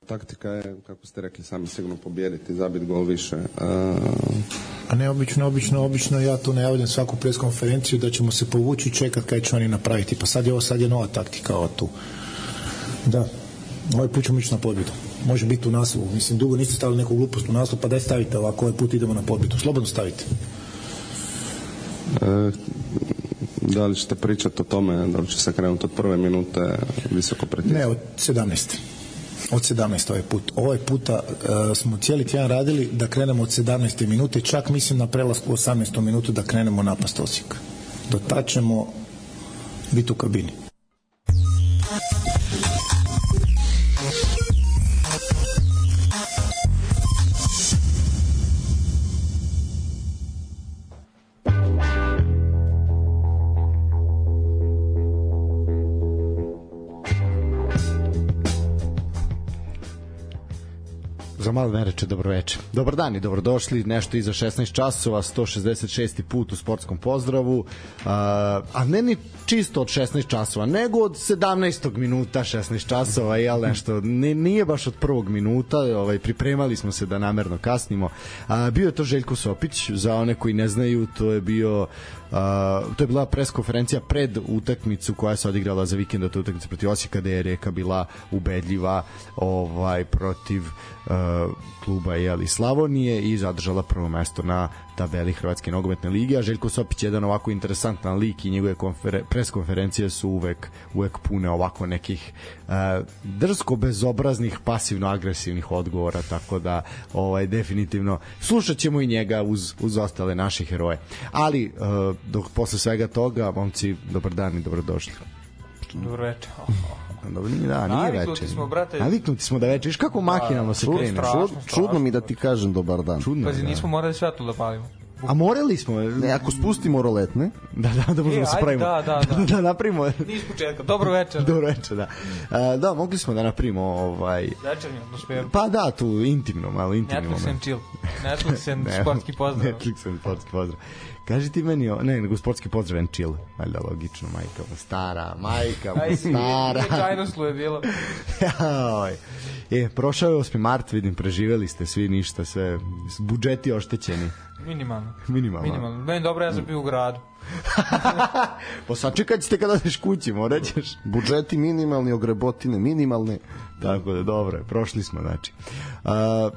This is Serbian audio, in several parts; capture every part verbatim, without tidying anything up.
Taktika je, kako ste rekli sami, sigurno pobijediti, zabiti gol više. A, A ne obično, obično, obično ja to najavljam svaku preskonferenciju da ćemo se povući i čekati kaj će oni napraviti. Pa sad je ovo, sad je nova taktika ovo tu. Da, ovaj put ćemo ići na pobjedu. Može biti u naslovu. Mislim, dugo niste stavili neku glupost u naslov, pa daj stavite ovako, ovaj put idemo na pobjedu. Slobodno stavite. e, da li ćete pričati o tome, da li će se krenuti od prve minute visoko pritisku? Ne, od sedamnaeste. Od sedamnaeste ovaj put. Ovaj puta uh, smo cijeli tjedan radili da krenemo od sedamnaeste minute, čak mislim na prelasku u osamnaestu minutu da krenemo napast Osijeka. Do tad ćemo biti u kabini. Za malo ne reče dobro veče. Dobar dan i dobrodošli, nešto iza šesnaest časova, sto šezdeset šesti put u sportskom pozdravu, a, a ne ni čisto od šesnaest časova, nego od sedamnaestog minuta šesnaest časova, jel nešto, nije baš od prvog minuta, ovaj, pripremali smo se da namerno kasnimo. A, bio je to Željko Sopić, za one koji ne znaju, to je bio Uh, to je bila preskonferencija pred utakmicu koja se odigrala za vikend, to je utakmica protiv Osijeka, gde je Rijeka bila ubedljiva ovaj, protiv uh, kluba jeli, Slavonije i zadržala prvo mesto na tabeli Hrvatske nogometne lige, a Željko Sopić je jedan ovako interesantan lik i njegove konferen- preskonferencije su uvek, uvek pune ovako nekih uh, drsko bezobraznih pasivno-agresivnih odgovora, tako da ovaj, definitivno slušat ćemo i njega uz, uz ostale naše heroje. Ali uh, dok posle svega toga, momci, dobar dan i dobrodošli. Dobro večer. Dobro, nije, da, nije veče. Naviknuti smo, brate. Naviknuti smo da veče. Viš kako mahinalno se krene. Strašno, Čud, čudno mi da ti kažem dobar dan. Čudno, Pazi, da. nismo morali svetlo da palimo. A morali smo. Ne, ako spustimo roletne. Da, da, da možemo E, se ajde, pravimo. da, da, da. da napravimo. Niz početka. Dobro večer. Dobro večer, da. A, da, mogli smo da napravimo ovaj... Večernju atmosferu. Pa da, tu intimno, malo intimno. Netflix and chill. Netflix and sportski pozdrav. Netflix and sportski pozdrav. Kaži ti meni, o, ne, nego sportski pozdrav and chill. Valjda logično, majka mu stara, majka mu stara. Nije čajnoslu je bilo. Jaj. E, prošao je osmi mart, vidim, preživeli ste svi ništa, sve, budžeti oštećeni. Minimalno. Minimalno. Minimalno. Meni dobro, ja sam bio u gradu. Pa sačekat ćete kada odeš kući, morat ćeš. Budžeti minimalni, ogrebotine minimalne. Tako da, dobro je, prošli smo, znači. A,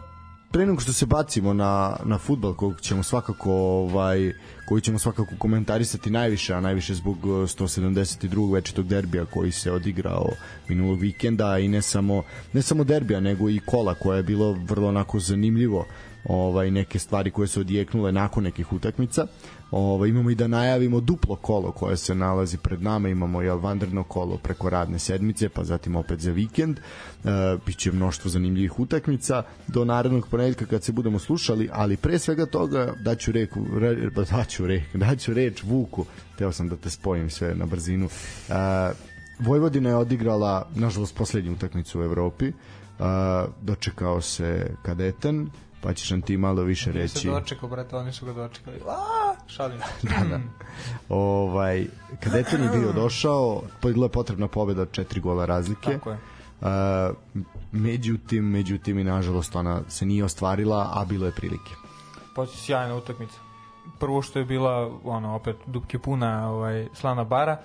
pre nego što se bacimo na, na fudbal kojeg ćemo svakako ovaj, koji ćemo svakako komentarisati najviše, a najviše zbog sto sedamdeset drugog večitog derbija koji se odigrao minulog vikenda i ne samo, ne samo derbija nego i kola koje je bilo vrlo onako zanimljivo, ovaj, neke stvari koje su odjeknule nakon nekih utakmica. Ovaj, imamo i da najavimo duplo kolo koje se nalazi pred nama, imamo jel, vanredno kolo preko radne sedmice, pa zatim opet za vikend. E, biće mnoštvo zanimljivih utakmica do narednog ponedeljka kad se budemo slušali, ali pre svega toga daću reku, re, daću reč, daću reč Vuku, teo sam da te spojim sve na brzinu. E, Vojvodina je odigrala nažalost poslednju utakmicu u Evropi, e, dočekao se Kadeten, pa ćeš nam ti malo više reći. Nisam dočekao, brate, oni su ga dočekali. Aaaa, šalim. Da, da. Ovaj, Kadeten je bio došao, bila je potrebna pobeda od četiri gola razlike. Tako je. Uh, međutim, međutim i nažalost ona se nije ostvarila, a bilo je prilike. Poslije sjajna utakmica. Prvo što je bila, ono, opet dupke puna ovaj, slana bara.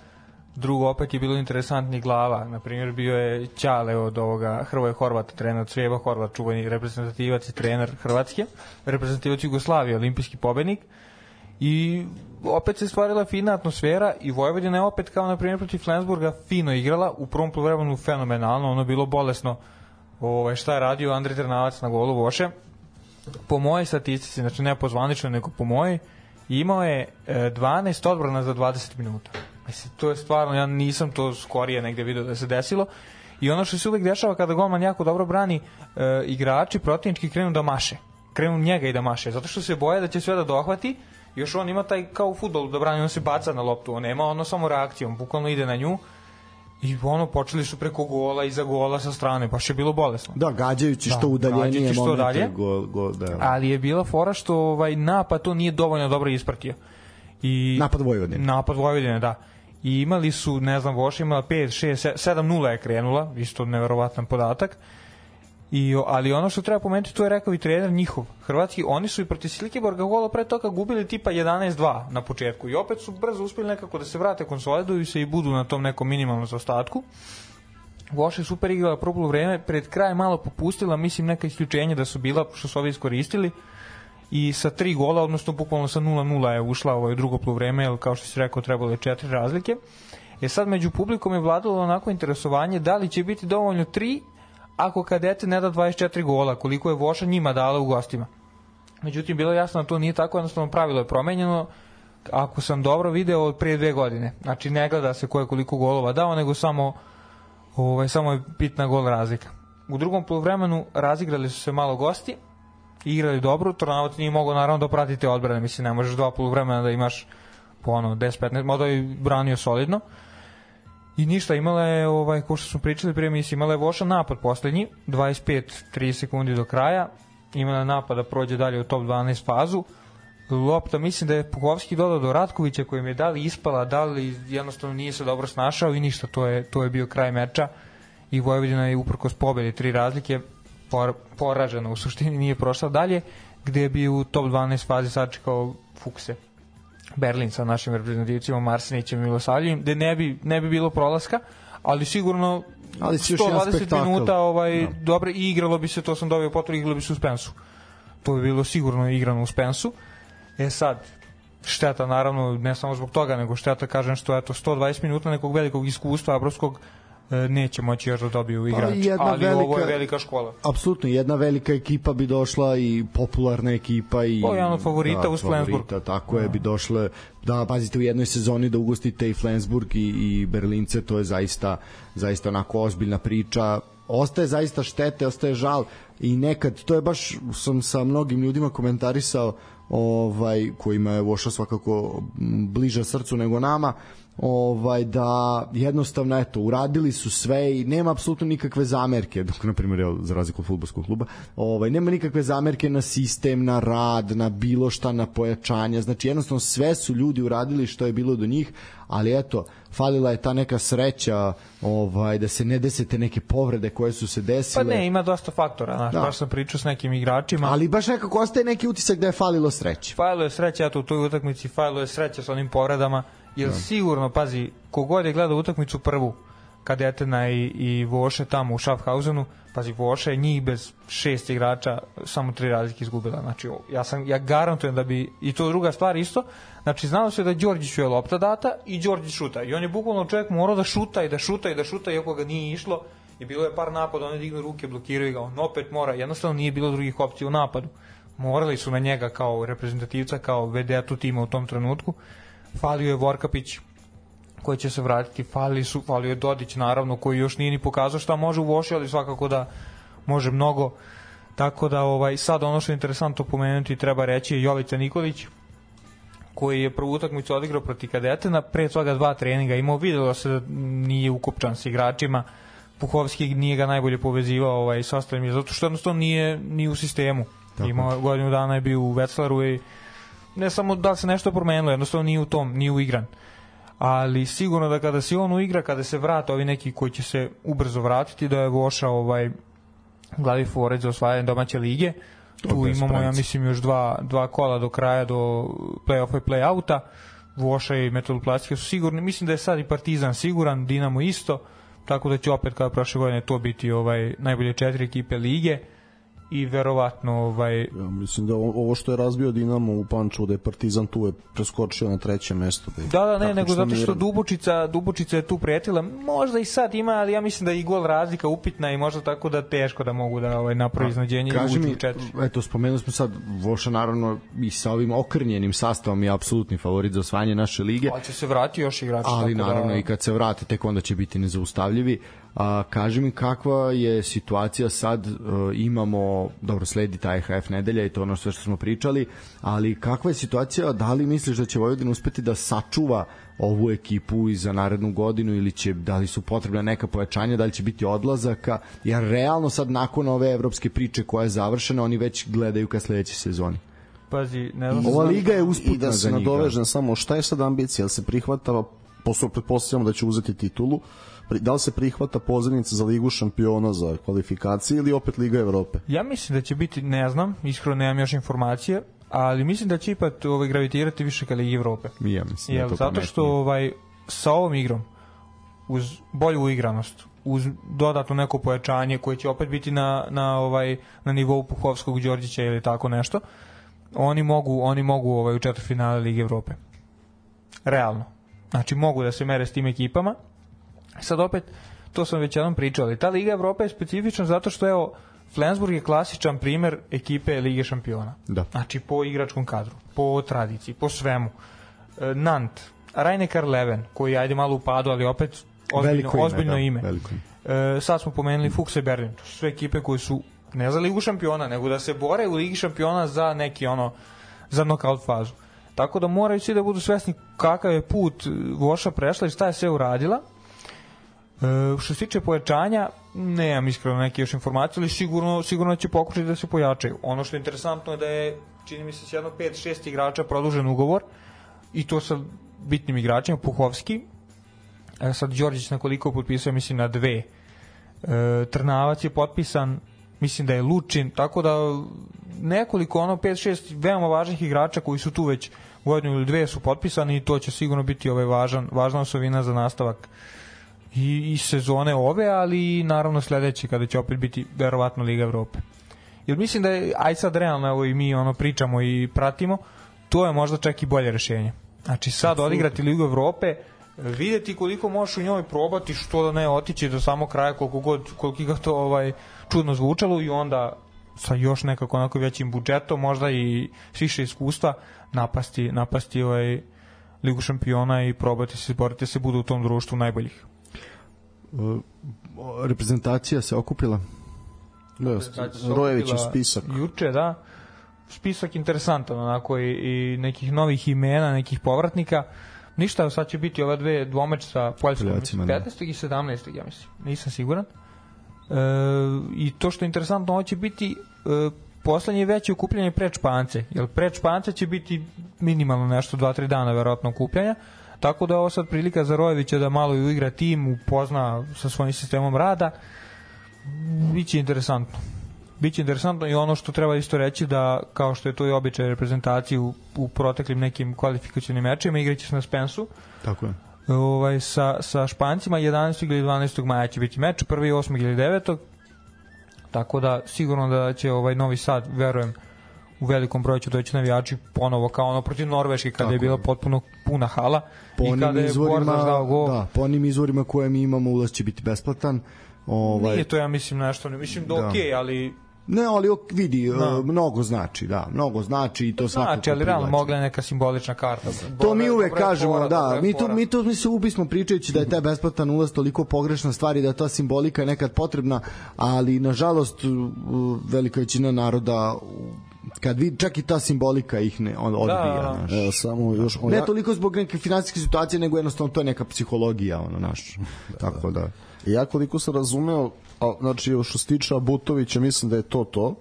Drugo, opet je bilo interesantnih glava. Naprimjer, bio je Ćale od ovoga Hrvoje Horvata, trener Crijeva Horvat, čuveni reprezentativac i trener Hrvatske, reprezentativac Jugoslavije, olimpijski pobednik. I opet se stvarila fina atmosfera i Vojvodina je opet, kao na primjer protiv Flensburga, fino igrala, u prvom poluvremenu fenomenalno, ono bilo bolesno. Ovaj, šta je radio Andrej Trnavac na golu Voše? Po mojoj statistici, znači ne po zvaničnoj, nego po mojoj, imao je dvanaest odbrana za dvadeset minuta. Mislim, to je stvarno, ja nisam to skorije negde vidio da se desilo. I ono što se uvek dešava kada golman jako dobro brani, e, igrači protivnički krenu da maše. Krenu njega i da maše, zato što se boje da će sve da dohvati. Još on ima taj, kao u fudbalu, da brani, on se baca na loptu, on nema ono samo reakcijom, bukvalno ide na nju. I ono, počeli su preko gola, iza gola sa strane, baš je bilo bolesno. Da, gađajući da, što udaljenije što momente. Dalje, go, go, da. Ali je bila fora što ovaj, napad to nije dovoljno dobro ispratio. I, napad Vojvodine. Napad Vojvodine, da. I imali su, ne znam, Voša imala pet, šest, sedam nula je krenula, isto neverovatan podatak. I, ali ono što treba pomenuti, to je rekao i trener njihov, hrvatski, oni su i protiv Silkeborga gola pre toga gubili tipa jedanaest dva na početku i opet su brzo uspeli nekako da se vrate, konsoliduju se i budu na tom nekom minimalnom zaostatku. Voša je super igrala prvo poluvreme, pred kraj malo popustila, mislim neka isključenja da su bila, što su ovi iskoristili, i sa tri gola, odnosno bukvalno sa nula nula je ušla ovo drugo poluvreme, jer kao što si rekao trebalo je četiri razlike. E sad među publikom je vladalo onako interesovanje da li će biti dovoljno tri ako Kadete ne da dvadeset četiri gola, koliko je Voša njima dala u gostima. Međutim, bilo je jasno da to nije tako, jednostavno pravilo je promenjeno, ako sam dobro video, od prije dve godine. Znači, ne gleda se ko je koliko golova dao, nego samo, ovaj, samo je bitna gol razlika. U drugom poluvremenu razigrali su se malo gosti, igrali dobro, Tornavac nije mogao naravno da pratite odbrane, mislim, ne možeš dva poluvremena da imaš po ono deset petnaest, možda je branio solidno. I ništa, imala je, ovaj, ko što smo pričali prije misli, imala je Voša napad poslednji, dvadeset pet trideset sekundi do kraja, imala je napad da prođe dalje u top dvanaest fazu. Lopta, mislim da je Puhovski dodao do Ratkovića, kojim je da li ispala, da li jednostavno nije se dobro snašao i ništa, to je, to je bio kraj meča i Vojvodina je uprkos pobedi tri razlike por, poražena, u suštini nije prošla dalje, gde bi u top dvanaest fazi sačekao Fukse. Berlin sa našim reprezentativcima Marsenićem i Milosavljivim, gde ne bi, ne bi bilo prolaska, ali sigurno ali sto dvadeset minuta ovaj, no. Dobro, i igralo bi se, to sam dobio potvrdu, igralo bi se u Spensu. To bi bilo sigurno igrano u Spensu. E sad, šteta naravno, ne samo zbog toga, nego šteta, kažem, što eto, sto dvadeset minuta nekog velikog iskustva Abrovskog neće moći još da dobiju igrači, pa ali velika, ovo je velika škola. Apsolutno, jedna velika ekipa bi došla i popularna ekipa i o, jedan od favorita da, uz Flensburg. Tako je, bi došle, da pazite u jednoj sezoni da ugostite i Flensburg i, i Berlince, to je zaista, zaista onako ozbiljna priča. Ostaje zaista štete, ostaje žal i nekad, to je baš, sam sa mnogim ljudima komentarisao, ovaj, kojima je Voša svakako bliža srcu nego nama, ovaj, da jednostavno eto, uradili su sve i nema apsolutno nikakve zamerke, dok na primjer za razliku od fudbalskog kluba, ovaj, nema nikakve zamerke na sistem, na rad, na bilo šta, na pojačanja, znači jednostavno sve su ljudi uradili što je bilo do njih, ali eto, falila je ta neka sreća, ovaj, da se ne desete neke povrede koje su se desile. Pa ne, ima dosta faktora, znaš, da. Baš sam pričao s nekim igračima. Ali baš nekako ostaje neki utisak da je falilo sreće. Falilo je sreća, eto u toj utakmici falilo je sreća sa onim povredama, jer da. Sigurno, pazi, kogod je gledao utakmicu prvu, Kadetena i, i Voše tamo u Schaffhausenu, pazi, Voša je njih bez šest igrača samo tri razlike izgubila, znači ja, sam, ja garantujem da bi, i to druga stvar isto, znači znalo se da Đorđiću je lopta data i Đorđić šuta i on je bukvalno čovjek morao da šuta i da šuta i da šuta iako ga nije išlo i bilo je par napada, on je dignu ruke, blokiraju ga, on opet mora, jednostavno nije bilo drugih opcija u napadu, morali su na njega kao reprezentativca, kao vedetu tima u tom trenutku. Falio je Vorkapić koji će se vratiti, falili su, falio je Dodić naravno koji još nije ni pokazao šta može u Voši, ali svakako da može mnogo, tako da ovaj, sad ono što je interesantno pomenuti treba reći je Jovica Nikolić koji je prvu utakmicu odigrao protiv Kadetena, pre toga dva treninga imao, videlo se da nije ukopčan s igračima, Puhovski nije ga najbolje povezivao ovaj, s ostalim, zato što jednostavno nije ni u sistemu. Tako. Imao godinu dana je bio u Veclaru i ne samo da se nešto promenilo, jednostavno nije u tom, nije uigran. Ali sigurno da kada se on uigra, kada se vrate ovi neki koji će se ubrzo vratiti, da je Voša ovaj, glavi favorit za osvajanje domaće lige. Tu to imamo, ja mislim, još dva, dva kola do kraja, do play-offa i play-outa. Voša i Metaloplastika su sigurni. Mislim da je sad i Partizan siguran, Dinamo isto, tako da će opet kao prošle godine to biti ovaj, najbolje četiri ekipe lige. I verovatno ovaj ja mislim da ovo što je razbio Dinamo u Pančevu, da je Partizan tu je preskočio na treće mesto, da, da, da ne, nego zato što Dubočica Dubočica je tu pretila, možda i sad ima, ali ja mislim da je i gol razlika upitna i možda tako da teško da mogu da ovaj napravi iznadženje i uđu u četiri. Eto, spomenuli smo sad Voša naravno i sa ovim okrnjenim sastavom je apsolutni favorit za osvajanje naše lige. Ali će se vratiti još igrači, ali tako naravno da... i kad se vrate tek onda će biti nezaustavljivi. A, kaži mi kakva je situacija sad, uh, imamo, dobro, sledi ta E H F nedelja i to ono sve što smo pričali, ali kakva je situacija, da li misliš da će Vojvodina uspeti da sačuva ovu ekipu i za narednu godinu ili će, da li su potrebna neka pojačanja, da li će biti odlazaka, jer realno sad nakon ove evropske priče koja je završena, oni već gledaju ka sledećoj sezoni. Pazi, ne znam. Ova liga je usputna i da se za njih. nadovežem samo, šta je sad ambicija, jel se prihvata posle pretpostavljamo da će uzeti titulu, da li se prihvata pozivnica za Ligu šampiona za kvalifikacije ili opet Liga Evrope? Ja mislim da će biti, ne znam, iskreno nemam još informacije, ali mislim da će ipak ovaj, gravitirati više ka Ligi Evrope. Ja mislim Jel, da to zato što ovaj, sa ovom igrom, uz bolju uigranost, uz dodatno neko pojačanje koje će opet biti na, na, ovaj, na nivou Puhovskog, Đorđića ili tako nešto, oni mogu, oni mogu ovaj, u četvrtfinale Lige Evrope. Realno. Znači mogu da se mere s tim ekipama. Sad opet, to sam već jednom pričao, ali ta Liga Evrope je specifična zato što evo, Flensburg je klasičan primer ekipe Lige šampiona. Da. Znači po igračkom kadru, po tradiciji, po svemu. E, Nant, Rhein-Neckar Leven, koji ajde malo u padu, ali opet ozbiljno, veliko ime, ozbiljno da, ime. veliko ime. E, sad smo pomenuli Fuchse Berlin, to su sve ekipe koje su ne za Ligu šampiona, nego da se bore u Ligi šampiona za neki ono, za knockout fazu. Tako da moraju svi da budu svesni kakav je put Voša prešla i šta je sve uradila. E, što se tiče pojačanja, nemam iskreno neke još informacije, ali sigurno, sigurno će pokušati da se pojačaju. Ono što je interesantno je da je, čini mi se, s jedno pet šest igrača produžen ugovor i to sa bitnim igračima, Puhovski, e, sad Đorđić na koliko potpisao, mislim na dve. E, Trnavac je potpisan, mislim da je Lučin, tako da nekoliko, ono pet šest veoma važnih igrača koji su tu već godinu ili dve su potpisani i to će sigurno biti ovaj važan, važna osovina za nastavak i, i sezone ove, ali i naravno sledeće kada će opet biti verovatno Liga Evrope. Jer mislim da je, aj sad realno, evo i mi ono pričamo i pratimo, to je možda čak i bolje rešenje. Znači sad odigrati Ligu Evrope, videti koliko možeš u njoj probati, što da ne otići do samog kraja, koliko god, koliko ga to ovaj, čudno zvučalo i onda sa još nekako onako većim budžetom, možda i više iskustva, napasti, napasti ovaj Ligu šampiona i probati se, boriti se, budu u tom društvu najboljih. Reprezentacija se okupila? Da, Rojevićev spisak. Juče, da. Spisak interesantan, onako i, i nekih novih imena, nekih povratnika. Ništa, sad će biti ova dve dvomeč sa Poljskom, petnaestog i sedamnaestog ja mislim, nisam siguran. E, I to što je interesantno, ovo će biti e, poslednje veće okupljanje pred Špance, jer pred Špance će biti minimalno nešto, dva tri dana verovatno okupljanja, tako da je ovo sad prilika za Rojevića da malo i uigra tim, upozna sa svojim sistemom rada. Biće interesantno. Biće interesantno i ono što treba isto reći da, kao što je to i običaj reprezentacije u, u proteklim nekim kvalifikacionim mečima, igraće se na Spensu. Tako je. Ovaj, sa, sa Špancima jedanaestog ili dvanaestog maja će biti meč, prvi osmog ili devetog Tako da sigurno da će ovaj Novi Sad, verujem, u velikom broju će doći navijači ponovo kao ono protiv Norveške kada tako je bila potpuno puna hala po i kada je Bordaš dao gol. Da, po onim izvorima koje mi imamo ulaz će biti besplatan. Ovaj... Nije to ja mislim nešto, ne mislim da, da. okej, okay, ali ne, ali vidi, uh, mnogo znači, da, mnogo znači i to znači, svakako. Znači, ali realno mogla je neka simbolična karta. To Bore, mi uvek kažemo, fora, da, mi to, mi to mi se ubismo pričajući da je taj besplatan ulaz toliko pogrešna stvar i da ta simbolika je nekad potrebna, ali nažalost velika većina naroda kad vidi, čak i ta simbolika ih ne on, odbija. Da, Evo, samo još, ne ja... toliko zbog neke finansijske situacije, nego jednostavno to je neka psihologija, ono, naš. Da, tako da. Ja koliko sam razumeo, a, znači što se tiče Butovića, mislim da je to to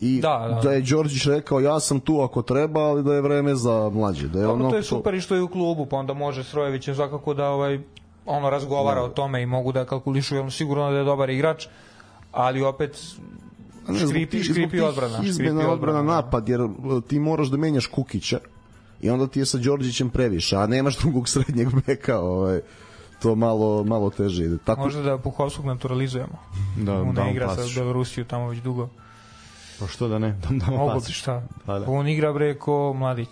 i da, da. da je Đorđić rekao ja sam tu ako treba, ali da je vreme za mlađe, da je ono to je super i što je u klubu, pa onda može s Rojevićem svakako da ovaj ono razgovara da. o tome i mogu da kalkulišu, jer sigurno da je dobar igrač, ali opet škripi, škripi odbrana, izmena odbrana napad, jer ti moraš da menjaš Kukića i onda ti je sa Đorđićem previše, a nemaš drugog srednjeg beka, ovaj to malo, malo teže ide. Tako... Možda da Puhovskog naturalizujemo. Da, on ne igra sa Belorusiju tamo već dugo. Pa što da ne? Da, da mogu ti šta? Pa da. On igra bre ko Mladić.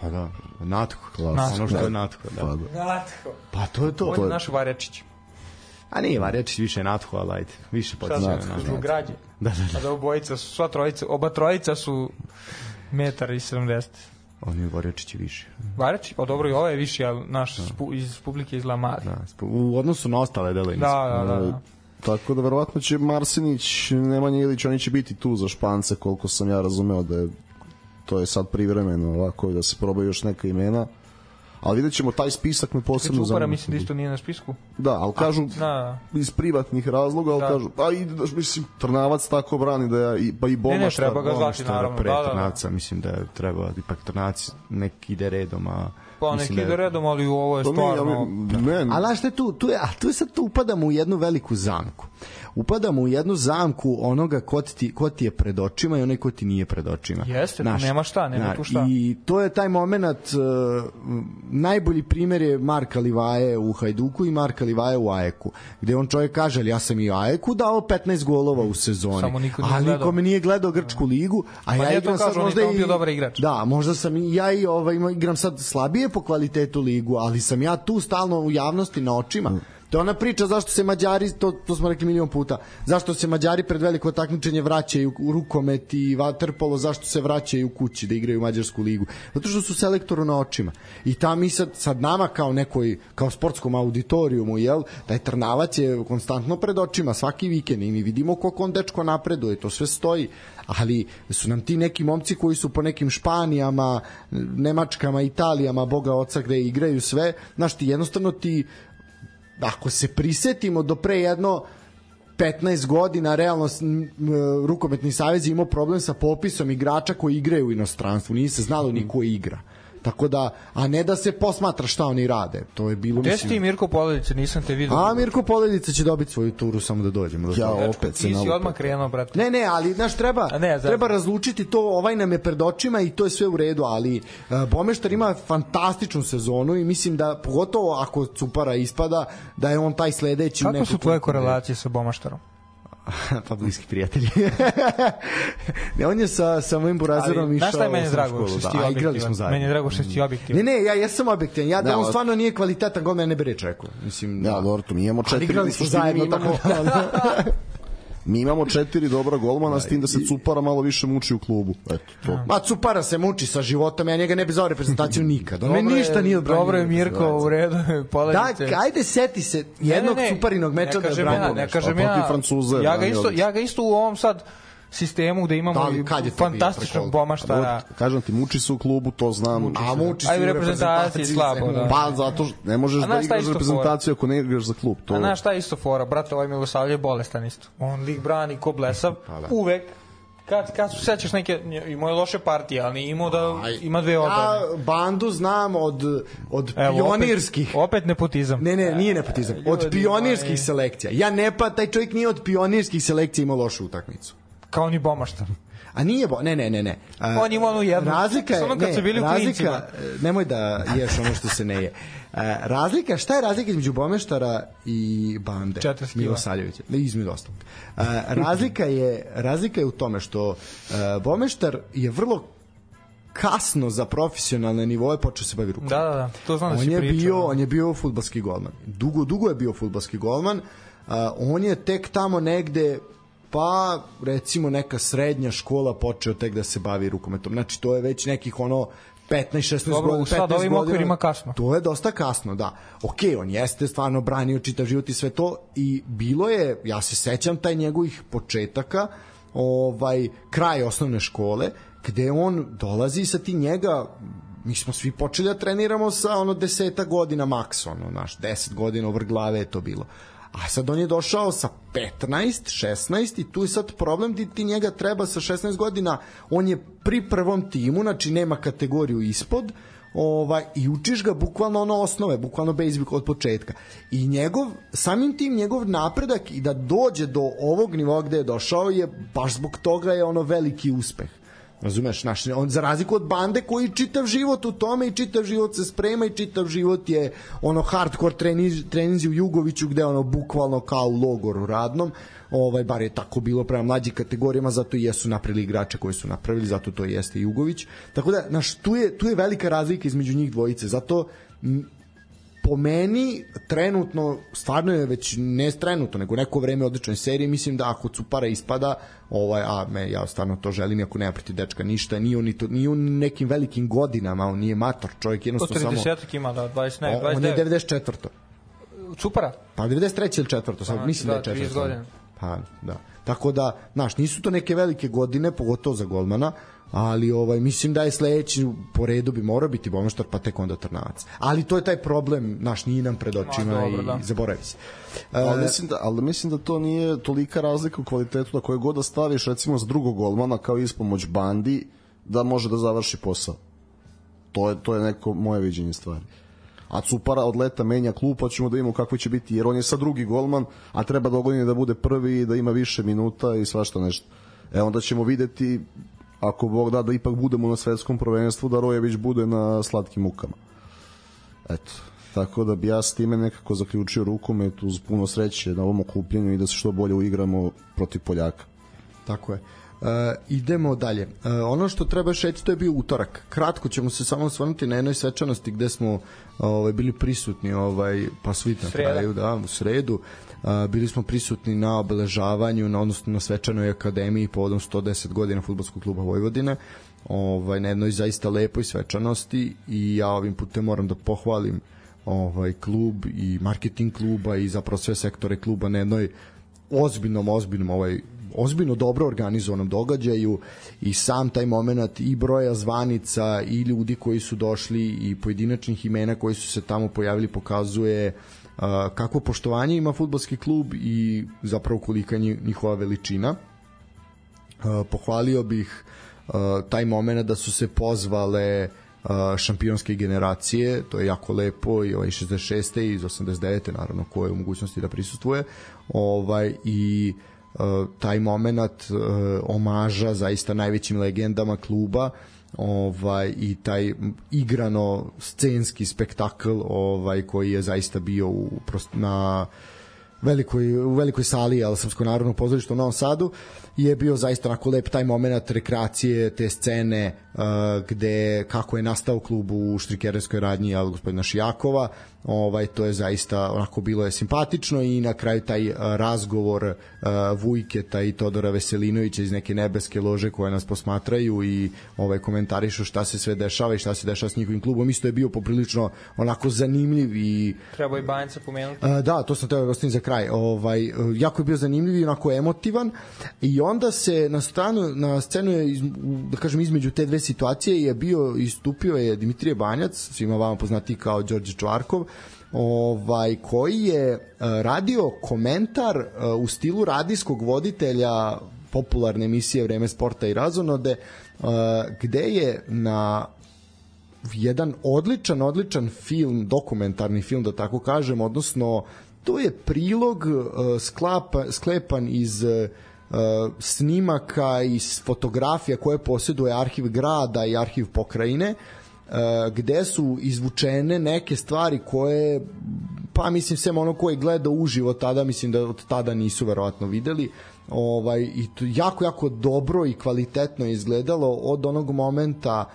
Pa da, Natko. Natko. Ono što je Natko. Da. Pa, da. Natko. Pa to je to. On je naš Varjačić. A nije Varjačić, više je Natko, ali ajde. Više potiče na Natko. Zbog građe. Da, da, da. A da obojica su, sva trojica, oba trojica su metar i sedamdeset. On je Varjačić više. Varjačić? Pa dobro i ovo je više, ali naš spu, iz publike iz Lamari. Da, u odnosu na ostale dele. Da, da, da, da. Tako da verovatno će Marsenić, Nemanja Ilić, oni će biti tu za Špance, koliko sam ja razumeo da je to je sad privremeno ovako da se probaju još neka imena. Ali vidjet ćemo, taj spisak me posebno zanima. Čupara mislim da isto nije na spisku. Da, ali kažu a, iz privatnih razloga, ali da. kažu, a i mislim, Trnavac tako brani da ja, i, pa i Boma ne, ne, treba ga zvati, naravno. Pre da, Trnavca, mislim da treba, ipak Trnavac nek ide redom, a Pa neki ide redom, ali ovo je To mi, stvarno... ali, ne, Ali znaš šta je tu, tu je, a tu je sad tu upadamo u jednu veliku zamku. Upadamo u jednu zamku onoga ko ti, ko ti je pred očima i onaj ko ti nije pred očima. Jeste, Znaš, tu nema šta, nema znaš, tu šta. I to je taj moment, uh, najbolji primjer je Marka Livaje u Hajduku i Marka Livaje u Ajeku, gde on čovjek kaže, ali ja sam i Ajeku dao petnaest golova u sezoni, Samo niko nije ali gledao. niko me nije gledao Grčku ligu, a Pa ja nije igram to sad kažu, on je možda tamo i... bio dobar igrač. Da, možda sam i ja i ovaj, igram sad slabije po kvalitetu ligu, ali sam ja tu stalno u javnosti na očima. To je ona priča zašto se Mađari, to, to smo rekli milion puta, zašto se Mađari pred veliko takmičenje vraćaju u rukomet i vaterpolo, zašto se vraćaju kući da igraju u Mađarsku ligu. Zato što su selektoru na očima. I ta mi sad, sad nama kao nekoj, kao sportskom auditorijumu, jel, taj Trnavac je konstantno pred očima svaki vikend i mi vidimo koliko on dečko napreduje, to sve stoji. Ali su nam ti neki momci koji su po nekim Španijama, Nemačkama, Italijama, Boga oca gde igraju sve, znaš ti jednostavno ti ako se prisetimo do pre jedno petnaest godina realno rukometni savez je imao problem sa popisom igrača koji igraju u inostranstvu, nije se znalo ni ko igra. Tako da, a ne da se posmatra šta oni rade. To je bilo, Gde mislim... si ti Mirko Poledica, nisam te vidio. A Mirko Poledica će dobiti svoju turu samo da dođemo. Ja opet se Ti si nalupam. odmah krenuo, brate. Ne, ne, ali znaš, treba, ne, treba razlučiti to, ovaj nam je pred očima i to je sve u redu, ali uh, Bomeštar ima fantastičnu sezonu i mislim da, pogotovo ako Cupara ispada, da je on taj sledeći... Kako su tvoje korelacije sa Bomaštarom? Pa bliski prijatelji. Ne, on je sa, sa mojim burazerom išao... Znaš šta je meni drago što si ti da, igrali smo objektivan? zajedno. Meni je drago što si ti objektivan. Ne, ne, ja jesam objektivan. Ja da, Da, on od- stvarno nije kvalitetan gol, mene ne bi reč rekao. Mislim, Ja, dobro, to mi imamo ali četiri, igrali u smo suštini zajedno, mi imamo, tako da... mi imamo četiri dobra golmana, s tim da se Cupara malo više muči u klubu. Eto, to. Ma Cupara se muči sa životom, ja njega ne bi zao reprezentaciju nikad. On me Dobro je- ništa nije odbranio. Dobro je Mirko u redu, Da, Poledice. ajde seti se jednog Ne, ne, ne. Cuparinog meča Ne da je kažem branio ja, ne nešto. kažem A protiv ja. Francuza je Ja ga branio isto, odlično. ja ga isto u ovom sad sistemu gde imamo Da, ali kad je to bio fantastičnog preko- Bomaštara. Kažem ti, muči se u klubu, to znam. A muči se Ajde, u u reprezentaciji slabo, da. Pa zato što ne možeš A da znaš šta igraš isto za reprezentaciju ako ne igraš za klub. To... A znaš šta je isto fora? Brate, ovaj Milosavlje je bolestan isto. On lik brani ko blesav. Uvek. Kad, kad se sećaš neke, imao je loše partije, ali imao da ima dve odbrane. Ja bandu znam od, od Evo, pionirskih. Opet, opet nepotizam. Ne, ne, nije nepotizam. Od Ljudi pionirskih moji. selekcija. Ja ne pa, taj čovjek nije od pionirskih selekcija imao lošu utakmicu. Kao ni Bomaštar. A nije bo, ne, ne, ne, ne. A, On ima onu jednu. Razlika je, Samo kad ne, su bili u klincima. razlika, nemoj da ješ ono što se ne je. A, razlika, šta je razlika između Bomeštara i bande? četrdeset kila. Milosavljevića, ne, između ostalog. A, razlika je, razlika je u tome što a, Bomeštar je vrlo kasno za profesionalne nivoe počeo se bavi rukom. Da, da, da. To znam da On si je pričao. bio, on je bio fudbalski golman. Dugo, dugo je bio fudbalski golman. Uh, on je tek tamo negde pa recimo neka srednja škola počeo tek da se bavi rukometom. Znači to je već nekih ono petnaest šesnaest Dobro, godina, u sad petnaest ovim godina. okvirima kasno. To je dosta kasno, da. Ok, on jeste stvarno branio čitav život i sve to i bilo je, ja se sećam taj njegovih početaka, ovaj kraj osnovne škole, gde on dolazi sa ti njega, mi smo svi počeli da treniramo sa ono deseta godina maks, ono, naš, deset godina over glave je to bilo. A sad on je došao sa petnaest, šesnaest i tu je sad problem di ti njega treba sa šesnaest godina, on je pri prvom timu, znači nema kategoriju ispod, ovaj, i učiš ga bukvalno ono osnove, bukvalno basic od početka. I njegov, samim tim njegov napredak i da dođe do ovog nivoa gde je došao je, baš zbog toga je ono veliki uspeh. Razumeš, naš, on za razliku od bande koji čitav život u tome i čitav život se sprema i čitav život je ono hardcore treniz, treninzi u Jugoviću gde ono bukvalno kao u logoru radnom, ovaj, bar je tako bilo prema mlađim kategorijama, zato i jesu napravili igrače koji su napravili, zato to jeste Jugović. Tako da, naš, tu je, tu je velika razlika između njih dvojice, zato m, po meni trenutno, stvarno je već ne trenutno, nego neko vreme odličnoj seriji, mislim da ako Cupara ispada, ovaj, a me, ja stvarno to želim, ako nema protiv dečka ništa, nije on, ni to, nije on nekim velikim godinama, on nije mator, čovjek jednostavno samo... trideset ima, da, dvadeset, ne, on je dvadeset devet. devedeset četvrto Cupara? Pa devedeset treće ili četvrto, sad Pa, mislim da, da je trideset četvrto. godina. Pa, da. Tako da, znaš, nisu to neke velike godine, pogotovo za golmana, ali ovaj mislim da je sledeći po redu bi morao biti Bomaštar, pa tek onda Trnavac. Ali to je taj problem, naš nije nam pred očima Ma, dobro, i da. zaboravi se. Ali E, mislim, da, ali mislim da to nije tolika razlika u kvalitetu da koje god da staviš recimo s drugog golmana kao ispomoć bandi da može da završi posao. To je, to je neko moje viđenje stvari. A Cupara od leta menja klub, pa ćemo da imamo kako će biti, jer on je sad drugi golman, a treba dogodine da bude prvi i da ima više minuta i svašta nešto. E onda ćemo videti, ako Bog da, da ipak budemo na svetskom prvenstvu, da Rojević bude na slatkim mukama. Eto, tako da bi ja s time nekako zaključio rukomet uz puno sreće na ovom okupljenju i da se što bolje uigramo protiv Poljaka. Tako je. Uh, idemo dalje. Uh, ono što treba šeti, to je bio utorak. Kratko ćemo se samo osvrnuti na jednoj svečanosti gde smo ovaj, bili prisutni, ovaj, pa svi na kraju, da, u sredu. Uh, bili smo prisutni na obeležavanju, na, odnosno na svečanoj akademiji povodom sto deset godina Fudbalskog kluba Vojvodine. Ovaj, na jednoj zaista lepoj svečanosti i ja ovim putem moram da pohvalim ovaj klub i marketing kluba i zapravo sve sektore kluba na jednoj ozbiljnom, ozbiljnom ovaj ozbiljno dobro organizovanom događaju i sam taj moment i broja zvanica i ljudi koji su došli i pojedinačnih imena koji su se tamo pojavili pokazuje uh, kakvo poštovanje ima fudbalski klub i zapravo kolika je njihova veličina. Uh, pohvalio bih uh, taj moment da su se pozvale uh, šampionske generacije, to je jako lepo, i ovaj šezdeset šeste i iz osamdeset devete naravno ko je u mogućnosti da prisustvuje, ovaj i Uh, taj moment uh, omaža zaista najvećim legendama kluba, ovaj i taj igrano scenski spektakl ovaj koji je zaista bio u prost, na velikoj u velikoj sali al Srpskog narodnog pozorišta u Novom Sadu je bio zaista onako lep taj moment rekreacije, te scene uh, gde kako je nastao klub u štrikerenskoj radnji al gospodina Šijakova, ovaj to je zaista onako bilo je simpatično i na kraju taj uh, razgovor uh, Vujketa i Todora Veselinovića iz neke nebeske lože koje nas posmatraju i ovaj komentarišu šta se sve dešava i šta se dešava s njihovim klubom, isto je bio poprilično onako zanimljiv i treba i Banjca pomenuti. Uh, da, to sam teo da ostavim za kraj. Ovaj uh, jako je bio zanimljiv i onako emotivan i onda se na stranu na scenu je iz, da kažem između te dve situacije je bio istupio je Dimitrije Banjac, svima vama poznati kao Đorđe Čvarkov, ovaj koji je uh, radio komentar uh, u stilu radijskog voditelja popularne emisije Vreme sporta i razonode, uh, gde je na jedan odličan, odličan film, dokumentarni film da tako kažem, odnosno to je prilog uh, sklapa, sklepan iz uh, snimaka i fotografija koje posjeduje arhiv grada i arhiv pokrajine, uh, gde su izvučene neke stvari koje, pa mislim sem ono koji gleda uživo tada, mislim da od tada nisu verovatno videli, ovaj, i to jako, jako dobro i kvalitetno je izgledalo od onog momenta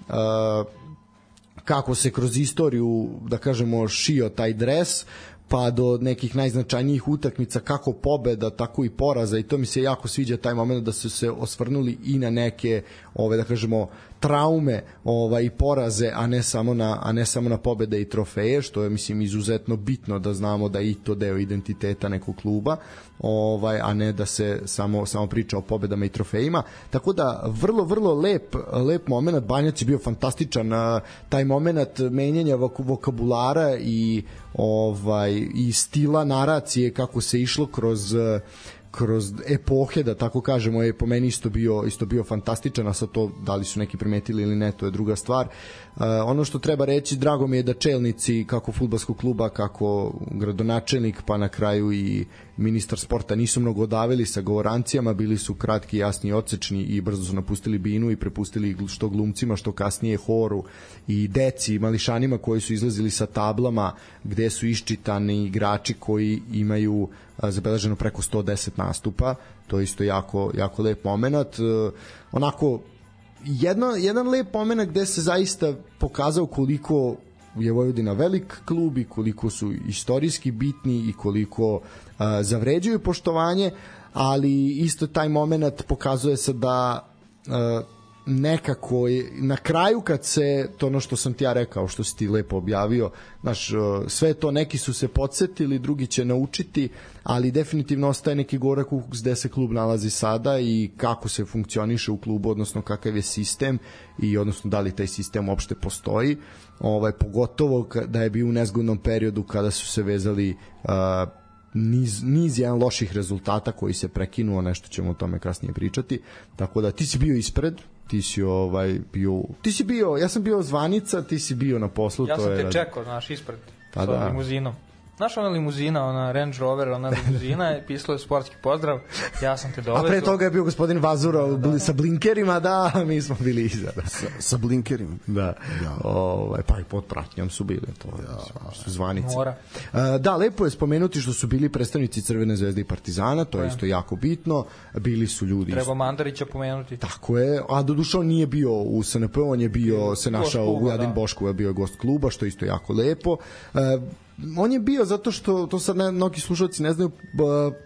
uh, kako se kroz istoriju, da kažemo, šio taj dres, pa do nekih najznačajnijih utakmica, kako pobeda, tako i poraza, i to mi se jako sviđa taj moment da su se osvrnuli i na neke, ove da kažemo, traume, ovaj i poraze, a ne samo na a ne samo na pobede i trofeje, što je mislim izuzetno bitno da znamo da i to deo identiteta nekog kluba, ovaj a ne da se samo samo priča o pobedama i trofejima. Tako da vrlo vrlo lep lep momenat. Banjac je bio fantastičan, taj momenat menjanja vokabulara i ovaj i stila naracije kako se išlo kroz kroz epohe, da tako kažemo, je po meni isto bio, isto bio fantastičan, a sad to da li su neki primetili ili ne, to je druga stvar. Uh, ono što treba reći, drago mi je da čelnici kako fudbalskog kluba, kako gradonačelnik, pa na kraju i ministar sporta nisu mnogo odavili sa govorancijama, bili su kratki, jasni i odsečni i brzo su napustili binu i prepustili što glumcima, što kasnije horu i deci, mališanima koji su izlazili sa tablama gde su iščitani igrači koji imaju zabeleženo preko sto deset nastupa. To je isto jako, jako lep moment. Onako, jedno, jedan lep moment gde se zaista pokazao koliko je Vojvodina velik klub i koliko su istorijski bitni i koliko uh, zavređuju poštovanje, ali isto taj moment pokazuje se da uh, nekako je, na kraju kad se to ono što sam ti ja rekao, što si ti lepo objavio, znaš, sve to neki su se podsjetili, drugi će naučiti, ali definitivno ostaje neki gorak ukus gde se klub nalazi sada i kako se funkcioniše u klubu, odnosno kakav je sistem i odnosno da li taj sistem uopšte postoji, ovaj, pogotovo da je bio u nezgodnom periodu kada su se vezali uh, niz, niz jedan loših rezultata koji se prekinuo, nešto ćemo o tome kasnije pričati, tako da ti si bio ispred, ti si ovaj bio ti si bio ja sam bio zvanica, ti si bio na poslu. Ja to sam je te rad... čekao, znaš, ispred pa sa da. limuzinom. Znaš ona limuzina, ona Range Rover, ona limuzina je pisalo je sportski pozdrav, ja sam te dovezao. A pre toga je bio gospodin Vazura da, da. sa blinkerima, da, mi smo bili iza. Da. Sa, sa blinkerima? Da. Ja. Ovaj, pa i pod pratnjom su bili, to ja. su zvanice. Mora. Da, lepo je spomenuti što su bili predstavnici Crvene zvezde i Partizana, to je isto jako bitno. Bili su ljudi... Treba Mandarića pomenuti. Tako je, a doduše on nije bio u S N P, on je bio, se našao u Vujadin Boškova, bio je gost kluba, što isto jako lepo. On je bio zato što, to sad ne, mnogi slušalci ne znaju,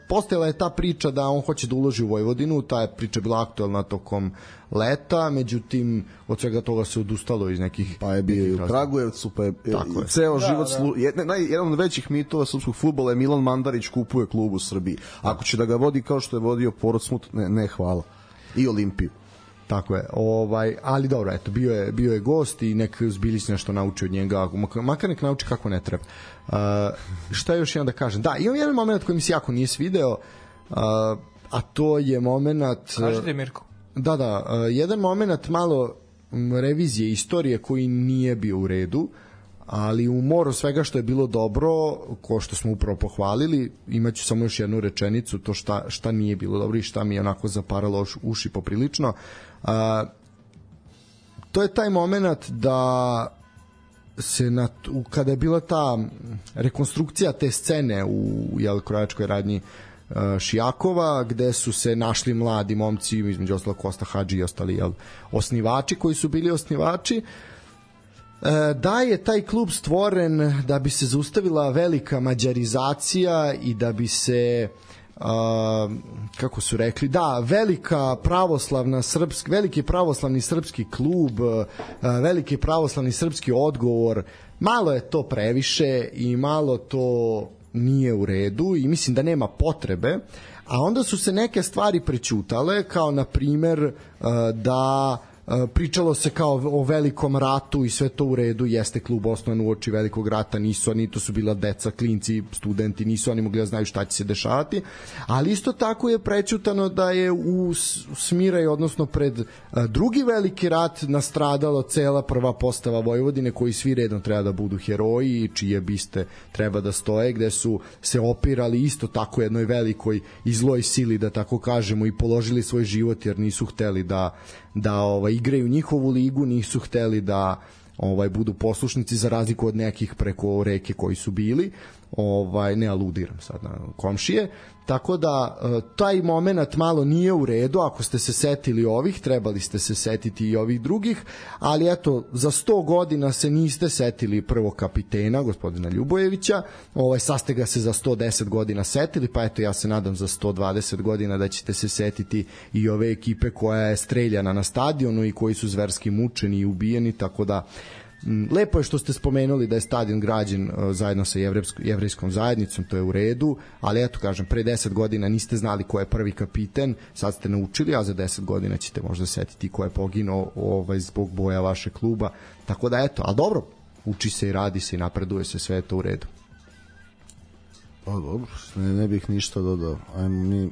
postojala je ta priča da on hoće da uloži u Vojvodinu, ta je priča bila aktualna tokom leta, međutim od svega toga se odustalo iz nekih... Pa je bio i u Kragujevcu, pa je, je ceo da, život... Da. Slu, jedan, jedan od većih mitova srpskog fudbala je Milan Mandarić kupuje klub u Srbiji. Ako će da ga vodi kao što je vodio Portsmouth, ne, ne hvala. I Olimpiju. Tako je, ovaj, ali dobro, eto, bio je, bio je gost i nek Zbilić nešto nauči od njega, makar nek nauči kako ne treba. Uh, šta još jedan da kažem? Da, imam jedan moment koji mi se jako nije svideo, uh, a to je moment... Kažete Mirko. Da, da, uh, jedan moment malo revizije istorije koji nije bio u redu, ali u moru svega što je bilo dobro, ko što smo upravo pohvalili, imaću samo još jednu rečenicu, to šta, šta nije bilo dobro i šta mi je onako zaparalo uši poprilično. A, to je taj moment da se na, u, kada je bila ta rekonstrukcija te scene u jel, krojačkoj radnji a, Šijakova, gde su se našli mladi momci, između ostalo Kosta Hadži i ostali jel, osnivači koji su bili osnivači, da je taj klub stvoren da bi se zaustavila velika mađarizacija i da bi se uh, kako su rekli, da, velika pravoslavna srpski, veliki pravoslavni srpski klub, uh, veliki pravoslavni srpski odgovor, malo je to previše i malo to nije u redu i mislim da nema potrebe, a onda su se neke stvari prećutale, kao na primer uh, da pričalo se kao o velikom ratu i sve to u redu, jeste klub osnovan uoči velikog rata, nisu oni, to su bila deca, klinci, studenti, nisu oni mogli da znaju šta će se dešavati, ali isto tako je prećutano da je u Smiraj, odnosno pred drugi veliki rat nastradalo cela prva postava Vojvodine, koji svi redom treba da budu heroji i čije biste treba da stoje, gde su se opirali isto tako jednoj velikoj i zloj sili, da tako kažemo, i položili svoj život jer nisu hteli da da ovaj igraju njihovu ligu, nisu hteli da ovaj budu poslušnici, za razliku od nekih preko reke koji su bili, ovaj ne aludiram sad na komšije, tako da taj moment malo nije u redu. Ako ste se setili ovih, trebali ste se setiti i ovih drugih, ali eto, za sto godina se niste setili prvog kapitena, gospodina Ljubojevića, ovaj, sad ste ga se za sto deset godina setili, pa eto, ja se nadam za sto dvadeset godina da ćete se setiti i ove ekipe koja je streljana na stadionu i koji su zverski mučeni i ubijeni, tako da lepo je što ste spomenuli da je stadion građen uh, zajedno sa jevrejskom zajednicom, to je u redu, ali eto kažem, pre deset godina niste znali ko je prvi kapiten, sad ste naučili, a za deset godina ćete možda setiti ko je poginuo ovaj, zbog boja vašeg kluba, tako da eto, ali dobro, uči se i radi se i napreduje se, sve je to u redu. Pa dobro, ne, ne bih ništa dodao, ajmo mi...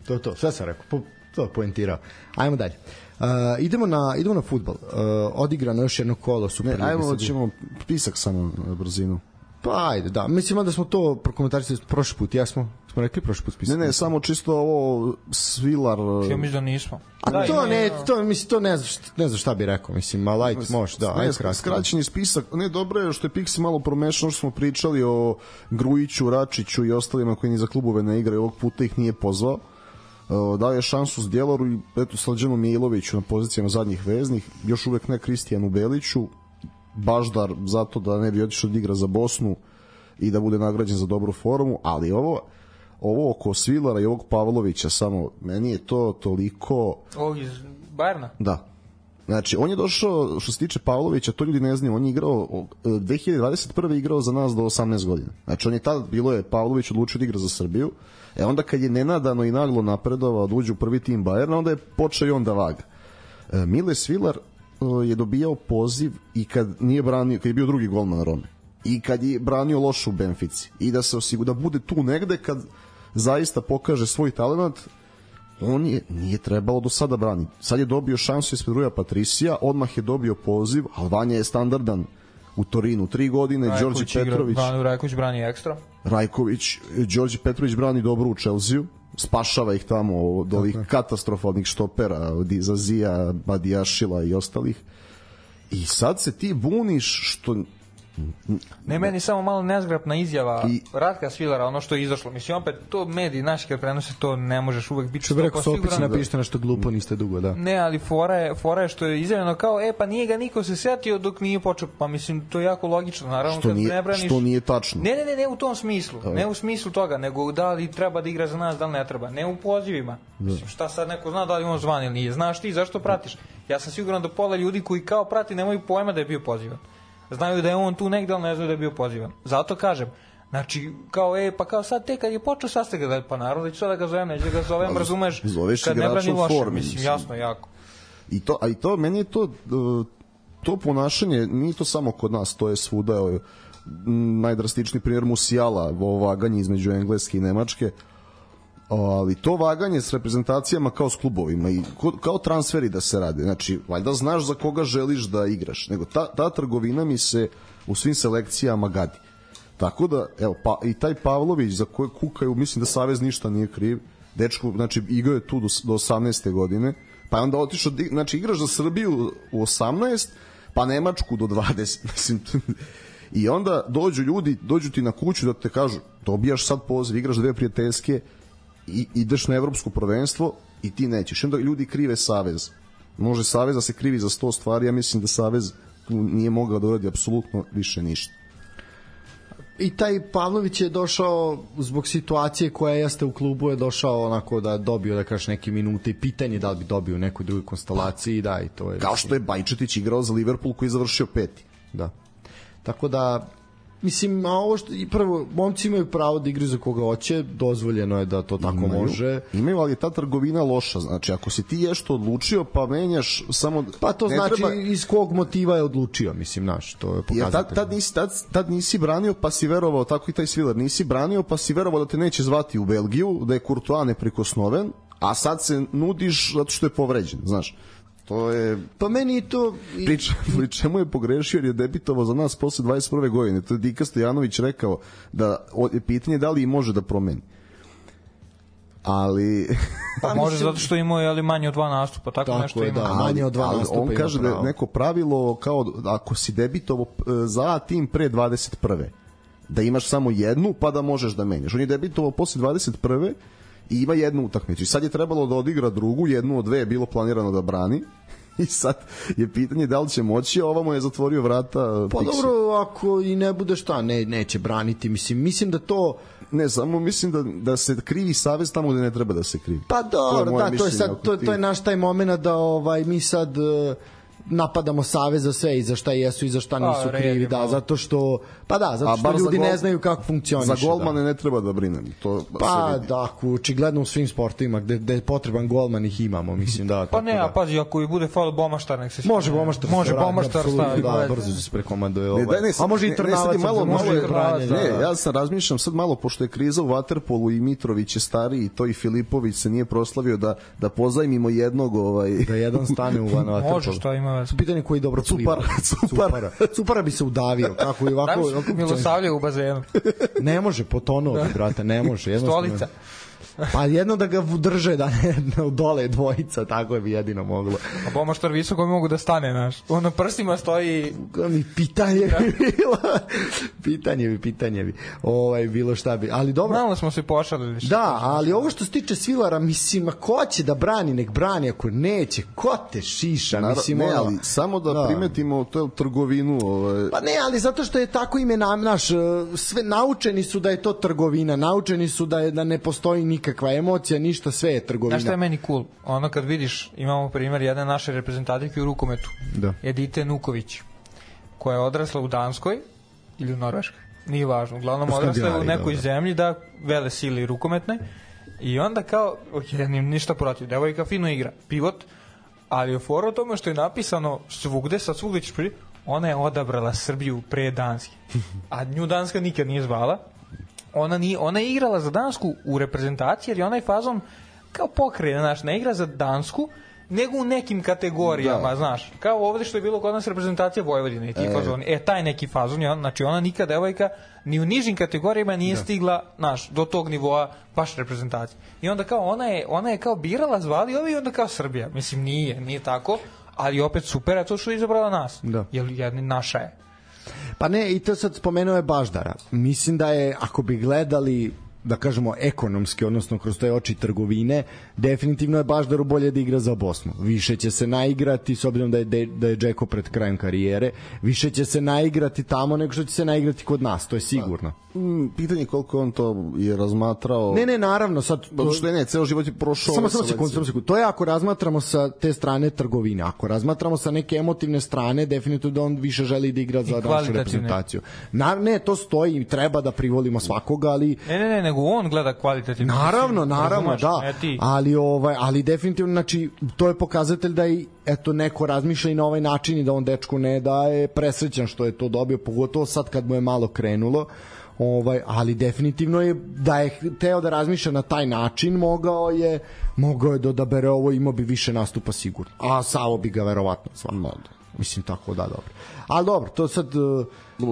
To je to, sve sam rekao, po, to je poentirao. Ajmo dalje. Uh, idemo na idemo na fudbal. Uh, odigrano još jedno kolo Super lige. Ajmo, ćemo pisak samo na brzinu. Pa ajde, da. Mislim da smo to prokomentarisali prošli put. Ja smo smo rekli prošli put pisak. Ne, ne, samo čisto ovo Svilar. Ja mislim da nismo. A da, to ne, to mislim to ne znam, ne znam šta bih rekao, mislim, a light može, da, ajde kratko. Skraćeni spisak. Ne, dobro je što je Pixi malo promešao, što smo pričali o Grujiću, Račiću i ostalima koji ni za klubove ne igraju, ovog puta ih nije pozvao. Dao je šansu Zdjeloru i eto Slađanu Miloviću na pozicijama zadnjih veznih, još uvek ne Kristijanu Beliću, Baždar zato da ne bi otišao da igra za Bosnu i da bude nagrađen za dobru formu, ali ovo ovo oko Svilara i ovog Pavlovića, samo meni je to toliko... Ovog iz Bajerna? Da. Znači, on je došao, što se tiče Pavlovića, to ljudi ne znaju, on je igrao, dve hiljade dvadeset prve igrao za nas do osamnaest godina. Znači, on je tad, bilo je Pavlović odlučio da igra za Srbiju, e onda kad je nenadano i naglo napredovao da uđe u prvi tim Bajerna, onda je počeo i on da vaga. E, Mile Svilar e, je dobijao poziv i kad nije branio, kad je bio drugi golman Rome, i kad je branio lošu u Benfici, i da se osigura, da bude tu negde kad zaista pokaže svoj talent. on je, nije trebalo do sada brani. Sad je dobio šansu ispred Ruja Patricija, odmah je dobio poziv, ali Vanja je standardan u Torinu tri godine, Đorđe Petrović igra, Rajković brani ekstra. Rajković, Đorđe Petrović brani dobro u Chelsea, spašava ih tamo od ovih katastrofalnih štopera, od Zazija, Badijašila i ostalih. I sad se ti buniš što... Ne, meni samo malo nezgrapna izjava I... Ratka Svilara, ono što je izašlo. Mislim, opet, to mediji naši kad prenose, to ne možeš uvek biti što bi rekao, opet si napišite nešto glupo, niste dugo, da. Ne, ali fora je, fora je što je izjavljeno kao, e, pa nije ga niko se setio dok nije počeo. Pa mislim, to je jako logično, naravno, što kad nije, ne braniš... Što nije tačno. Ne, ne, ne, ne u tom smislu. Ne u smislu toga, nego da li treba da igra za nas, da li ne treba. Ne u pozivima. Mislim, šta sad neko zna da li on zvan ili nije. Znaš ti, zašto pratiš? Ja sam siguran da pola ljudi koji kao prati nemaju pojma da je bio pozivan. Znaju da je on tu negde, ali ne znaju da je bio pozivan. Zato kažem, znači, kao, e, pa kao sad te kad je počeo sastaga, da, pa naravno da ću sad da ga zovem, neću da ga zovem, razumeš, kad ne brani loše, formi, mislim, jasno, jako. I to, a i to, meni je to, to ponašanje, nije to samo kod nas, to je svuda, je, najdrastičniji primjer Musiala, ovo vaganje između Engleske i Nemačke, ali to vaganje s reprezentacijama kao s klubovima i kao transferi da se rade, znači valjda znaš za koga želiš da igraš, nego ta, ta trgovina mi se u svim selekcijama gadi, tako da evo, pa, i taj Pavlović za koje kukaju, mislim da Savez ništa nije kriv, dečko, znači igrao je tu do, do osamnaeste godine, pa je onda otišao, znači igraš za Srbiju u osamnaest, pa Nemačku do dvadeset, mislim. I onda dođu ljudi, dođu ti na kuću da te kažu, dobijaš sad poziv, igraš dve prijateljske i ideš na evropsko prvenstvo i ti nećeš. I onda ljudi krive Savez. Može Savez da se krivi za sto stvari, ja mislim da Savez nije mogao da uradi apsolutno više ništa. I taj Pavlović je došao zbog situacije koja jeste u klubu, je došao onako da dobio, da kažeš, neke minute i pitanje da li bi dobio u nekoj drugoj konstelaciji, da, i to je... Kao što je Bajčetić igrao za Liverpool koji je završio peti. Da. Tako da, mislim, a ovo što, i prvo, momci imaju pravo da igraju za koga hoće, dozvoljeno je da to tako imaju, može. Imaju, ali je ta trgovina loša, znači ako si ti ješto odlučio, pa menjaš samo... Pa to znači treba... iz kog motiva je odlučio, mislim, naš, to je pokazatelj. Ja, tad, tad, nisi, tad, tad nisi branio, pa si verovao, tako i taj Svilar, nisi branio, pa si verovao da te neće zvati u Belgiju, da je Courtois neprikosnoven, a sad se nudiš zato što je povređen, znaš. To je... Pa meni i to... Priča, pri čemu je pogrešio jer je debitovao za nas posle dvadeset prve godine. To je Dika Stojanović rekao da je pitanje da li može da promeni. Ali... Pa može zato što imao je ali manje od dva nastupa, tako, tako nešto je, ima. Da, manje od dva ali, nastupa on kaže da je neko pravilo kao ako si debitovao za tim pre dvadeset prve da imaš samo jednu pa da možeš da menjaš. On je debitovao posle dvadeset prve i ima jednu utakmicu. I sad je trebalo da odigra drugu, jednu od dve je bilo planirano da brani. I sad je pitanje da li će moći, a ovamo je zatvorio vrata. Pa Pixi. Dobro, ako i ne bude šta, ne, neće braniti. Mislim, mislim da to... Ne, samo mislim da, da se krivi Savez tamo gde ne treba da se krivi. Pa dobro, to da, to je, sad, to, to je naš taj moment da ovaj, mi sad... Uh, napadamo Savez za sve i za šta jesu i za šta nisu a, krivi, da, zato što pa da, zato što ljudi gol, ne znaju kako funkcioniše. Za golmane da. Ne treba da brinem. To pa da, očigledno u svim sportovima gde, gde je potreban golman ih imamo, mislim da. Pa ne, da. a pazi, ako i bude faul Bomaštar, nek se može Bomaštar, može Bomaštar staviti. Da, brzo se prekomanduje ovaj. Ne, ne, a može i Trnavac, malo, može i Trnavac. Ne, ja sam razmišljam sad malo pošto je kriza u vaterpolu i Mitrović je stariji, to i Filipović se nije proslavio da da pozajmimo jednog, ovaj da jedan stane u van vaterpolu. Može, šta ima. Pitanje koji dobro Cupara, Cupara. Cupara bi se udavio. Kako i ovako... ovako Milosavlje u bazenu. Ne može, potonuo bi, brate, ne može. Stolica. Pa jedno da ga drže, da ne dole dvojica, tako je bi jedino moglo. A Bomaštar visoko mogu da stane, naš. On na prstima stoji... Mi pitanje bi bilo. pitanje bi, pitanje bi. Ovaj, bilo šta bi. Ali dobro... Malo smo se pošalili. Da, ali ovo što se tiče Svilara, mislim, a ko će da brani, nek brani, ako neće, ko te šiša, Naravno, mislim, ne, ono... ali samo da, da. primetimo to trgovinu... Ovaj... Pa ne, ali zato što je tako ime nam, naš, sve naučeni su da je to trgovina, naučeni su da, je, da ne postoji nikakva emocija, ništa, sve je trgovina. Znaš šta je meni cool? Ono kad vidiš, imamo primjer jedne naše reprezentativke u rukometu, da. Edite Nuković, koja je odrasla u Danskoj ili u Norveškoj, nije važno, uglavnom odrasla je u nekoj dobro. zemlji da vele sili rukometne i onda kao, ok, ništa protiv, devojka fino igra, pivot, ali je fora o tome što je napisano svugde, sad svugde ćeš prije, ona je odabrala Srbiju pre Danske, a nju Danska nikad nije zvala. Ona, nije, ona je igrala za Dansku u reprezentaciji jer je onaj fazon kao pokrene, znaš, ne igra za Dansku, nego u nekim kategorijama, da. Znaš, kao ovde što je bilo kod nas reprezentacija Vojvodine i ti e. fazoni, e, taj neki fazon, on, znači ona nikad devojka ni u nižim kategorijama nije da. Stigla, znaš, do tog nivoa baš reprezentacije. I onda kao, ona je, ona je kao birala, zvali ovi i onda kao Srbija, mislim, nije, nije tako, ali opet super, a to što je izabrala nas, da. Jer jedna naša je. Pa ne, i to sad spomenuo je Baždara. Mislim da je, ako bi gledali, da kažemo, ekonomski, odnosno kroz te oči trgovine, definitivno je Baždaru bolje da igra za Bosnu. Više će se naigrati, s obzirom da je, da je Džeko pred krajem karijere, više će se naigrati tamo nego što će se naigrati kod nas, to je sigurno. Pitanje je koliko on to je razmatrao. Ne, ne, naravno, sad... To... Što je, ne, ceo život je prošao... Samo, samo sekund, samo sekund. To je ako razmatramo sa te strane trgovine. Ako razmatramo sa neke emotivne strane, definitivno da on više želi da igra za našu reprezentaciju. Na, ne, to stoji i treba da privolimo svakoga, ali... Ne, ne, ne, nego on gleda kvalitativno. Naravno, naravno, da. Ali, ovaj, ali definitivno, znači, to je pokazatelj da i eto, neko razmišlja i na ovaj način i da on dečku ne da je presrećan što je to dobio, pogotovo sad kad mu je malo krenulo. Ovaj, ali definitivno je da je teo da razmišlja na taj način, mogao je mogao je da odabere ovo, imao bi više nastupa sigurno, a Savo bi ga verovatno zvao. Mislim tako da, dobro. Ali dobro, to sad uh,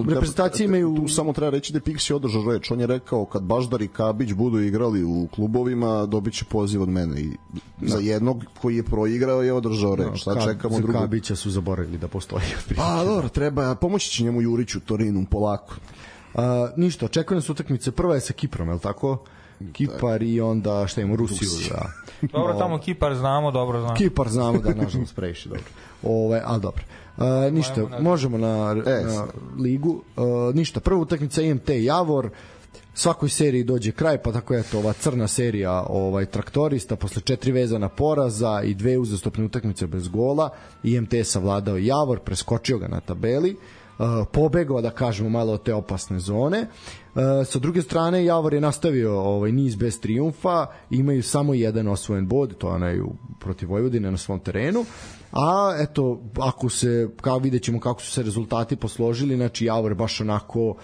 reprezentacije imaju... Tu samo treba reći da je Pixi održao reč. On je rekao kad Baždar i Kabić budu igrali u klubovima, dobit će poziv od mene. I za jednog koji je proigrao je održao reč. No, sad Ka, čekamo drugo. Kabića su zaboravili da postoji. Pa dobro, treba, pomoći će njemu Juriću Torinu polako. Uh, ništa, očekujem nas utakmice. Prva je sa Kiprom, je li tako? Kipar i onda šta imamo, Rusiju. Da. Dobro, tamo Kipar znamo, dobro znamo. Kipar znamo, da, nažalost, previše dobro. Ove, ali dobro. Uh, ništa, možemo na, na ligu. Uh, ništa, prva utakmica I M T Javor. Svakoj seriji dođe kraj, pa tako je to ova crna serija ovaj traktorista posle četiri vezana poraza i dve uzastopne utakmice bez gola. I M T je savladao Javor, preskočio ga na tabeli. Uh, pobegao, da kažemo, malo od te opasne zone. Uh, sa druge strane, Javor je nastavio ovaj niz bez trijumfa, imaju samo jedan osvojen bod, to je onaj protiv Vojvodine na svom terenu. A eto, ako se, kao vidjet ćemo kako su se rezultati posložili, znači Javor baš onako uh,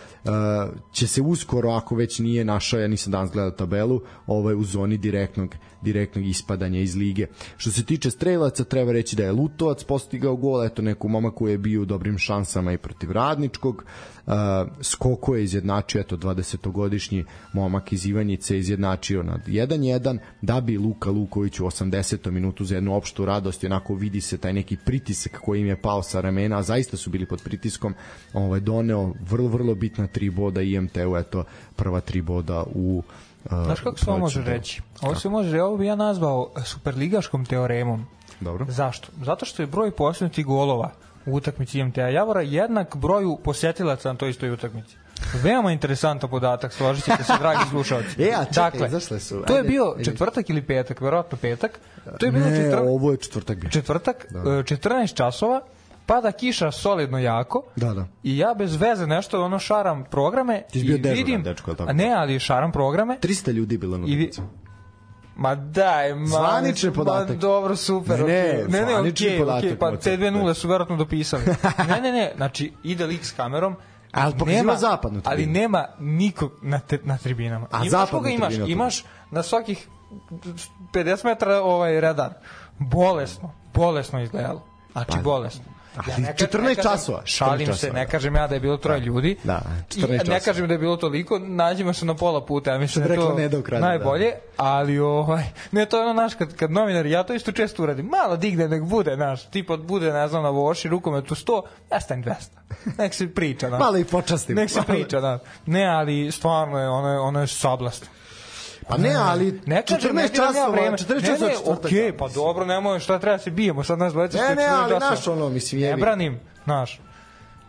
će se uskoro, ako već nije našao, ja nisam danas gledao tabelu, ovaj, u zoni direktnog, direktnog ispadanja iz lige. Što se tiče strelaca, treba reći da je Lutovac postigao gol, eto neku momak koji je bio u dobrim šansama i protiv Radničkog. Uh, Skoko je izjednačio, eto dvadesetogodišnji momak iz Ivanjice izjednačio na jedan jedan, da bi Luka Luković u osamdesetom minutu za jednu opštu radost, i onako vidi se taj neki pritisak koji im je pao sa ramena, a zaista su bili pod pritiskom, ovaj, doneo vrlo, vrlo bitna tri boda I M T-u, eto prva tri boda u uh, znaš kako se ovo može reći? Ovo se može, ovo bi ja nazvao superligaškom teoremom. Dobro. Zašto? Zato što je broj postignutih golova u utakmici I M T-a Javora jednak broju posetilaca na toj istoj utakmici. Veoma interesantan podatak, složit ćete se, dragi slušalci. E, a čekaj, dakle, izašle su. To je bio četvrtak ili petak, verovatno petak. To je bilo ne, četvr... ovo je četvrtak bio. Četvrtak, da. četrnaest časova, pada kiša solidno jako. Da, da. I ja bez veze nešto ono šaram programe i vidim, dečko, tako. Ne, ali šaram programe. trista ljudi bilo na utakmici. Ma daj, ma, zvanični podatak. Ma, dobro, super. Ne, ne, okay. ne, ne, okay, okay, pa te dve nule su verovatno dopisali. ne, ne, ne, znači ide lik s kamerom, ali nema zapadnu tribinu. Ali nema nikog na, te, na tribinama. A imaš koga imaš? Tribina, imaš na svakih pedeset metara ovaj radar. Bolesno, bolesno izgledalo. Znači, pa, bolesno. Ja ne četrnaest časova. Šalim se, ne kažem ja da je bilo troje ljudi. Da, četrnaest časova. Ne kažem da je bilo toliko, nađemo se na pola puta, ja mislim da je to ne najbolje, da. Ali ovaj, ne, to je ono naš, kad, kad novinari, ja to isto često uradim, malo digne, nek bude, naš, tipa bude, ne znam, na voši, rukometu sto, ja stavim dvesta. Nek se priča, naš. Malo i počastim. Nek se priča, naš. Ne, ali stvarno je, ono je, ono je sablast. Pa ne, ali ne četrnaest časova, četrnaest časova četvrtak. Okej, pa dobro, nemoj, šta treba se bijemo, sad nas dvojica. Ne, ne, ali naš ono, mislim, jebi. Ne branim, naš.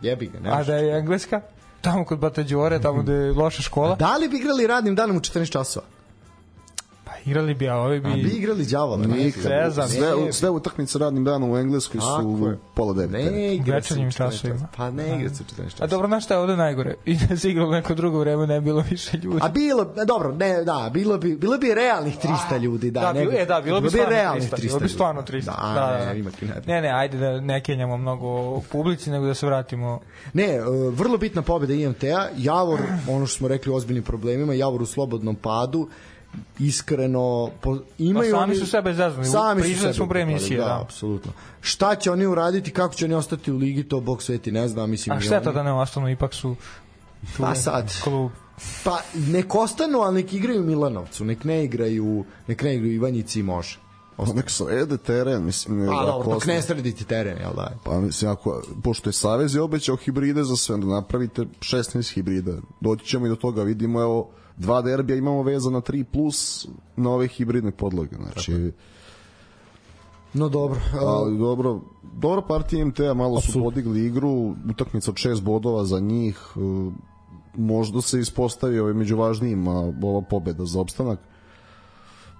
Jebi ga, ne. A da je engleska? Tamo kod Batađore, tamo gde je loša škola. Da li bi igrali radnim danom u četrnaest časova? Pa igrali bi, a ovi bi... A bi igrali đavola. Sve, sve, sve utakmice radnim danom u Engleskoj su pola devete. Ne igra se u četvrtak. Pa ne igra se u četrnaest časova. A dobro, znaš šta je ovde najgore? I da se igralo neko drugo vreme, ne bilo više ljudi. A bilo, dobro, ne, da, bilo bi, bilo bi realnih trista ljudi, da. Da, nego, e, da, bilo bi stvarno realnih trista. Bilo bi stvarno trista. Da, da, da. Ne, ne, ne, ajde da ne kenjamo mnogo publici, nego da se vratimo. Ne, vrlo bitna pobjeda I M T-a, Javor, ono što smo rekli o ozbiljnim problemima, Javor u slobodnom padu, iskreno po, imaju pa sami oni, su sebe zaznali, priznali smo pre emisije, da, da. apsolutno. Šta će oni uraditi, kako će oni ostati u ligi, to Bog sveti ne zna, mislim. A šteta da ne ostanu, ipak su pa sad klub. Pa nek ostanu, ali nek igraju Milanovcu, nek ne igraju, nek ne igraju Ivanjici i može. Pa nek srede teren, mislim. Pa dobro, dok ne srediti teren, jel da? Pa mislim, ako, pošto je Savez je obećao hibride za sve, da napravite šesnaest hibrida. Doći ćemo i do toga, vidimo, evo, dva derbija imamo vezana tri plus na ove hibridne podloge, znači... Tako. No dobro. Ali dobro, dobra partija M T-a, malo su podigli igru, utakmica od šest bodova za njih, možda se ispostavi ovaj među važnijima ova pobeda za opstanak,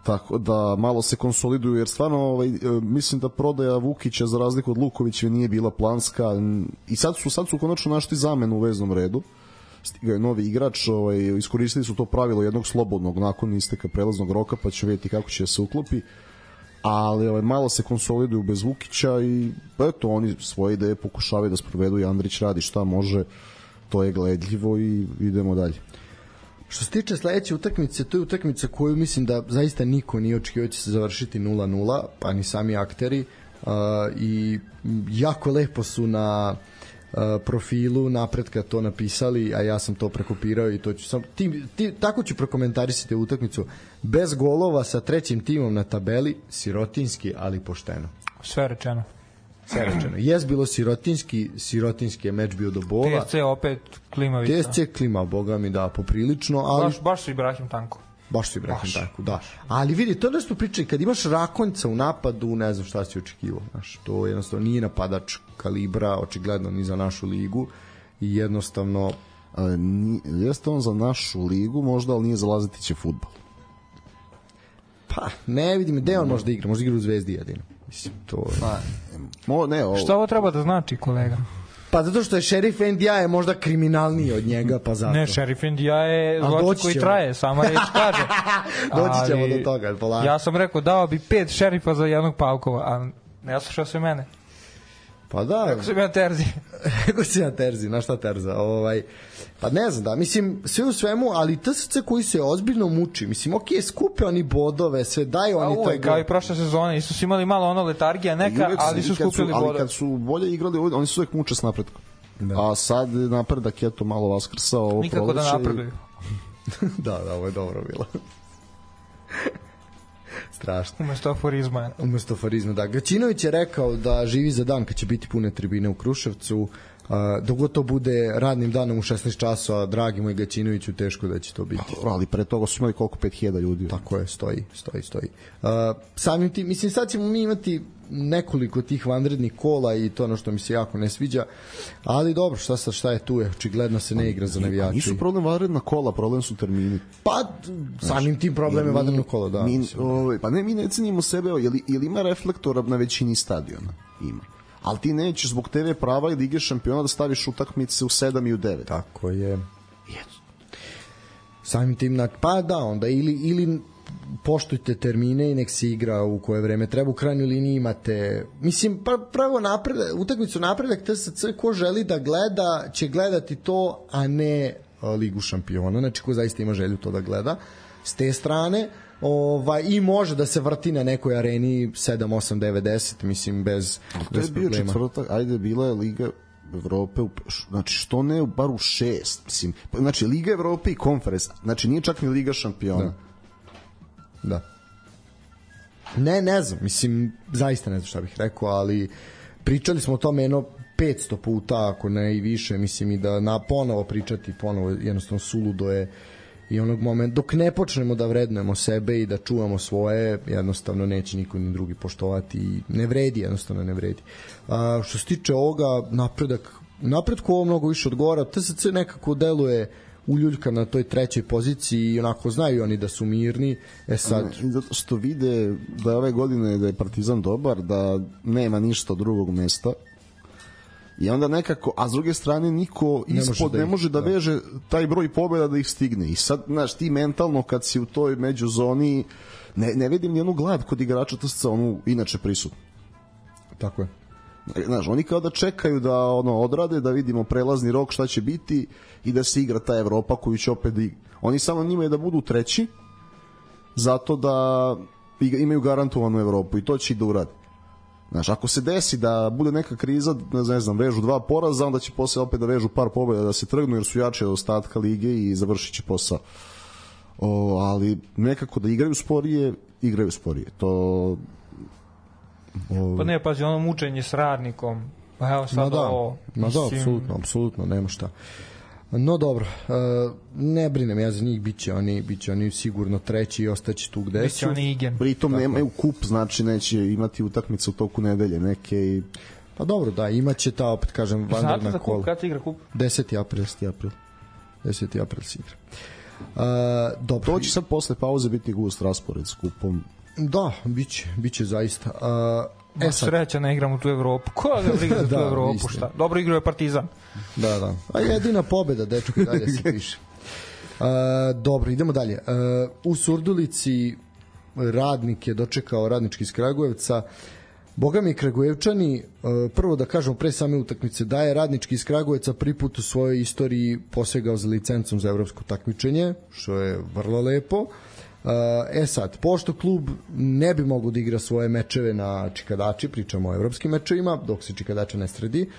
tako da malo se konsoliduju, jer stvarno ovaj, mislim da prodaja Vukića za razliku od Lukovića nije bila planska i sad su, sad su konačno našli zamenu u veznom redu, stigao je novi igrač, ovaj, iskoristili su to pravilo jednog slobodnog nakon isteka prelaznog roka, pa će vidjeti kako će se uklopi, ali ovaj, malo se konsoliduju bez Vukića i eto, oni svoje ideje pokušavaju da sprovedu i Andrić radi šta može, to je gledljivo i idemo dalje. Što se tiče sledeće utakmice, to je utakmica koju mislim da zaista niko nije očekivao će se završiti nula nula, pa ni sami akteri, uh, i jako lepo su na uh, profilu Napretka to napisali, a ja sam to prekopirao i to ću sam, ti, ti, tako ću prokomentarisati utakmicu. Bez golova sa trećim timom na tabeli, sirotinski, ali pošteno. Sve rečeno. Sve rečeno. Jes bilo sirotinski, sirotinski je meč bio do bola. T S C opet klimavica. T S C klima, boga mi da, poprilično, ali... Baš, baš su Ibrahim tanko. Baš su Ibrahim tanko, da. Ali vidi, to da smo pričali, kad imaš Rakonjca u napadu, ne znam šta si očekivao. Znaš, to jednostavno nije napadač kalibra, očigledno ni za našu ligu i jednostavno... A, ni, jeste on za našu ligu, možda, ali nije za Lazetiće fudbal. Pa, ne vidim, gde on možda igra? Možda igra u Zvezdi jedino. Mislim, to je... Pa, mo, ne, ovo... Šta ovo treba da znači, kolega? Pa zato što je Šerif Endija je možda kriminalniji od njega, pa zato. Ne, Šerif Endija je zločin koji traje, sama reč kaže. Doći ćemo do toga, polako. Ja sam rekao, dao bi pet šerifa za jednog Pavkova, a ne slušao se mene. Pa da. Rekao sam ja Terzi. Rekao sam ja Terzi, na šta Terza? Ovaj, pa ne znam, da, mislim, sve u svemu, ali T S C koji se ozbiljno muči, mislim, ok, skupe oni bodove, sve daju oni to. Kao i prošle sezone, isto su imali malo ono letargija neka, ali su skupili bodove. Ali kad su bolje igrali, oni su uvek muče s napretkom. Da. A sad napredak je to malo vaskrsao. Ovo nikako da napreduju. da, da, ovo je dobro bilo. Strašno. Umesto aforizma. Umesto aforizma, da. Gaćinović je rekao da živi za dan kad će biti pune tribine u Kruševcu. Uh, dok to bude radnim danom u šesnaest časova, dragi moj Gaćinoviću, teško da će to biti. Ali pre toga su imali koliko pet hiljada ljudi. Tako je, stoji, stoji, stoji. Uh, samim tim, mislim, sad ćemo mi imati nekoliko tih vanrednih kola i to ono što mi se jako ne sviđa, ali dobro, šta sad, šta je tu je, očigledno se ne igra za navijači. Nisu problem vanredna kola, problem su termini. Pa, samim tim problem je vanredno kola, da. Mi, ovaj, pa ne, mi ne cenimo sebe, je li, je li ima reflektora na većini stadiona? Ima. Ali ti nećeš zbog te ve prava i Lige šampiona da staviš utakmice u sedam i u devet. Tako je. Yes. Samim tim, na, pa da, onda ili, ili poštujte termine i nek se igra u koje vreme treba, u krajnjoj liniji imate, mislim, pa pravo napredak, utakmicu napredak T S C, ko želi da gleda će gledati to, a ne a, Ligu šampiona, znači ko zaista ima želju to da gleda s te strane, ovaj, i može da se vrti na nekoj areni sedam, osam, devet, deset, mislim, bez, to bez je bio problema. Četvrtak, ajde, bila je Liga Evrope, znači što ne bar u šest, mislim, znači Liga Evrope i konferens, znači nije čak ni Liga šampiona. Da. Da. Ne, ne znam, mislim, zaista ne znam šta bih rekao, ali pričali smo o tome jedno petsto puta, ako ne i više, mislim, i da na ponovo pričati, ponovo jednostavno suludo je i onog momenta, dok ne počnemo da vrednujemo sebe i da čuvamo svoje, jednostavno neće niko ni drugi poštovati i ne vredi, jednostavno ne vredi. A, što se tiče ovoga, napredak, napredku ovo mnogo više odgovara, T S C nekako deluje uljuljka na toj trećoj poziciji i onako znaju oni da su mirni. E sad, ne, zato što vide da je ove godine da je Partizan dobar, da nema ništa drugog mesta i onda nekako, a s druge strane niko ne ispod može da ne može da, da veže taj broj pobjeda da ih stigne i sad, znaš, ti mentalno kad si u toj međuzoni ne, ne vidim ni onu glad kod igrača T S C, onu inače prisutno. Tako je. Znaš, oni kao da čekaju da ono odrade, da vidimo prelazni rok šta će biti i da se igra ta Evropa koju će opet da igra. Oni samo njima je da budu treći zato da imaju garantovanu Evropu i to će i da uradi. Znaš, ako se desi da bude neka kriza, ne znam, vežu dva poraza, onda će posle opet da vežu par pobjeda da se trgnu jer su jače od ostatka lige i završit će posao. O, ali nekako da igraju sporije, igraju sporije. To... O... Pa ne, pazi, ono mučenje s Radnikom. Pa evo sad no da, ovo... No mislim... da, apsolutno, apsolutno, nema šta. No dobro, uh, ne brinem ja za njih, biće oni, biće oni sigurno treći i ostaće tu gde su. Biće oni igen. Pritom tako. Nemaju kup, znači neće imati utakmice u toku nedelje neke i... Pa dobro, da, imaće ta, opet kažem, vanredna kola. Znate za kup, kada se igra kup? deseti april. deseti april se igra. Uh, dobro. To će sad posle pauze biti gust raspored s kupom. Da, biće, biće zaista. Uh, E sreća ne igram u tu Evropu. Ko ga briga za tu da, Evropu, šta? Dobro igrao je Partizan. Da, da. A jedina pobeda, dečko, dalje se piše. Uh, dobro, idemo dalje. Uh, u Surdulici Radnik je dočekao Radnički iz Kragujevca. Boga mi Kragujevčani, uh, prvo da kažemo pre same utakmice, da je Radnički iz Kragujevca prvi put u svojoj istoriji posegao za licencom za evropsko takmičenje, što je vrlo lepo. E sad, pošto klub ne bi mogao da igra svoje mečeve na Čikadači, pričamo o evropskim mečevima, dok se Čikadača ne sredi,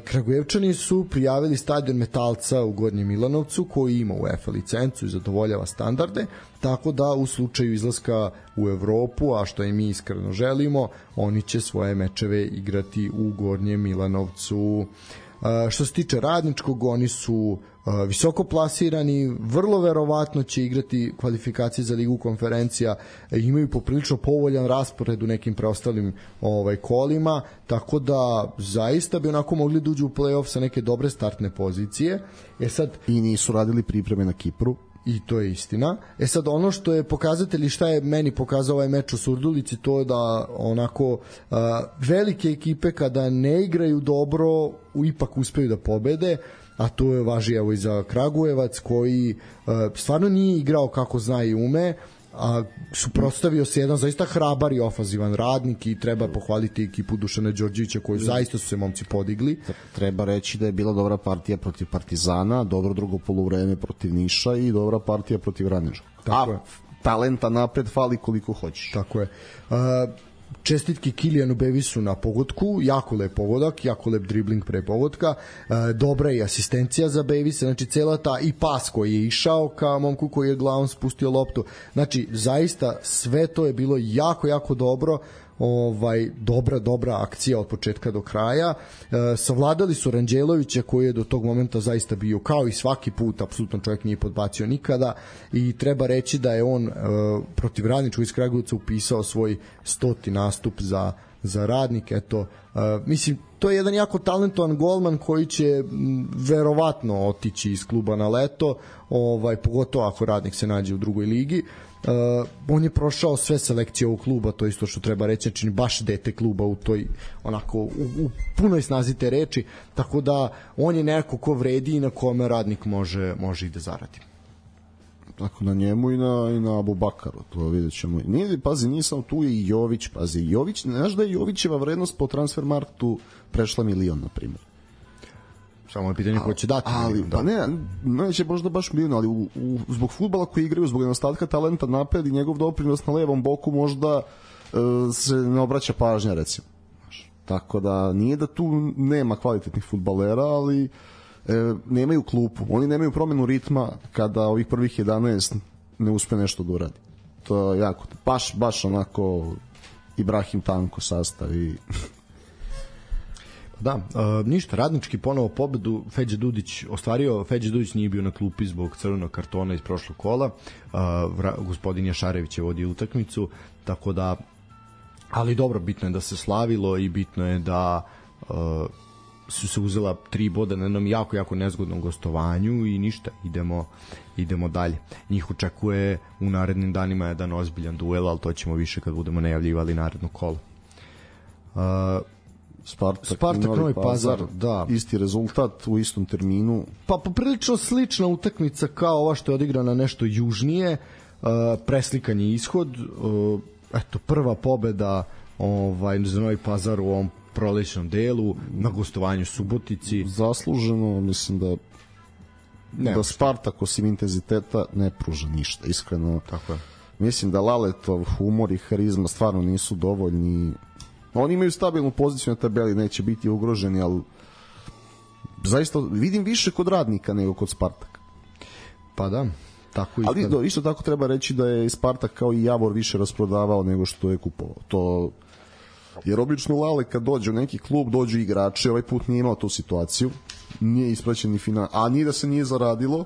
Kragujevčani su prijavili stadion Metalca u Gornjem Milanovcu, koji ima UEFA licencu i zadovoljava standarde, tako da u slučaju izlaska u Evropu, a što i mi iskreno želimo, oni će svoje mečeve igrati u Gornjem Milanovcu. Što se tiče Radničkog, oni su visoko plasirani, vrlo verovatno će igrati kvalifikacije za Ligu konferencija, imaju poprilično povoljan raspored u nekim preostalim ovaj, kolima, tako da zaista bi onako mogli da uđu u play-off sa neke dobre startne pozicije. E sad, i nisu radili pripreme na Kipru. I to je istina. E sad, ono što je pokazatelj i šta je meni pokazao ovaj meč u Surdulici, to je da onako uh, velike ekipe kada ne igraju dobro, ipak uspeju da pobede, a to je važi evo i za Kragujevac, koji uh, stvarno nije igrao kako zna i ume, a suprotstavio se jedan zaista hrabar i ofazivan Radnik i treba pohvaliti ekipu Dušana Đorđevića koji zaista su se momci podigli. Treba reći da je bila dobra partija protiv Partizana, dobro drugo poluvreme protiv Niša i dobra partija protiv Radničkog. Tako a je. Talenta napred fali koliko hoćeš. Tako je. Uh, čestitke Kilijanu Bevisu na pogodku, jako lep pogodak, jako lep dribling pre pogodka, e, dobra je asistencija za Bevisa, znači cela ta i pas koji je išao ka momku koji je glavom spustio loptu, znači zaista sve to je bilo jako, jako dobro, ovaj dobra, dobra akcija od početka do kraja. E, savladali su Ranđelovića koji je do tog momenta zaista bio kao i svaki put, apsolutno čovjek nije podbacio nikada i treba reći da je on e, protiv Radničkog iz Kragujevca upisao svoj stoti nastup za, za Radnik. Eto, e, mislim, to je jedan jako talentovan golman koji će m, verovatno otići iz kluba na leto, ovaj, pogotovo ako Radnik se nađe u drugoj ligi. Uh, on je prošao sve selekcije ovog kluba, to je isto što treba reći, znači baš dete kluba u toj onako u, u punoj snazi te reči, tako da on je neko ko vredi i na kome Radnik može, može i da zaradi. Tako na njemu i na, i na Abubakaru, to vidjet ćemo. Nije, pazi, nisam tu i Jović, pazi, Jović, znaš da je Jovićeva vrednost po Transfermarktu prešla milion, na primjer. Samo je pitanje ko će dati. Ali, da. Pa ne, neće možda baš milion, ali u, u, zbog fudbala koji igraju, zbog nedostatka talenta napred i njegov doprinos na levom boku možda uh, se ne obraća pažnja, recimo. Tako da, nije da tu nema kvalitetnih fudbalera, ali e, nemaju klupu. Oni nemaju promenu ritma kada ovih prvih jedanaest ne uspe nešto da uradi. To je jako, baš, baš onako Ibrahim Tanko sastav i... Da, uh, ništa, Radnički ponovo pobedu, Feđa Dudić ostvario, Feđa Dudić nije bio na klupi zbog crvenog kartona iz prošlog kola, uh, vra, gospodin Jašarević je vodio utakmicu, tako da, ali dobro, bitno je da se slavilo i bitno je da uh, su se uzela tri boda na jednom jako, jako nezgodnom gostovanju i ništa, idemo, idemo dalje. Njih očekuje u narednim danima jedan ozbiljan duel, ali to ćemo više kad budemo najavljivali naredno kolo. Uh, Spartak, Spartak Novi, Novi Pazar, Pazar, da. Isti rezultat u istom terminu. Pa poprilično slična utakmica kao ova što je odigrana nešto južnije, uh, preslikan je ishod, uh, eto, prva pobeda ovaj, za Novi Pazar u ovom prolećnom delu, na gostovanju Subotici. Zasluženo, mislim da ne, da Spartak osim intenziteta ne pruža ništa, iskreno. Tako je. mislim da Laletov humor i harizma stvarno nisu dovoljni. Oni imaju stabilnu poziciju na tabeli, neće biti ugroženi, ali zaista vidim više kod Radnika nego kod Spartaka. Pa da, tako i ali kad... do, isto tako treba reći da je Spartak kao i Javor više rasprodavao nego što je kupovao. To, jer obično Lale kad dođe u neki klub, dođu igrači, ovaj put nije imao tu situaciju, nije isplaćen ni final, a nije da se nije zaradilo,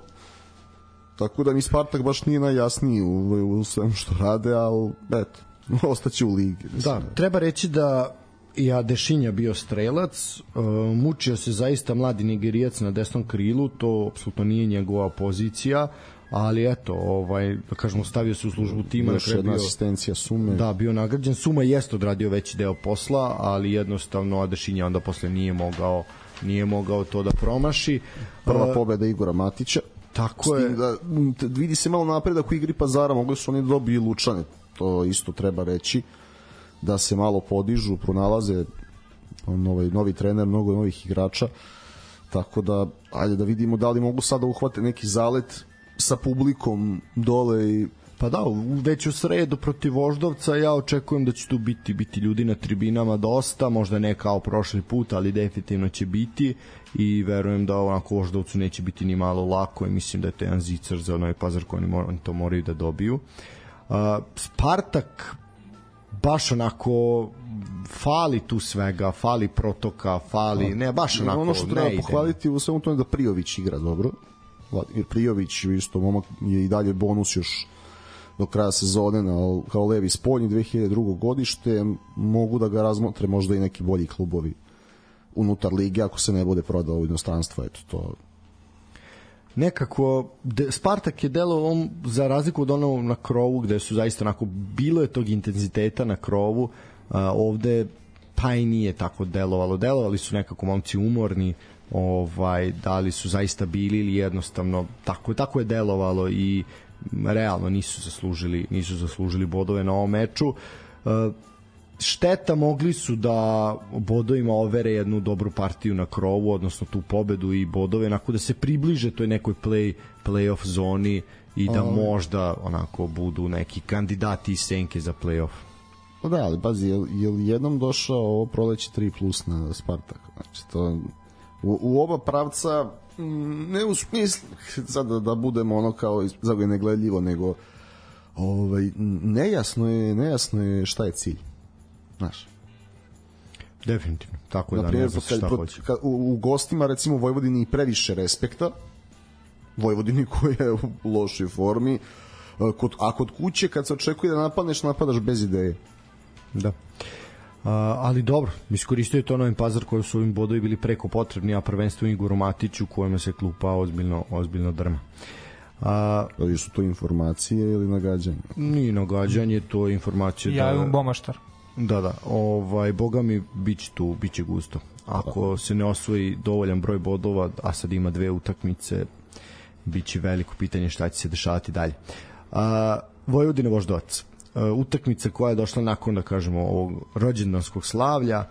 tako da ni Spartak baš nije najjasniji u, u svemu što rade, ali eto, ostaće u ligi. Da, treba reći da i Adešinja bio strelac, uh, mučio se zaista mladi Nigerijac na desnom krilu, to apsolutno nije njegova pozicija, ali eto, ovaj, da kažemo, stavio se u službu tima. Još jedna bio, asistencija Sume. Da, bio nagrađen. Suma jeste odradio veći deo posla, ali jednostavno Adešinja onda posle nije mogao, nije mogao to da promaši. Prva uh, pobeda Igora Matića. Tako je. Da, vidi se malo napredak u igri Pazara, mogli su oni dobiti Lučane, to isto treba reći, da se malo podižu, pronalaze novi, novi trener, mnogo novih igrača, tako da ajde da vidimo da li mogu sada uhvate neki zalet sa publikom dole i pa da, već u sredu protiv Voždovca ja očekujem da će tu biti biti ljudi na tribinama dosta, možda ne kao prošli put, ali definitivno će biti i verujem da onako Voždovcu neće biti ni malo lako i mislim da je to jedan zicar za Novi Pazar koji oni, oni to moraju da dobiju. Uh, Spartak baš onako fali tu svega, fali protoka, fali, ne, baš onako ono što treba pohvaliti u svemu tome da Prijović igra dobro, jer Prijović isto momak je i dalje bonus još do kraja sezone na, kao levi spoljni dve hiljade drugo godište, mogu da ga razmotre možda i neki bolji klubovi unutar lige ako se ne bude prodao u inostranstvo, eto to. Nekako de, Spartak je delo on za razliku od onog na krovu gde su zaista onako bilo je tog intenziteta na krovu, a, ovde pa i nije tako delovalo, delovali su nekako momci umorni, ovaj, da li su zaista bili ili jednostavno tako, tako je delovalo i realno nisu zaslužili, nisu zaslužili bodove na ovom meču. A, šteta, mogli su da bodovima overe jednu dobru partiju na krovu, odnosno tu pobedu i bodove, onako da se približe toj nekoj play, play-off zoni i da um. možda onako budu neki kandidati iz senke za play-off. Pa da, ali pazi, je, je li jednom došao ovo proleće tri plus na Spartak? Znači, to u, u oba pravca ne u smislu sad da, da budemo ono kao zago je negledljivo, nego ovaj, nejasno je, nejasno je šta je cilj. Znaš. Definitivno. Tako da naprijed, ne znam šta hoće. U, u gostima recimo Vojvodini previše respekta. Vojvodini koja je u lošoj formi. Kod, a kod kuće kad se očekuje da napadneš, napadaš bez ideje. Da. A, ali dobro, iskoristio je to Novi Pazar koji su ovim bodovi bili preko potrebni, a prvenstveno Igoru Matiću kojima se klupa ozbiljno, ozbiljno drma. A, ali su to informacije ili nagađanje? Nije nagađanje, to je informacija. Ja da, imam Bomaštar. Da, da, ovaj, boga mi biće tu, biće gusto. Ako se ne osvoji dovoljan broj bodova, a sad ima dve utakmice, biće veliko pitanje šta će se dešavati dalje. A, Vojvodina Voždovac. A, utakmica koja je došla nakon, da kažemo, ovog rođendanskog slavlja,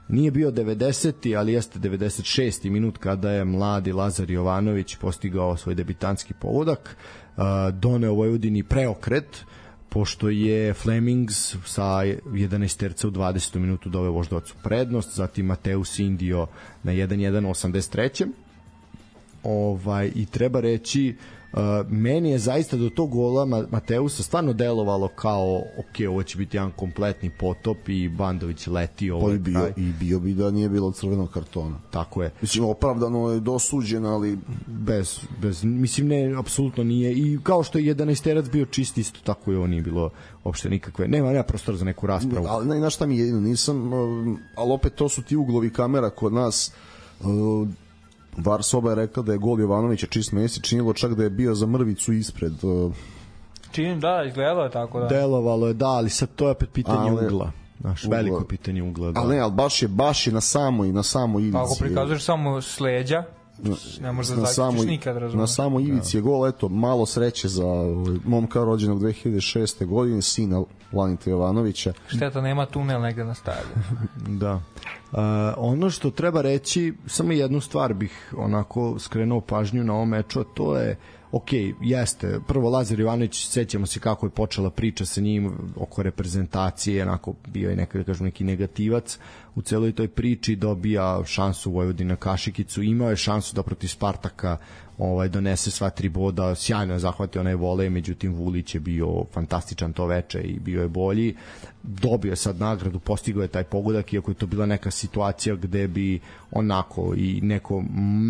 nije bio devedeseti, ali jeste devedeset šesti minut kada je mladi Lazar Jovanović postigao svoj debitanski pogodak, a, doneo Vojvodini preokret, pošto je Flemings sa jedanaesterca u dvadesetom minutu doveo Voždovcu prednost, zatim Mateus Indio na jedan jedan u osamdeset trećem Ovaj, i treba reći, uh, meni je zaista do tog gola Mateusa stvarno delovalo kao ok, ovo će biti jedan kompletni potop i Bandović leti ovaj pa i bio, i bio bi da nije bilo crvenog kartona. Tako je. Mislim, opravdano je dosuđen, ali bez, bez mislim ne, apsolutno nije, i kao što je jedanaesterac bio čist, isto tako je ovo nije bilo uopšte nikakve, nema, nema prostora za neku raspravu. Ali ne, znaš šta mi jedino, nisam, ali opet to su ti uglovi kamera kod nas. uh, Var Soba je rekla da je gol Jovanovića čist Mesić, činilo čak da je bio za mrvicu ispred. Činim, da, izgledalo je tako, da. Delovalo je, da, ali sad to je opet pitanje ali, ugla. Znaš, ugla. Veliko pitanje ugla. Da. Ali ne, ali baš je, baš je na samoj, na samoj ivici. Pa ako prikazuješ samo s leđa, ne možeš da zaključiš nikad, razumiješ. Na samoj ivici je gol, eto, malo sreće za momka rođenog dve hiljade šeste godine, sina Lanita Jovanovića. Šteta, nema tunel negde na stadionu. Da. Uh, ono što treba reći, samo jednu stvar bih onako skrenuo pažnju na ovom meču, a to je ok, jeste, prvo Lazar Jovanović, sećamo se kako je počela priča sa njim oko reprezentacije, onako bio je neka, da kažem, neki negativac u celoj toj priči, dobija šansu Vojvodina Kašikicu, imao je šansu da protiv Spartaka ovaj donese sva tri boda, sjajno je zahvatio onaj volej, međutim Vulić je bio fantastičan to veče i bio je bolji, dobio je sad nagradu, postigao je taj pogodak, iako je to bila neka situacija gde bi onako i neko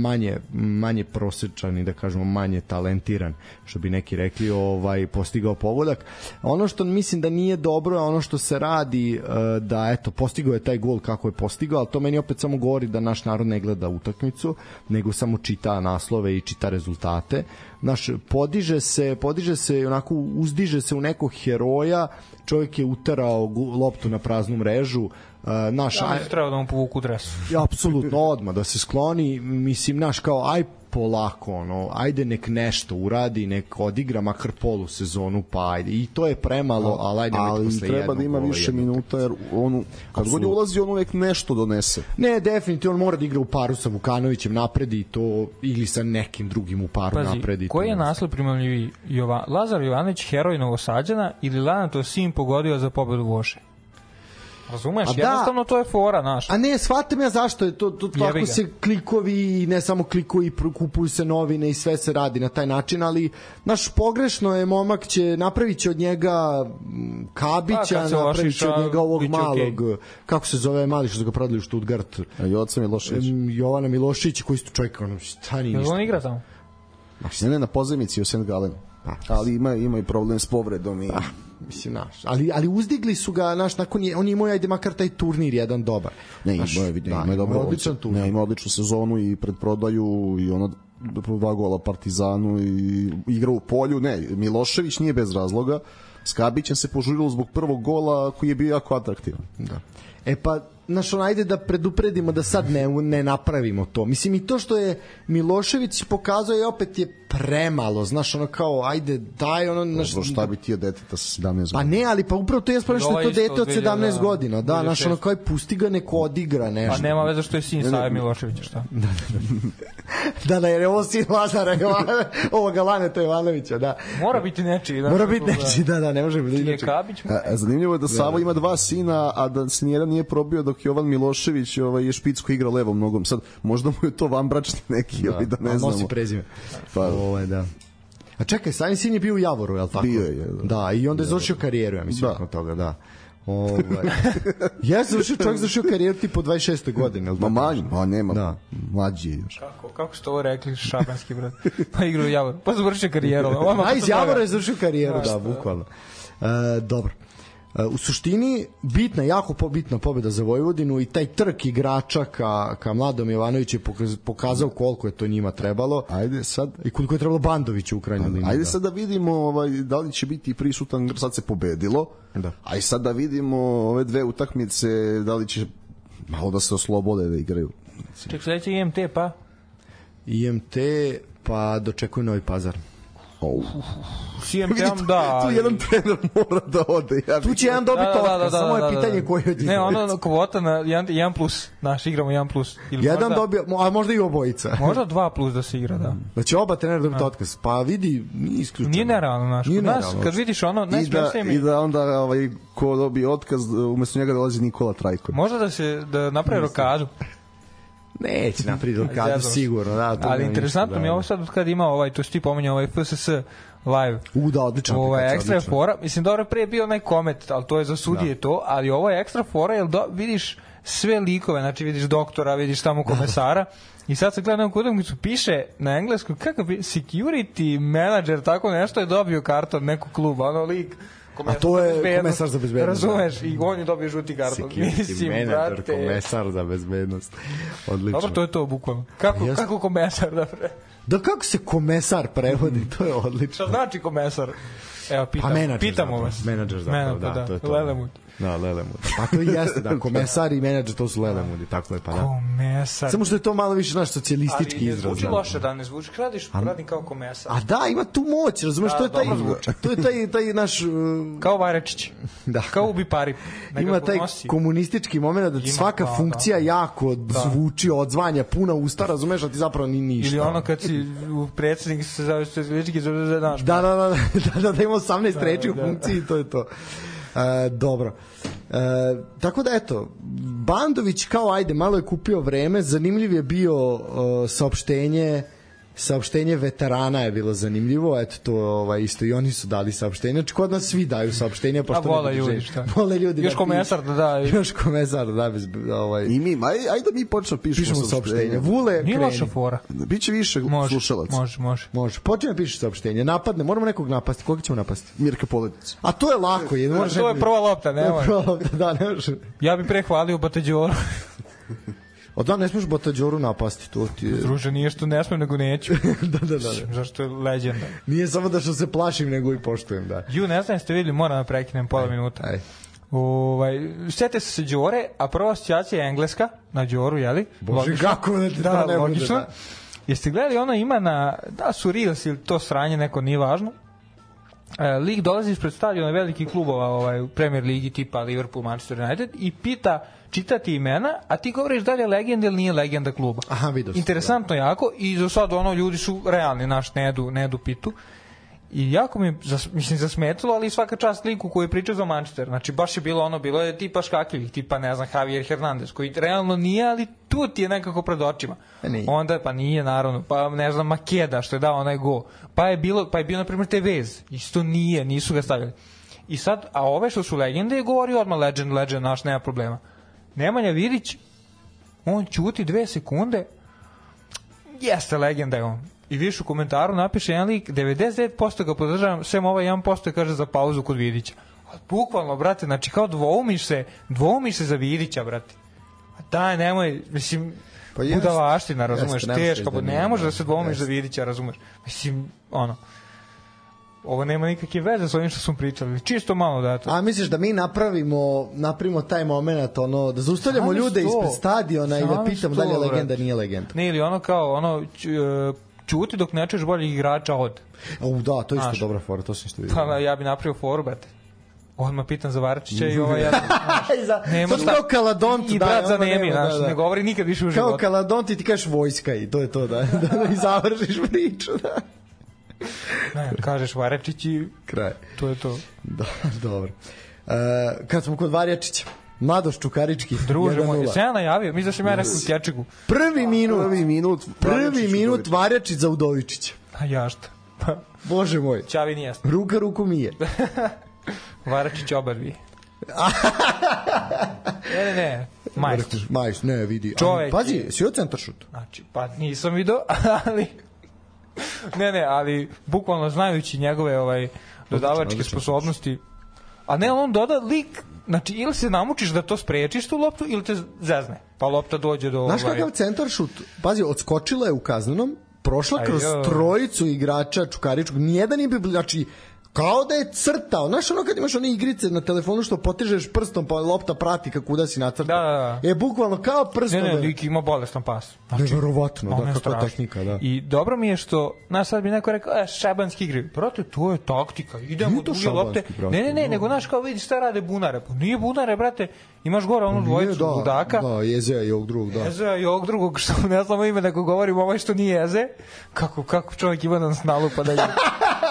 manje manje prosečan i da kažemo manje talentiran, što bi neki rekli, ovaj postigao pogodak. Ono što mislim da nije dobro je ono što se radi, da eto postigao je taj gol kako je postigao, ali to meni opet samo govori da naš narod ne gleda utakmicu, nego samo čita naslove i čita rezultate. Naš podiže se, podiže se onako uzdiže se u nekog heroja, čovjek je uterao loptu na praznu mrežu, naš ja, treba da mu povuku dres. Ja, apsolutno, odmah da se skloni, mislim, naš kao aj polako, ono, ajde nek nešto uradi, nek odigra makar polu sezonu, pa ajde, i to je premalo, ali ajde ali posle treba da ima više minuta, jer on, kad god je ulazi, on uvek nešto donese. Ne, definitivno, on mora da igra u paru sa Vukanovićem napredi to, ili sa nekim drugim u paru Pazi, napredi. Koji je naslov primamljiviji? Jovan, Lazar Jovanović, heroj Novosađana, ili Lanato sin pogodio za pobedu Voše? Razumeš, a jednostavno da, to je fora, naš. A ne, shvatam ja zašto je to, to tako se klikovi, ne samo klikovi, kupuju se novine i sve se radi na taj način, ali naš pogrešno je, momak će, napravit će od njega Kabića, pa, napravit će od njega ovog malog, okay. Kako se zove mali što su ga prodali u Stuttgart? Joca Milošević. Jovana Milošević, koji su čovjek, ono, šta ni ništa. On igra tamo? Ne, ne, na pozemici u Saint Gallen. Ali ima, ima i problem s povredom i... Pa, mislim, naš, ali, ali uzdigli su ga, naš, nakon je, on je imao, ajde makar taj turnir jedan dobar. Ne, naš, ima, vidim, da, ima, ima odličan turnir. Ne, ima odličnu sezonu i pred prodaju i ono dva gola Partizanu i igra u polju. Ne, Milošević nije bez razloga. S Kabićem se požurilo zbog prvog gola koji je bio jako atraktivan. Da. E pa, znaš, on, ajde da predupredimo da sad ne, ne napravimo to. Mislim, i to što je Milošević pokazao je opet je premalo, znaš, ono kao, ajde, daj, ono... Naš, Dobro, šta bi ti je deteta sa sedamnaest godina? Pa ne, ali pa upravo to je spravo što je to dete od sedamnaest godina, da, znaš, ono kao je pusti ga, neko odigra nešto. Pa nema veze što je sin Save Miloševića, šta? Da, da, da, jer je ovo sin Lazara Jovanovića, ovoga Laneta Jovanovića, da. Mora biti nečiji. Mora biti nečiji, da, da, ne može biti nečiji. Zanimljivo je da Savo ima dva sina, a da se nijedan nije probio dok Jovan Milošević ovaj, je špic koji igra levom nogom. Sad, možda mu je to vanbračni neki, da, ovaj, da ne znamo. Nosi prezime. Pa, ovo je, da. A čekaj, sami sin je bio u Javoru, je li tako? Bio je, da. Da, i onda je završio karijeru, ja mislim, nakon toga, da. Ovaj. Ja sam završio, čovjek završio karijeru tipo dvadeset šeste godine. Ma manji, ma nema, da. Mlađi je još. Kako, kako ste ovo rekli, šabanski brat? Pa igra u Javoru, pa završio karijeru. A iz Javora je završio karijeru, da, bukvalno. E, dobro. U suštini bitna, jako pobitna pobjeda za Vojvodinu i taj trk igrača ka, ka Mladom Jovanoviću je pokazao koliko je to njima trebalo. Ajde sad i koliko je trebalo Bandoviću u krajnjoj liniji. Ajde sad da vidimo ovaj, da li će biti prisutan, sad se pobedilo. Da. Ajde sad da vidimo ove dve utakmice, da li će malo da se oslobode da igraju. Ček, sledeće I M T pa? I M T pa dočekuju Novi Pazar. Oh. S I M T-om, da. Tu jedan trener mora da ode. Ja tu će jedan dobiti da, da, otkaz, da, samo da, je da, pitanje da. koji od njih. Ne, ono kvota na jedan plus, naš igramo jedan plus. Ili jedan možda, dobija, a možda i obojica. Možda dva plus da se igra, da. Da će oba trenera dobiti otkaz. Pa vidi, nije isključeno. Nije nerealno, naš. Kod nas, kad vidiš ono, ne da, i da onda ovaj, ko dobije otkaz, umjesto njega dolazi Nikola Trajko. Možda da se da napravi rokadu. Neće napraviti rokadu sigurno, da. Ali interesantno mi je ovo sad kad ima ovaj, to što ti pominja, ovaj F S S live. U, da, odlična ovo je ekstra odlična. Fora. Mislim, dobro, pre je bio onaj komet, ali to je za sudije da. To, ali ovo je ekstra fora, jer do, vidiš sve likove, znači vidiš doktora, vidiš tamo komesara, i sad se gleda neku utakmicu, piše na engleskom, kakav security manager, tako nešto je dobio karton nekog kluba, ono lik, a to je komesar za bezbednost. Razumeš, i on je dobio žuti karton. Security manager, komesar za bezbednost. Odlično. Dobro, to je to, bukvalno. Kako, Just... kako komesar, da pre... Da, kako se komesar prevodi, to je odlično. Šta znači komesar? Evo, pitam, Pa menadžer pitamo zapravo, vas. menadžer zapravo, Men, pa da, to je to. Lelemud. Da, Lelemud. Pa to i jeste, da, komesar i menadžer, to su Lelemudi, tako je, pa da. Komesar. Samo što je to malo više naš socijalistički Ali ne izraz. zvuči da. loše da ne zvuči. Radiš, radim kao komesar. A da, ima tu moć, razumeš, Da, to je taj, dobro zvuči. to je taj, taj naš... uh, Kao Vajrečić. Da. Kao ubi pari. Ima taj komunistički moment da ti Ima, svaka da, funkcija jako zvuči, odzvanja, puna usta, razumeš, a ti zapravo ni ništa. Ili ono kad si u predsjednik se zove socijalistički zove naš. Da, da, da, da, da, da ima osamnaest Da, reči u da. funkciji i to je to. E, dobro. E, tako da eto, Bandović kao ajde, malo je kupio vreme, zanimljiv je bio uh, saopštenje saopštenje veterana je bilo zanimljivo, eto to ovaj, isto i oni su dali saopštenje, znači kod nas svi daju saopštenja, pa A što vole ne ljudi, drže. šta? Vole ljudi. Još da komesar da da. pišu. Još komesar da da bez, ovaj, I mi, aj, ajde da mi počnemo pišemo, pišemo saopštenje. Vule, Nije kreni. loša fora. Biće više Može, slušalaca. može, može. Može, počne da pišeš saopštenje, napadne, moramo nekog napasti, koga ćemo napasti? Mirka Poledica. A to je lako, je, možeš To je nekog- prva lopta, To je nemoj. prva lopta, da, ne može. Ja bih prehvalio Batađoru. Od da ne smiješ Batađoru napasti, to ti je... Druže, nije što ne smem, nego neću. da, da, da, da. Zašto je legenda. Nije samo da što se plašim, nego i poštujem, da. Ju, ne znam, jeste vidjeli, moram da prekinem pola minuta. Aj. Ovaj, sjete se se Đore, a prva asocijacija je engleska, na Đoru, jeli? Bože, Logično. kako da ti da, to ne bude, logično. da. Jeste gledali, ono ima na, da su Reels ili to sranje, neko nije važno. E, lig dolazi ispred stadiona velikih klubova ovaj, u Premier Ligi tipa Liverpool, Manchester United i pita, čitati imena, a ti govoriš da li je legenda ili nije legenda kluba. Aha, vidio sam. Interesantno jako i za sad ono ljudi su realni, naš ne jedu, ne jedu pitu. I jako mi, zas, mislim, zasmetilo, ali svaka čast liku koji je pričao za Manchester. Znači, baš je bilo ono, bilo je tipa škakljivih, tipa, ne znam, Javier Hernandez, koji realno nije, ali tu ti je nekako pred očima. Nije. Onda, pa nije, naravno, pa ne znam, Makeda, što je dao onaj go. Pa je bilo, pa je bio, na primjer, Tevez. Isto nije, nisu ga stavili. I sad, a ove što su legende, je govori odmah legend, legend, naš, nema problema. Nemanja Vidić, on ćuti dve sekunde, jeste legenda je on. I više u komentaru napiše jedan lik, devedeset devet posto ga podržavam, sem ovaj jedan posto kaže za pauzu kod Vidića. A bukvalno, brate, znači kao dvoumiš se, dvoumiš se za Vidića, brate. A daj, nemoj, mislim, Pa pa jeste. budalaština, razumeš, Jeste, ne možeš teško, da pa nije, ne može da, da se dvoumiš jeste. za Vidića, razumeš. Mislim, ono, ovo nema nikakve veze s ovim što smo pričali, čisto malo da to. A misliš da mi napravimo napravimo taj moment, ono, da zaustavljamo Sami ljude sto. ispred stadiona i da Sami pitamo sto, da li je brate. legenda, nije legenda. Ne, ili ono kao, ono, ću- e, ćuti dok ne čuješ boljih igrača od. U, da, to je isto Znaš. dobra fora, to sam isto vidio. Pa ja bi napravio foru, brate. Odmah pitan za Varačića i ovaj ja. I za, Nema to šta. kao Kaladont, I da, brat za onda Nemi, nema, znaš, da, da. ne govori nikad više u Kao životu. Kaladont i ti kažeš vojska i to je to, da, da, da i završiš priču, da. Ne, kažeš Varačić i Kraj. to je to. Da, dobro. Uh, kad smo kod Varjačića, Mladoš Čukarički, Druže jedan moj, nula. se ja najavio, mi da sam ja rekao u Kečegu. Prvi minut, Prvi minut. prvi Varjačić minut Udovičić. Varjačić za Udovičića. A ja šta? Pa, Bože moj, Ćavi nije jasno. ruka ruku mije. Varačić obarvi. ne, ne, ne, majstor. Majs, ne, vidi. Čovek Ali, pazi, je- si joj centaršut? Znači, pa nisam video, ali... ne, ne, ali bukvalno znajući njegove ovaj, dodavačke odlično. sposobnosti, a ne, on doda lik, znači, ili se namučiš da to sprečiš tu loptu, ili te zezne, pa lopta dođe do... Znaš ovaj, kakav centaršut? Pazi, odskočila je u kaznenom, prošla Aj, kroz joj. trojicu igrača Čukaričkog, nijedan nije bio, znači, kao da je crtao. Znaš ono kad imaš one igrice na telefonu što potežeš prstom pa lopta prati kako da si nacrtao? Da, da, da. Je bukvalno kao prstom. Ne, ne, da- lik ima bolestan pas. Znači, Neverovatno, ono da, je kakva strašno. tehnika, da. I dobro mi je što, znaš, sad bi neko rekao, e, šabanski igri. Brate, to je taktika, idemo Nije u to druge lopte. šabanski, brate, Ne, ne, ne, no. nego, znaš, kao vidi šta rade bunare. Pa nije bunare, brate, imaš gore onu Nije, dvojicu da, ludaka. Da, Jezea i ovog drugog, da. Eze i ovog drugog, što ne znamo ime, nego govorimo ovaj što nije Eze. Kako, kako čovjek ima da nas nalupa da je...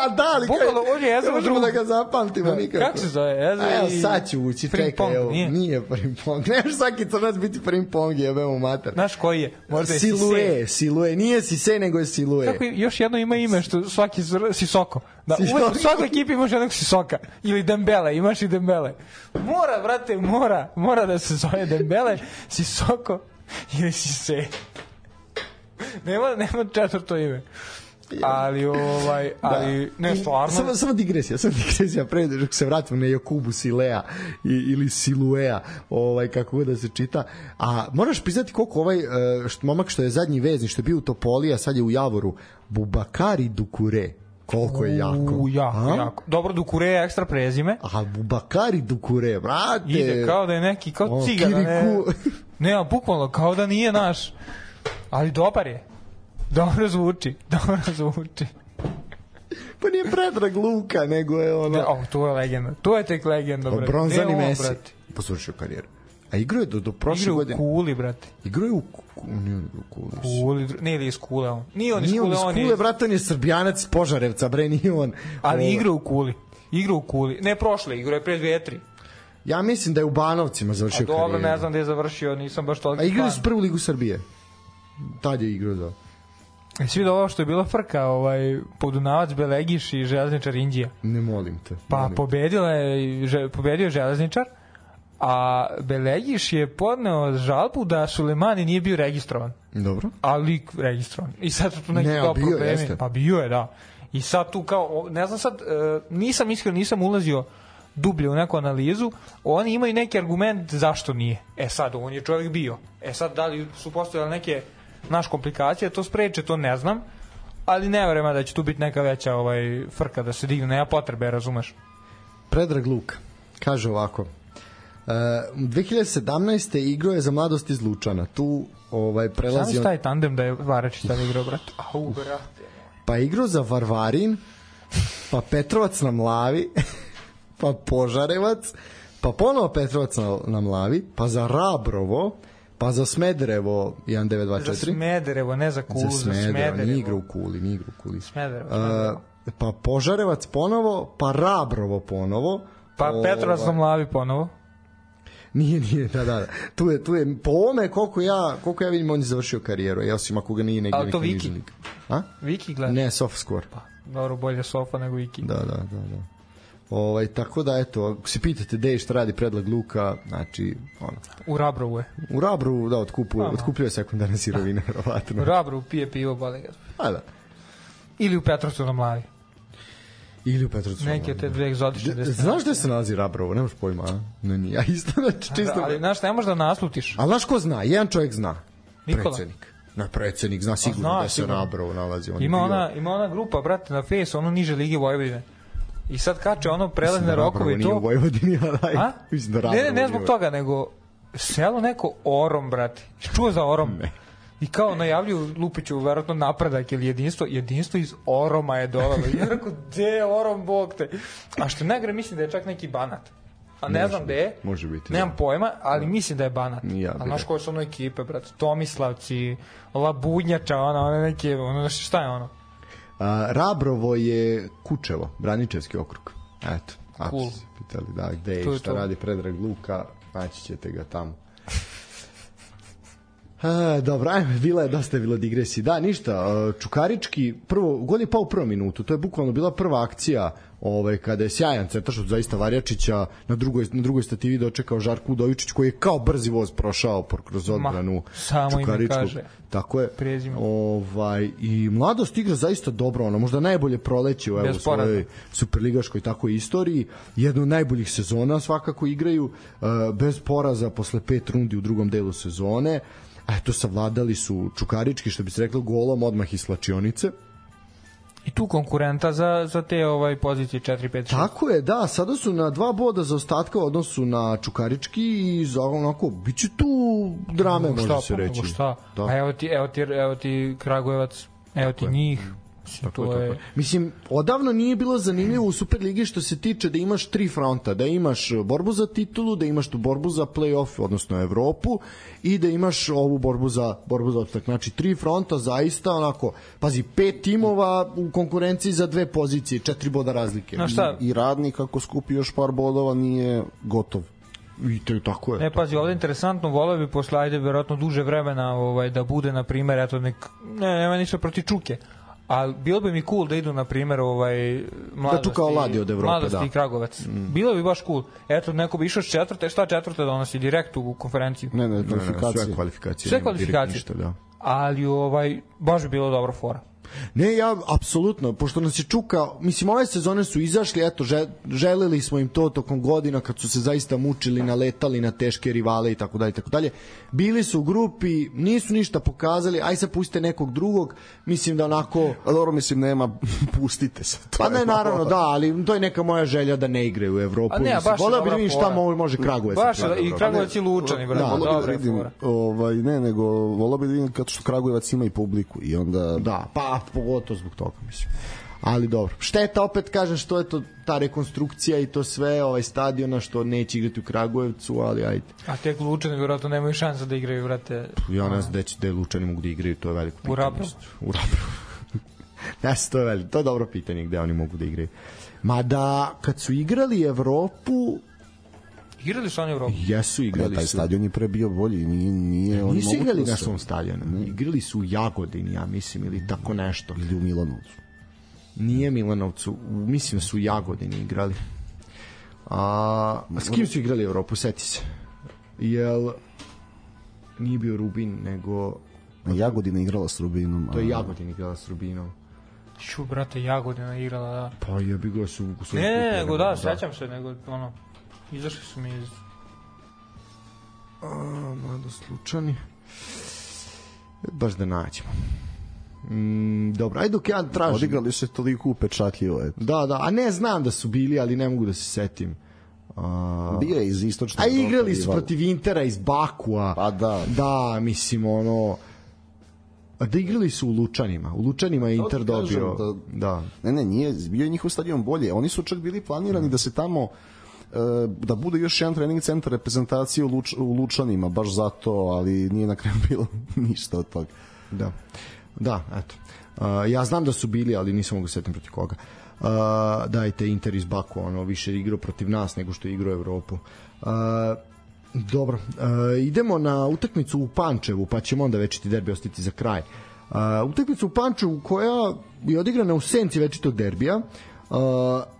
da, ali Bukvalno, on je Eze ne u možemo drugom. da ga zapamtimo nikako. Kako se zove? Eze A, evo, i... sad ću ući, čekaj, Frimpong, evo, nije? nije Frimpong. Ne može svaki crnac biti Frimpong, jebemo mater. Znaš koji je? Možda je Silue, Sise. Silue, nije Sise, nego je Silue. Kako je- još jedno ima ime što svaki zr- Sisoko. Da, Sisoko. uvek u svakoj ekipi imaš jednog Sisoka. Ili Dembele, imaš i Dembele. Mora, brate, mora. Mora da se zove Dembele, Sisoko ili Sise. nema, nema četvrto ime. Ali, ovaj, ali, ne, stvarno... Samo, samo digresija, samo digresija, pre dok se vratimo na Jakubu Silea i, ili Siluea, ovaj, kako god da se čita. A moraš priznati koliko ovaj e, što, momak što je zadnji vezni, što je bio u Topoli, a sad je u Javoru, Bubakari Dukure. Koliko je jako. U, jako, A? jako. Dobro, Dukure je ekstra prezime. A Bubakari Dukure, brate. Ide kao da je neki, kao O, cigana. Ne, Kiriku. ne, a bukvalno, kao da nije naš. Ali dobar je. Dobro zvuči, dobro zvuči. Pa nije Predrag Luka, nego je ono... Da, oh, to je legenda. To je tek legenda, brate. Bronzani Ne, on, Messi. brate. Posvršio karijeru. A igrao je do, do prošle Igra u godine. Kuli, brate. Igrao je u Kuli. Nije on igrao u Kuli. Kuli, dru- ne, ili iz Kule on. Nije on iz Nije on Kule, iz on Kule, je... brate, on je Srbijanac iz Požarevca, bre, nije on. Ali Ovo. igra u Kuli. Igra u Kuli. Ne prošle, igra je pre dve, tri. Ja mislim da je u Banovcima A završio dobro, karijeru. ne znam gde je završio, nisam baš toliko A igrao je fan. s prvu ligu Srbije. Tad je igrao, da. E, svi da ovo što je bila frka, ovaj, Podunavac, Belegiš i Železničar Indija. Ne molim te. Pa molim te. pobedila je, že, pobedio je Železničar, a Belegiš je podneo žalbu da Sulemani nije bio registrovan. Dobro. A lik registrovan. I sad su tu neki Ne, kao a bio je, problemi. jeste. Pa bio je, da. I sad tu kao, ne znam sad, e, nisam iskreno, nisam ulazio dublje u neku analizu, oni imaju neki argument zašto nije. E sad, on je čovjek bio. E sad, da li su postojale neke naš komplikacije, to spreče, to ne znam, ali ne vrema da će tu biti neka veća ovaj, frka da se digne, nema potrebe, razumeš? Predrag Luka kaže ovako. Uh, dve hiljade sedamnaeste igrao je za Mladost iz Lučana. Tu ovaj prelazi Samo on, taj tandem da je Varačić tada igrao, brate. Au, brate. pa igrao za Varvarin, pa Petrovac na Mlavi, pa Požarevac, pa ponovo Petrovac na, na Mlavi, pa za Rabrovo, pa za Smederevo jedan devet dva Za četiri. Smederevo, ne za Kulu, Za za Smederevo, Smederevo. nije igrao u Kuli, nije igrao u Kuli. Smederevo, Uh, Smederevo. pa Požarevac ponovo, pa Rabrovo ponovo. Pa Ovaj, Petrovac na Mlavi ponovo. Nije, nije, da, da, da. Tu je, tu je, po ovome koliko ja, koliko ja vidim, on je završio karijeru, ja osim ako ga nije negdje Ali to neki Viki? niži lig. A? Viki gleda. Ne, soft score. Pa, dobro, bolje Sofa nego Viki. Da, da, da, da. Ovaj, tako da, eto, ako se pitate gde i šta radi Predrag Luka, znači, ono, U Rabrovu je. u Rabru, da, otkupuje, Aha. otkupljuje sekundarne sirovine, U verovatno. Rabrovu pije pivo, boli ga. A, da. Ili u Petrovcu na Mlavi. Ili u Petrovcu. Neke te dve egzotične destinacije. Znaš gde se nalazi Rabrovo? Nemaš pojma, a? Ne, nije. Ja isto, znači, čisto... Ali, znaš, ne možeš da naslutiš. Ali znaš ko zna? Jedan čovjek zna. Nikola. Predsednik. Na predsednik zna sigurno zna, da se sigurno. Rabrovo nalazi. On je Ima bio- ona, ima ona grupa, brate, na Face, ono niže Lige Vojvodine. I sad kače ono Mislim prelazne da rokove Rabrovo i nije u to. Vojvodini, ali A? mislim da Ne, ne, Rabrovo ne nije zbog u- toga, nego selo neko Orom, brate. Čuo za Orom? Ne. I kao najavljuju Lupiću, verovatno napredak ili jedinstvo, jedinstvo iz Oroma je dovelo. I ja rekao, gde je Orom, bog te? A što najgore, mislim da je čak neki Banat. A ne Može znam biti, gde je. može biti, Nemam da. pojma, ali mislim da je Banat. Ni ja A bih znaš rekao. koje su ono ekipe, brate? Tomislavci, Labudnjača, ono, one neke, ono, šta je ono? A, Rabrovo je Kučevo, Braničevski okrug. Eto, ako Cool. ste se pitali da, gde je To i je šta to. radi Predrag Luka, naći ćete ga tamo. E, dobro, ajme, bila je dosta je bilo digresiji. Da, ništa, e, Čukarički, prvo, gol je pao u prvom minutu, to je bukvalno bila prva akcija ovaj, kada je sjajan centaršut zaista Varjačića, na drugoj, na drugoj stativi dočekao Žarko Udovičić koji je kao brzi voz prošao por- kroz odbranu samo ime Čukaričkog. kaže. Tako je. Prezime. Ovaj, i Mladost igra zaista dobro, ono, možda najbolje proleće u evo, Bez poraza. svojoj superligaškoj tako istoriji. Jednu od najboljih sezona svakako igraju, uh, bez poraza posle pet rundi u drugom delu sezone. Eto, savladali su Čukarički, što bi se reklo, golom odmah iz slačionice. I tu konkurenta za, za te ovaj pozicije četiri pet šest. Tako je, da, sada su na dva boda za ostatka u odnosu na Čukarički i za onako, bit će tu drame, može šta, se pa, reći. nego šta? Da. A evo ti, evo ti, evo ti Kragujevac, evo ti njih. Mislim, Tako je, to tako je... je. Mislim, odavno nije bilo zanimljivo u Superligi što se tiče da imaš tri fronta, da imaš borbu za titulu, da imaš tu borbu za play-off, odnosno Evropu, i da imaš ovu borbu za borbu za opstanak. Znači, tri fronta zaista onako, pazi, pet timova u konkurenciji za dve pozicije, četiri boda razlike. No šta, I Radnik ako skupi još par bodova nije gotov. I to je tako je. ne, pazi, ovde je interesantno, voleo bi posle, ajde, verovatno duže vremena ovaj, da bude, na primjer, eto, nek, ne, nema ništa proti Čuke, ali bilo bi mi cool da idu, na primjer, ovaj, mladosti, Da tu kao Ladi od Evrope, mladosti da. i Kragovac. Mm. Bilo bi baš cool. Eto, neko bi išao s četvrte, šta četvrte donosi direkt u konferenciju. Ne, ne, Ne, ne, kvalifikacije. sve kvalifikacije. Sve nema kvalifikacije. direkt ništa, da. Ali, ovaj, baš bi bilo dobro fora. Ne, ja, apsolutno, pošto nas je Čuka, mislim, ove sezone su izašli, eto, želeli smo im to tokom godina kad su se zaista mučili, naletali na teške rivale i tako dalje, tako dalje. Bili su u grupi, nisu ništa pokazali, aj sad pustite nekog drugog, mislim da onako... A dobro, mislim, nema, pustite se. Pa ne, naravno, da, ali to je neka moja želja da ne igraju u Evropu. A ne, mislim, baš voleo bi da vidim šta može Kragujevac. Baš, i Kragujevac i Lučani, brate, dobro je. Ovaj, ne, nego voleo bi da vidim kad što Kragujevac ima i publiku i onda... Da, pa pogotovo zbog toga, mislim. Ali dobro. Šteta, opet kažem, što je to ta rekonstrukcija i to sve, ovaj stadiona što neće igrati u Kragujevcu, ali ajde. A tek Lučani vjerojatno nemaju šansa da igraju, vrate. Ja ne znam da će da Lučani mogu da igraju, to je veliko pitanje. U Rapru? U Rapru. Ne, to je veliko. To je dobro pitanje gde oni mogu da igraju. Mada, kad su igrali Evropu, igrali su oni Evropu? Jesu, igrali ja, taj su. Taj stadion je pre bio bolji, nije, nije oni nisu mogu igrali da na se... svom stadionu. Igrali su u Jagodini, ja mislim, ili tako nešto. Ili u Milanovcu. Nije Milanovcu, mislim da su u Jagodini igrali. A, a s kim su igrali Evropu, seti se? Jel nije bio Rubin, nego... Jagodina igrala s Rubinom. To je Jagodina igrala s Rubinom. Šu, brate, Jagodina igrala, da. Pa je bi ga su... su ne, ne, nego da, sećam se, nego ono, izašli su mi iz... A, mada slučani. Baš da nađemo. Mm, dobro, ajde dok ja tražim. Odigrali se toliko upečatljivo. Eto. Da, da, a ne znam da su bili, ali ne mogu da se setim. A... Bio je iz istočnog. A igrali su protiv Intera iz Bakua. Pa da. Da, mislim, ono... A da igrali su u Lučanima. U Lučanima je Inter dobio. Da, da. Ne, ne, nije, bio je njihov stadion bolje. Oni su čak bili planirani mm. da se tamo da bude još jedan trening centar reprezentacije u, Luč, u Lučanima, baš zato, ali nije na kraju bilo ništa od toga. Da, da, eto. Uh, ja znam da su bili, ali nisam mogu setim protiv koga. Uh, dajte, Inter iz Baku, ono, više igrao protiv nas nego što je igrao Evropu. Uh, dobro, uh, idemo na utakmicu u Pančevu, pa ćemo onda večiti derbi ostati za kraj. Uh, utakmicu u Pančevu koja je odigrana u senci večitog derbija. Uh,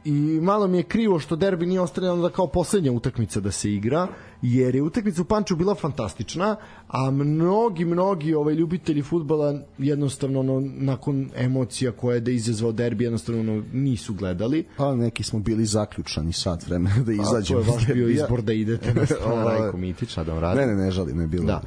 i malo mi je krivo što derbi nije ostavljeno da kao poslednja utakmica da se igra, jer je utakmica u Pančevu bila fantastična, a mnogi, mnogi ovaj, ljubitelji fudbala jednostavno ono, nakon emocija koje je da izazvao derbi jednostavno ono, nisu gledali. Pa neki smo bili zaključani sat vremena da izađemo. A to je vaš bio izbor da idete na stranu Rajko Mitića da vam radi. Ne, ne, ne žalim, ne bilo. Da.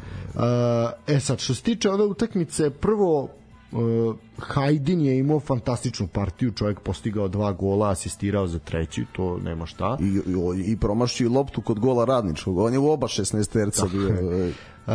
Uh, e sad, što se tiče ove utakmice, prvo Uh, Hajdin je imao fantastičnu partiju, čovjek postigao dva gola, asistirao za treći, to nema šta. I, i, i promašio loptu kod gola Radničkog, on je u oba šesnaesterca bio. Uh,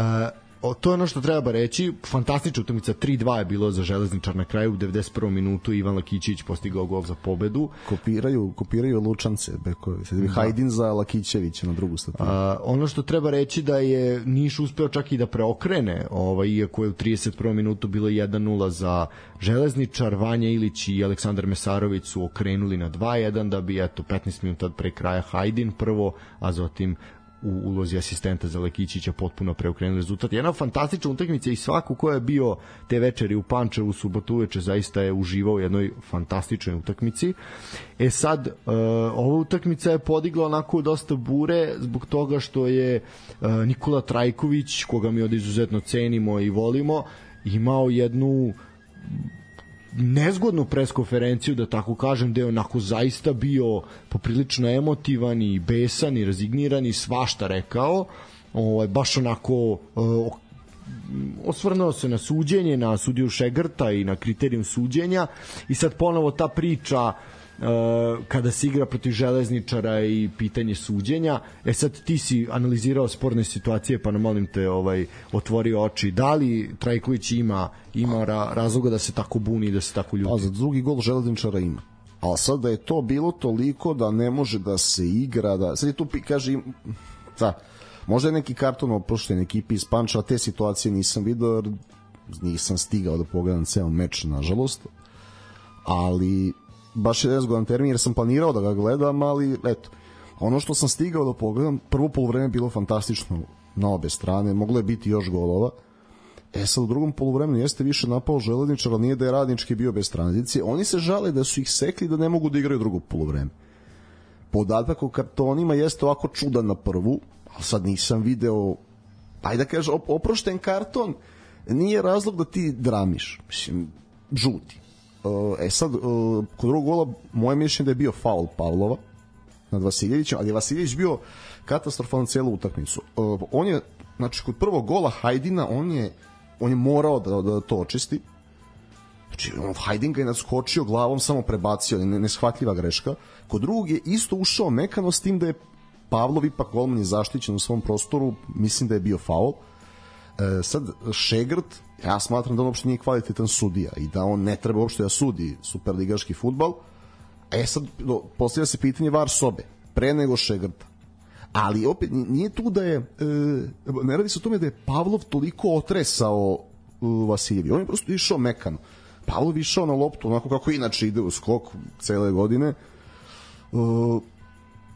o, to je ono što treba reći, fantastična utakmica, tri dva je bilo za Železničar na kraju, u devedeset prvom minutu Ivan Lakićević postigao gol za pobedu. Kopiraju, kopiraju Lučance, bekovi. Da. Hajdin za Lakićevića na drugu stativu. Ono što treba reći da je Niš uspeo čak i da preokrene, ovaj, iako je u trideset prvom minutu bilo jedan nula za Železničar, Vanja Ilić i Aleksandar Mesarović su okrenuli na dva jedan da bi eto petnaest minuta pre kraja Hajdin prvo, a zatim u ulozi asistenta za Lekićića potpuno preokrenuli rezultat. Jedna fantastična utakmica i svako ko je bio te večeri u Pančevu subotu uveče zaista je uživao u jednoj fantastičnoj utakmici. E sad, uh, ova utakmica je podigla onako dosta bure zbog toga što je uh, Nikola Trajković, koga mi od izuzetno cenimo i volimo, imao jednu nezgodnu preskonferenciju, da tako kažem, da je onako zaista bio poprilično emotivan i besan i razigniran i svašta rekao, ovaj, baš onako uh, osvrnuo se na suđenje, na sudiju Šegrta i na kriterijum suđenja i sad ponovo ta priča Uh, kada se igra protiv Železničara i pitanje suđenja. E sad ti si analizirao sporne situacije, pa nam molim te ovaj, otvorio oči. Da li Trajković ima, ima ra, razloga da se tako buni i da se tako ljuti? Pa za drugi gol Železničara ima. Ali sad da je to bilo toliko da ne može da se igra, da... sad je tu kaže... Da, možda je neki karton oprošten ekipi iz Pančeva, te situacije nisam vidio, nisam stigao da pogledam ceo meč, nažalost. Ali baš je nezgodan termin jer sam planirao da ga gledam, ali eto, ono što sam stigao da pogledam, prvo poluvreme bilo fantastično na obe strane, moglo je biti još golova. E sad u drugom poluvremenu jeste više napao Železničar, ali nije da je Radnički bio bez tranzicije. Oni se žale da su ih sekli da ne mogu da igraju drugo poluvreme. Podatak o kartonima jeste ovako čudan na prvu, ali sad nisam video, pa da kažem, oprošten karton nije razlog da ti dramiš. Mislim, žuti. E sad, kod drugog gola moje mišljenje da je bio faul Pavlova nad Vasiljevićem, ali je Vasiljević bio katastrofalan celu utakmicu. On je, znači, kod prvog gola Hajdina, on je, on je morao da, da to očisti. Znači, on Hajdin ga je nadskočio glavom, samo prebacio, neshvatljiva greška. Kod drugog je isto ušao mekano, s tim da je Pavlov ipak golman je zaštićen u svom prostoru, mislim da je bio faul. E, sad, Šegrt, ja smatram da on uopšte nije kvalitetan sudija i da on ne treba uopšte da sudi superligaški fudbal. E sad, postavlja se pitanje var sobe, pre nego Šegrta. Ali opet, nije tu da je, e, ne radi se o tome da je Pavlov toliko otresao uh, Vasiljevi. On je prosto išao mekano. Pavlov išao na loptu, onako kako inače ide u skok cele godine. Uh,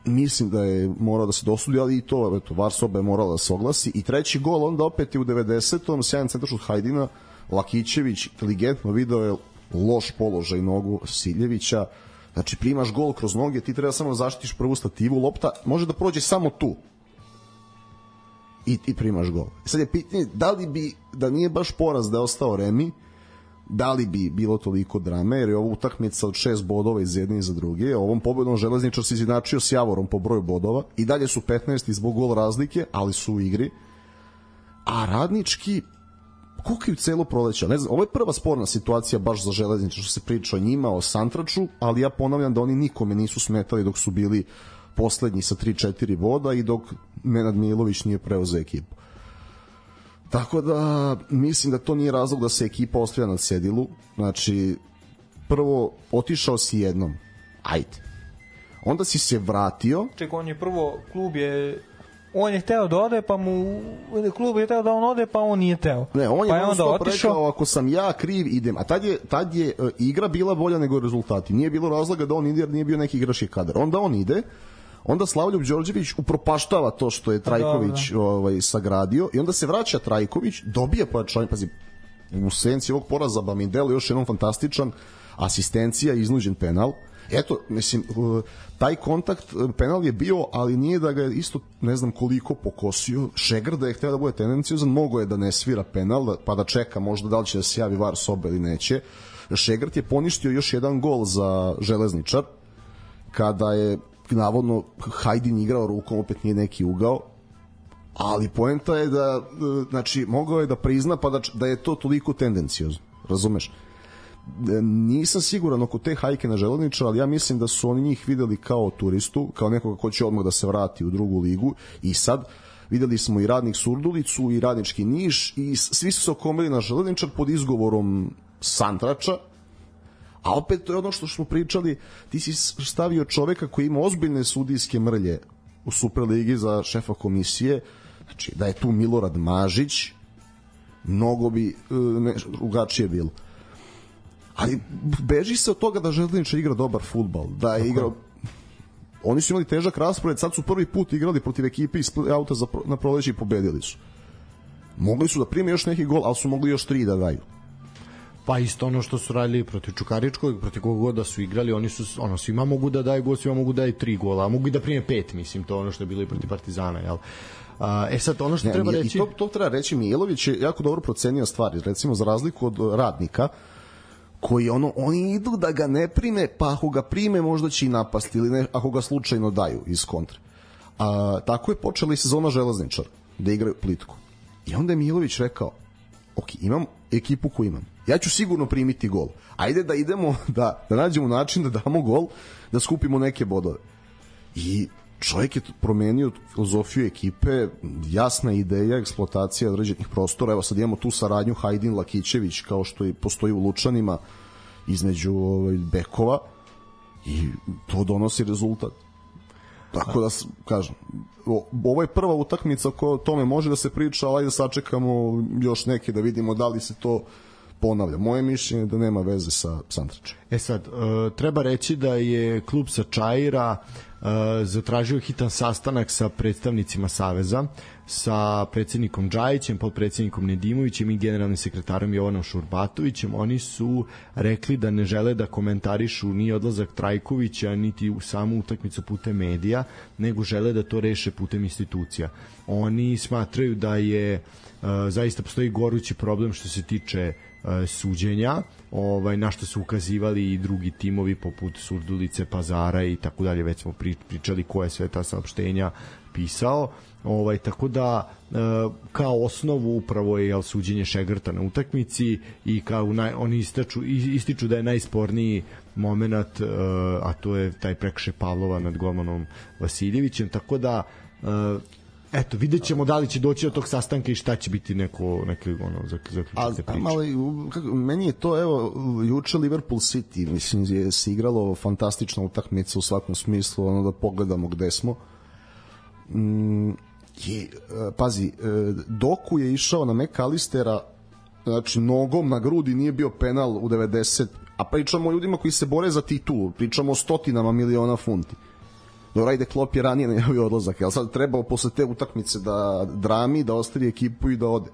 mislim da je morao da se dosudi, ali i to, eto, var soba je morala da se oglasi. I treći gol, onda opet je u devedesetom sjajan centaršut Hajdina, Lakićević inteligentno video je loš položaj nogu Vasiljevića. Znači, primaš gol kroz noge, ti treba samo da zaštitiš prvu stativu, lopta može da prođe samo tu i ti primaš gol. Sad je pitanje, da li bi, da nije baš poraz da je ostao remi, da li bi bilo toliko drame, jer je ovo utakmica od šest bodova iz jedne i za druge. Ovom pobedom Železničar se izjednačio s Javorom po broju bodova i dalje su petnaesti zbog gol razlike, ali su u igri. A Radnički kukaju celo proleće. Ne znam, ovo je prva sporna situacija baš za Železničar, što se priča o njima, o Santraču, ali ja ponavljam da oni nikome nisu smetali dok su bili poslednji sa tri četiri boda i dok Nenad Milović nije preuzeo ekipu. Tako da mislim da to nije razlog da se ekipa ostavlja na cedilu. Znači, prvo otišao si jednom, ajde. Onda si se vratio. Čekaj, on je prvo, klub je, on je hteo da ode, pa mu klub je hteo da on ode, pa on nije hteo. Ne, on je pa je onda otišao. Rekao, ako sam ja kriv, idem. A tad je, tad je uh, igra bila bolja nego rezultati. Nije bilo razloga da on ide, jer nije bio neki igrački kadar. Onda on ide, onda Slavljub Đorđević upropaštava to što je Trajković ovaj, sagradio i onda se vraća Trajković, dobije pojačanje, pazi, u senci ovog poraza Bamidel još jednom fantastičan, asistencija, iznuđen penal. Eto, mislim, taj kontakt, penal je bio, ali nije da ga je isto, ne znam koliko pokosio. Šegr da je hteo da bude tendencijozan, mogo je da ne svira penal, pa da čeka možda da li će da se javi var sobe ili neće. Šegrt je poništio još jedan gol za Železničar, kada je navodno Hajdin igrao rukom, opet nije neki ugao, ali poenta je da, znači, mogao je da prizna pa da, da je to toliko tendencijozno, razumeš? Nisam siguran oko te hajke na Železničar, ali ja mislim da su oni njih videli kao turistu, kao nekoga ko će odmah da se vrati u drugu ligu i sad videli smo i Radnik Surdulicu i Radnički Niš i svi su se okomili na Železničar pod izgovorom Santrača. A opet to je ono što smo pričali, ti si stavio čoveka koji ima ozbiljne sudijske mrlje u Superligi za šefa komisije, znači da je tu Milorad Mažić, mnogo bi ne, drugačije bilo. Ali beži se od toga da Železničar igra dobar fudbal, da je igrao, oni su imali težak raspored, sad su prvi put igrali protiv ekipe iz auta za, na proleće i pobedili su. Mogli su da prime još neki gol, ali su mogli još tri da daju. Pa isto ono što su radili protiv Čukaričkog, protiv kog god da su igrali, oni su, ono, svima mogu da daju gol, svima mogu da daju tri gola, a mogu i da prime pet, mislim, to ono što je bilo i protiv Partizana, jel? A, e sad, ono što ne, treba reći... I to, to treba reći, Mijailović je jako dobro procenio stvari, recimo za razliku od Radnika, koji ono, oni idu da ga ne prime, pa ako ga prime možda će i napasti, ili ne, ako ga slučajno daju iz kontre. A, tako je počela i sezona Železničar, da igraju plitko. I onda je Mijailović rekao, ok, imam ekipu koju imam, ja ću sigurno primiti gol, ajde da idemo da, da nađemo način da damo gol, da skupimo neke bodove. I čovjek je promenio filozofiju ekipe, jasna ideja, eksploatacija određenih prostora. Evo sad imamo tu saradnju Hajdin Lakićević, kao što i postoji u Lučanima između ovaj, bekova, i to donosi rezultat. Tako da, kažem, ovo je prva utakmica koja o tome može da se priča, ali da sačekamo još neke da vidimo da li se to ponavlja. Moje mišljenje je da nema veze sa Santračem. E sad, uh, treba reći da je klub sa Čaira uh, zatražio hitan sastanak sa predstavnicima Saveza, sa predsjednikom Džajićem, podpredsjednikom Nedimovićem i generalnim sekretarom Jovanom Šurbatovićem. Oni su rekli da ne žele da komentarišu ni odlazak Trajkovića, niti u samu utakmicu putem medija, nego žele da to reše putem institucija. Oni smatraju da je uh, zaista postoji gorući problem što se tiče e, suđenja, ovaj, na što su ukazivali i drugi timovi poput Surdulice, Pazara i tako dalje, već smo pričali koje sve ta saopštenja pisao. Ovaj, tako da e, kao osnovu upravo je jel, suđenje Šegrta na utakmici i kao naj, oni ističu, ističu da je najsporniji moment, e, a to je taj prekršaj Pavlova nad golmanom Vasiljevićem, tako da e, eto, vidjet ćemo da li će doći do tog sastanka i šta će biti neko, neko ono, zaključite priče. Mali, kako, meni je to, evo, juče Liverpool City, mislim, je se igralo fantastična utakmica u svakom smislu, ono da pogledamo gde smo. Mm, je, pazi, Doku je išao na McAllistera, znači nogom na grudi, nije bio penal u devedeset, a pričamo o ljudima koji se bore za titulu, pričamo o stotinama miliona funti. Dobro, ajde, Klopp je ranije najavio odlazak, ali sad trebao posle te utakmice da drami, da ostavi ekipu i da ode.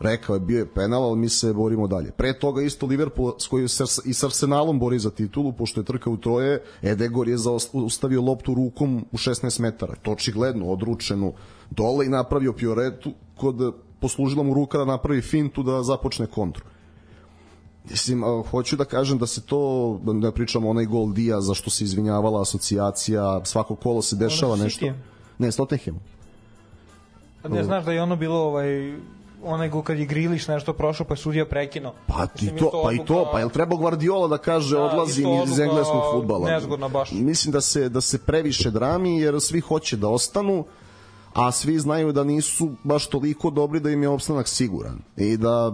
Rekao je, bio je penal, ali mi se borimo dalje. Pre toga isto Liverpool s kojim se i s Arsenalom bori za titulu, pošto je trka u troje, Edegor je zaustavio loptu rukom u šesnaest metara. To očigledno, odručenu dole i napravio pioretu, kod poslužila mu ruka da napravi fintu da započne kontru. Mislim, hoću da kažem da se to, da pričamo onaj gol Dija za što se izvinjavala asocijacija, svako kolo se dešava nešto. Ne, s Tottenhamom. Ne znaš da je ono bilo ovaj onaj go kad je Grilić nešto prošao pa je sudija prekinuo. Pa ti to, pa i to, pa jel treba Guardiola da kaže da, odlazim iz engleskog fudbala. Nezgodno baš. Mislim da se da se previše drami jer svi hoće da ostanu, a svi znaju da nisu baš toliko dobri da im je opstanak siguran i da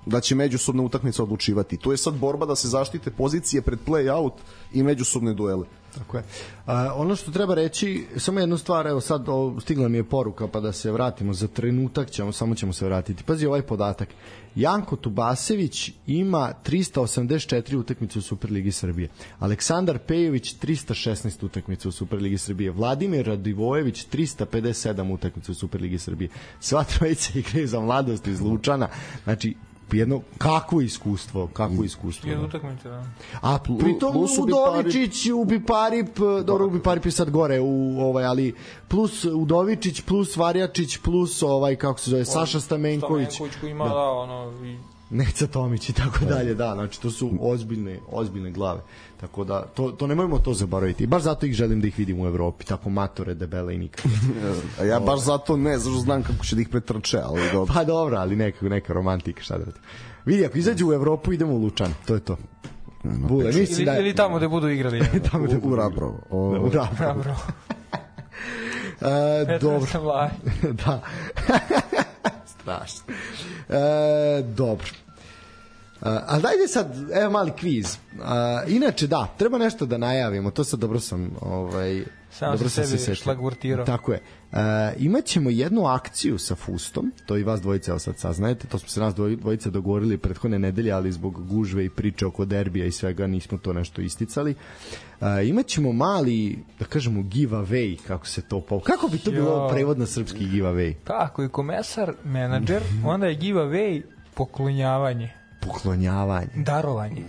da će međusobne utakmice odlučivati. To je sad borba da se zaštite pozicije pred play-out i međusobne duele. Tako je. A, ono što treba reći, samo jednu stvar, evo sad o, stigla mi je poruka pa da se vratimo za trenutak, ćemo, samo ćemo se vratiti. Pazi ovaj podatak. Janko Tubasević ima trista osamdeset četiri utakmice u Superligi Srbije. Aleksandar Pejović trista šesnaest utakmica u Superligi Srbije. Vladimir Radivojević trista pedeset sedam utakmica u Superligi Srbije. Sva trojica igraju za Mladost iz Lučana. Znači, jedno kakvo iskustvo, kakvo iskustvo. Jedno utakmice, da. A pritom Udovičić, Ubiparip, dobro, Ubiparip je sad gore u ovaj, ali plus Udovičić, plus Varjačić, plus ovaj kako se zove Saša Stamenković. Stamenković koji ima da, da ono i Neca Tomić i tako dalje, da, znači to su ozbiljne, ozbiljne glave. Tako da, to, to nemojmo to zaboraviti. Baš zato ih želim da ih vidim u Evropi, tako matore, debele i nikad. A ja baš zato ne, zašto znam kako će da ih pretrče, ali dobro. Pa dobro, ali neka, neka romantika, šta da radim. Vidi, ako izađu u Evropu, idemo u Lučan, to je to. Bule, ili, da, ili tamo gde budu igrali. Tamo gde budu u Rabrovo. U Rabrovo. E, dobro. Da. Strašno. E, dobro. Uh, ali dajde sad, evo mali kviz. Uh, inače da, treba nešto da najavimo, to sad dobro sam ovaj, samo dobro sam se sebi šlagvortirao. Tako je. Uh, imaćemo jednu akciju sa Fustom, to i vas dvojice evo sad saznajete, to smo se nas dvojice dogovorili prethodne nedelje, ali zbog gužve i priče oko derbija i svega nismo to nešto isticali. Uh, imaćemo mali, da kažemo, giveaway, kako se to pa kako bi to jo. bilo prevod na srpski giveaway? Tako je, komesar, menadžer, onda je giveaway poklonjavanje. Poklonjavanje. Darovanje.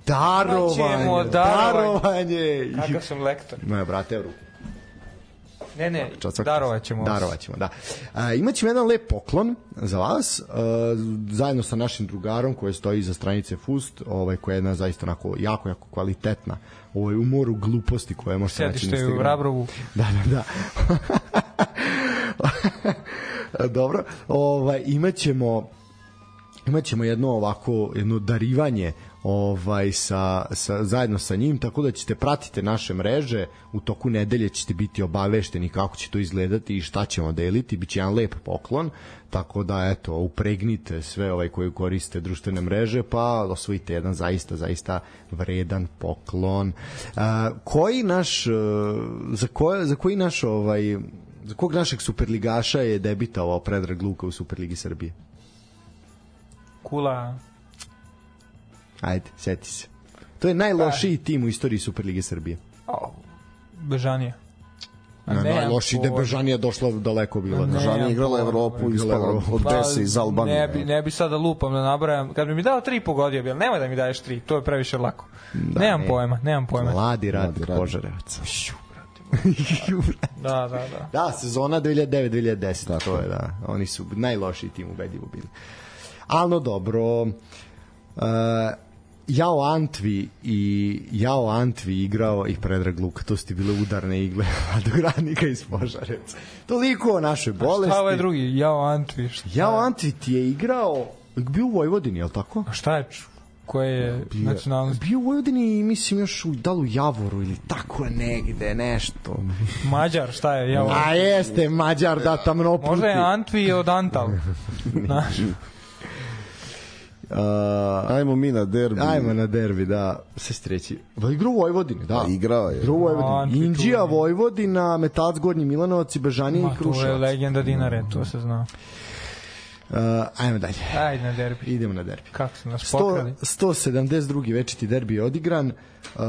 Darovanje. Darovanje. Kakav sam lektor. Moja brate, evo ruku. Ne, ne, darovat ćemo. Darovat ćemo, da. A, imaćemo jedan lep poklon za vas, a, zajedno sa našim drugarom koji stoji iza stranice Fust, ovaj, koja je jedna zaista onako jako, jako kvalitetna ovaj, u moru gluposti koje možete naći na Instagramu. Sedište u Rabrovu. Da, da, da. Dobro, ovaj, imaćemo imaćemo jedno ovako jedno darivanje ovaj sa, sa zajedno sa njim, tako da ćete pratite naše mreže, u toku nedelje ćete biti obavešteni kako će to izgledati i šta ćemo deliti, biće jedan lep poklon, tako da eto upregnite sve ovaj koji koriste društvene mreže pa osvojite jedan zaista zaista vredan poklon. A, koji naš za koje za koji naš ovaj za kog našeg superligaša je debitovao Predrag Luka u Superligi Srbije? Kula. Ajde, sjeti se. To je najlošiji tim u istoriji Superlige Srbije. O, Bežanija. Ne, najlošiji da je Bežanija došla daleko bila. Bežanija igrala Evropu i ispala od Bese iz Albanije. Ne bi, ne bi sada lupam da nabrajam. Kad bi mi dao tri pogodio, bil, nemoj da mi daješ tri, to je previše lako. Da, nemam ne. pojma, nemam pojma. Mladi Radnik Požarevac. Da, da, da. Da, sezona dve hiljade devet dve hiljade deset, to je, da. Oni su najlošiji tim ubedljivo bili. Ali no dobro, uh, Jao Antvi i Jao Antvi igrao i Predrag Luka, to su ti bile udarne igle Mladogradnika iz Požareca. Toliko o našoj bolesti. A šta ovaj drugi, Jao Antvi? Jao Antvi ti je igrao, bio u Vojvodini, je li tako? A šta je, koje je nacionalnost? Bio u Vojvodini, mislim, još u, da li u Javoru ili tako negde, nešto. Mađar, šta je? Jao? A jeste, Mađar, da, tamno puti. Možda je Antvi od Antal. Znaš. Uh, ajmo mi na derbi. Ajmo na derbi, da. Sve streći. Igrao u Vojvodini, da. A igrao je. Igrao u Vojvodini. Indija, Vojvodina, Metalac, Gornji Milanovac i Bežanija i Kruševac. To je legenda Dinare, to se zna. Uh, ajmo dalje. Ajde na derbi. Idemo na derbi. Kako su nas pokrali? sto sedamdeset drugi večiti derbi je odigran. Uh,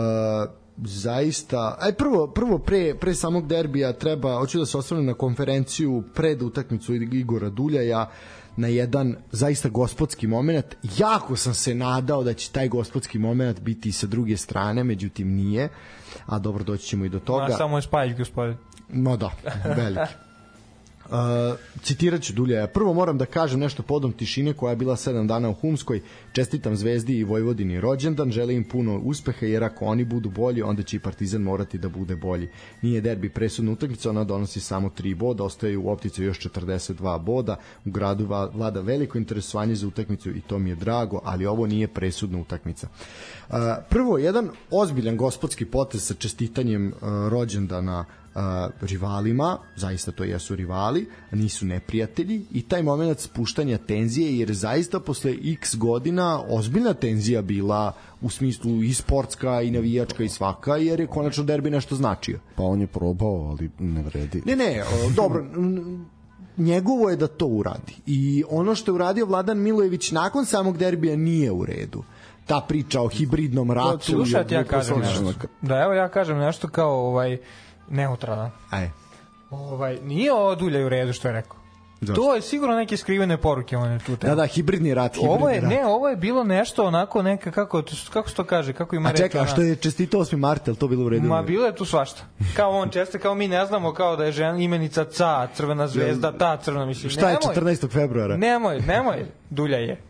zaista, aj prvo prvo pre pre samog derbija treba, hoću da se osvrnem na konferenciju pred utakmicu Igora Duljaja, na jedan zaista gospodski moment. Jako sam se nadao da će taj gospodski moment biti i sa druge strane, međutim nije, a dobro, doći ćemo i do toga. A samo je Spajić, gospodin. No da, veliki. Uh, citirat ću Duljaja. Prvo moram da kažem nešto podom tišine koja je bila sedam dana u Humskoj. Čestitam Zvezdi i Vojvodini rođendan, želim im puno uspeha, jer ako oni budu bolji, onda će i Partizan morati da bude bolji. Nije derbi presudna utakmica, ona donosi samo tri boda, ostaje u optici još četrdeset dva boda. U gradu vlada veliko interesovanje za utakmicu i to mi je drago, ali ovo nije presudna utakmica. Uh, prvo, jedan ozbiljan gospodski potez sa čestitanjem uh, rođendana Uh, rivalima, zaista to jesu rivali, nisu neprijatelji, i taj moment spuštanja tenzije, jer zaista posle x godina ozbiljna tenzija bila u smislu i sportska i navijačka i svaka, jer je konačno derbi nešto značio. Pa on je probao, ali ne vredi. Ne, ne, o, dobro, njegovo je da to uradi, i ono što je uradio Vladan Milojević nakon samog derbija nije u redu. Ta priča o hibridnom ratu. Slušajte, ja kažem nešto. Da, evo ja kažem nešto kao ovaj neutralan. Aj. Ovaj, nije ovo Dulja u redu što je rekao. Zašto? To je sigurno neke skrivene poruke on je tu. Da, da, hibridni rat, hibridni ovo je, rat. Ne, ovo je bilo nešto onako neka, kako, kako se to kaže, kako ima a reći. A čekaj, a što je čestito osmi marta, je li to bilo u redu? Ma, bilo je tu svašta. Kao on česte, kao mi ne znamo, kao da je žena, imenica Ca, Crvena zvezda, ta crvena, mislim. Šta je nemoj, četrnaestog februara? Nemoj, nemoj, Dulja je.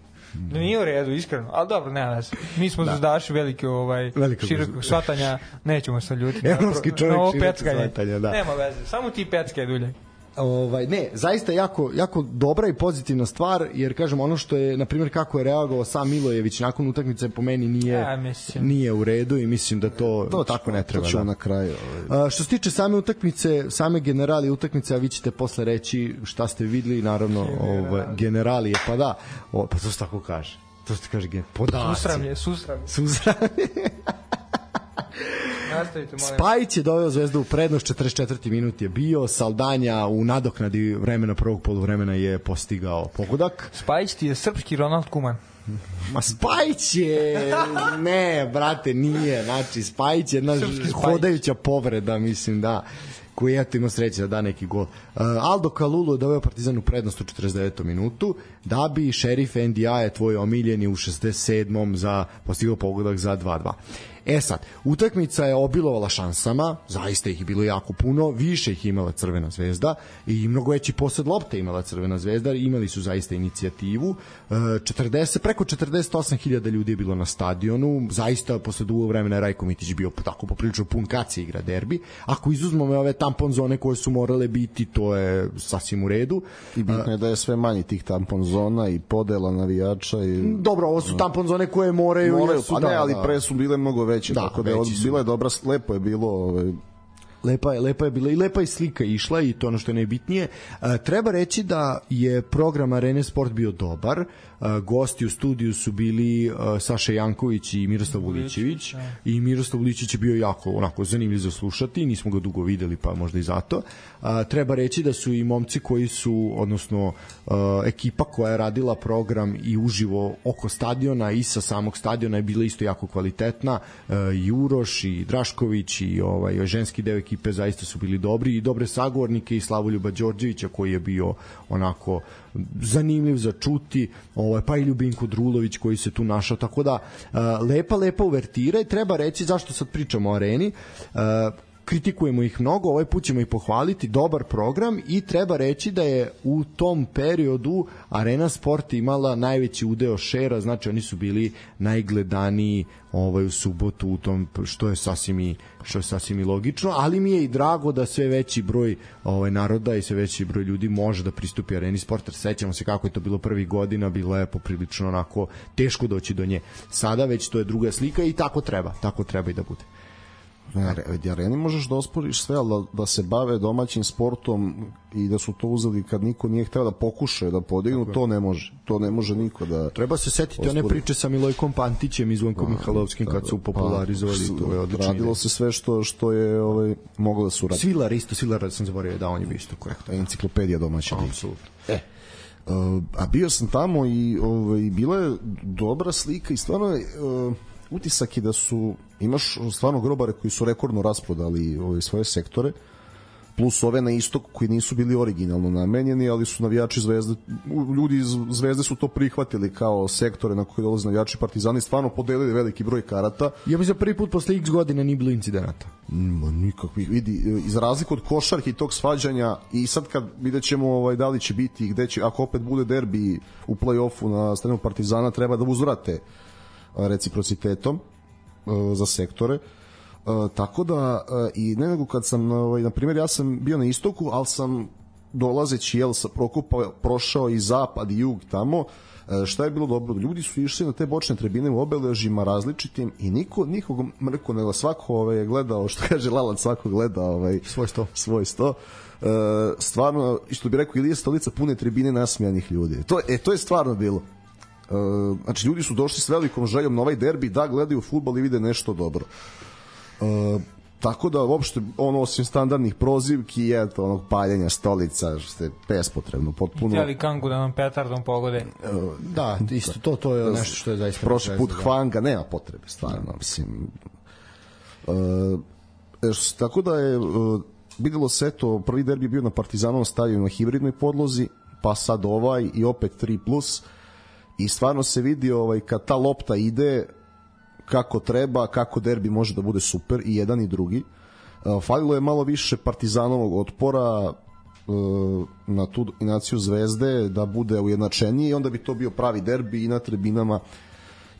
Nije u redu, iskreno, ali dobro, nema veze. Mi smo zvezdaši velike, ovaj, širokog shvatanja, nećemo se ljutiti. Evropski čovjek na širokog shvatanja, da. Nema veze, samo ti peckaj, Dulje. Ovaj, ne, zaista jako, jako dobra i pozitivna stvar, jer kažem, ono što je, na primjer, kako je reagovao sam Milojević nakon utakmice, po meni nije, ja, nije u redu, i mislim da to, to tako ne treba. To ćemo da. na kraju. Ovaj. A, što se tiče same utakmice, same generali utakmice, a vi ćete posle reći šta ste videli, naravno, ovaj, generali je, pa da, o, pa to se tako kaže. To se kaže, podaci. Susramlje, susramlje. Susramlje. Spajić je doveo Zvezdu u prednost, četrdeset četvrti minut je bio, Saldanja u nadoknadi vremena prvog poluvremena je postigao pogodak. Spajić ti je srpski Ronald Koeman. Ma Spajić je, ne brate, nije, znači Spajić je jedna hodajuća povreda, mislim, da, koji je imao sreće da da neki gol. Uh, Aldo Kalulu je doveo Partizan u prednost u četrdeset devetom minutu, da bi Šerif N D A je tvoj omiljeni u šezdeset sedmom za postigao pogodak za dva dva. E sad, utakmica je obilovala šansama, zaista ih je bilo jako puno, više ih imala Crvena zvezda i mnogo veći posed lopte imala Crvena zvezda, imali su zaista inicijativu. četrdeset, preko četrdeset osam hiljada ljudi je bilo na stadionu, zaista posle dugo vremena je Rajko Mitić bio tako poprilično pun kad se igra derbi. Ako izuzmemo ove tampon zone koje su morale biti, to je sasvim u redu. I bitno je da je sve manje tih tampon zona i podela navijača. I... Dobro, ovo su tampon zone koje moraju... moraju jesu, pa ne, da, ali da. pre su bile mnogo veće, da, tako da je bila je dobra, lepo je bilo, ovaj, lepa je, lepa je bila i lepa je slika išla, i to ono što je najbitnije. E, treba reći da je program Arene Sport bio dobar. E, gosti u studiju su bili e, Saša Janković i Miroslav Vulićević, i Miroslav Vulićević je bio jako onako zanimljiv za slušati, nismo ga dugo videli, pa možda i zato. E, treba reći da su i momci koji su, odnosno e, ekipa koja je radila program i uživo oko stadiona i sa samog stadiona je bila isto jako kvalitetna. E, i Uroš i Drašković i ovaj ženski deo ekipe zaista su bili dobri, i dobre sagovornike, i Slavoljuba Đorđevića koji je bio onako zanimljiv za čuti, ovaj, pa i Ljubinko Drulović koji se tu našao, tako da uh, lepa, lepa uvertira. I treba reći zašto sad pričamo o Areni. Uh, kritikujemo ih mnogo, ovaj put ćemo ih pohvaliti, dobar program i treba reći da je u tom periodu Arena Sport imala najveći udeo šera, znači oni su bili najgledaniji ovaj u subotu u tom, što je sasvim i što je sasvim i logično, ali mi je i drago da sve veći broj ovaj naroda i sve veći broj ljudi može da pristupi Areni Sport. Sećamo se kako je to bilo prvih godina, bilo je poprilično onako teško doći do nje. Sada već to je druga slika i tako treba, tako treba i da bude. Areni možeš da osporiš sve, ali da, da se bave domaćim sportom i da su to uzeli kad niko nije hteo da pokušaju da podignu, to ne može. To ne može niko da... Treba se setiti ospori. One priče sa Milojkom Pantićem i Zvonkom Mihalovskim kad su popularizovali, pa, to je odlično. Radilo ide. se sve što, što je ovaj, moglo da su raditi. Svilar isto, Svilar sam zaboravio, da, on je bio isto korektno. Enciklopedija domaća. Apsolutno. E, uh, a bio sam tamo i ovaj, bila je dobra slika i stvarno je... Uh, utisak je da su, imaš stvarno grobare koji su rekordno rasprodali ove svoje sektore, plus ove na istoku koji nisu bili originalno namenjeni, ali su navijači Zvezde, ljudi iz Zvezde su to prihvatili kao sektore na koje dolaze navijači Partizani, stvarno podelili veliki broj karata. Ja bi za prvi put posle x godina nije bilo incidenata. Ma nikakvih, vidi, iz razliku od košarke i tog svađanja, i sad kad vidjet ćemo ovaj, da li će biti, gde će, ako opet bude derbi u play-offu na stranu Partizana, treba da uzvrate reciprocitetom uh, za sektore. Uh, tako da uh, i ne nego kad sam ovaj, na primjer ja sam bio na istoku, ali sam dolazeći jel sa Prokopa prošao i zapad i jug tamo. Uh, šta je bilo dobro? Ljudi su išli na te bočne tribine u obeležima različitim i niko nikog mrko nego svako ovaj, gledao, što kaže Lalac, svako gleda ovaj, svoj sto. Svoj sto. Uh, stvarno, što bi rekao Ilija Stolica, pune tribine nasmijanih ljudi. To, e, to je stvarno bilo. Uh, znači ljudi su došli s velikom željom na ovaj derbi da gledaju fudbal i vide nešto dobro. Uh, tako da uopšte ono osim standardnih prozivki i eto onog paljenja stolica što je bespotrebno potpuno. Htjeli Kangu da nam petardom pogode. Uh, da, isto to to je nešto što je zaista prošli put Hvanga nema potrebe stvarno, mislim. Uh, tako da je uh, videlo se to, prvi derbi bio na Partizanovom stadionu na hibridnoj podlozi, pa sad ovaj i opet tri plus. I stvarno se vidi ovaj, kad ta lopta ide kako treba, kako derbi može da bude super i jedan i drugi. Uh, falilo je malo više Partizanovog otpora uh, na tu dominaciju Zvezde da bude ujednačeniji i onda bi to bio pravi derbi i na tribinama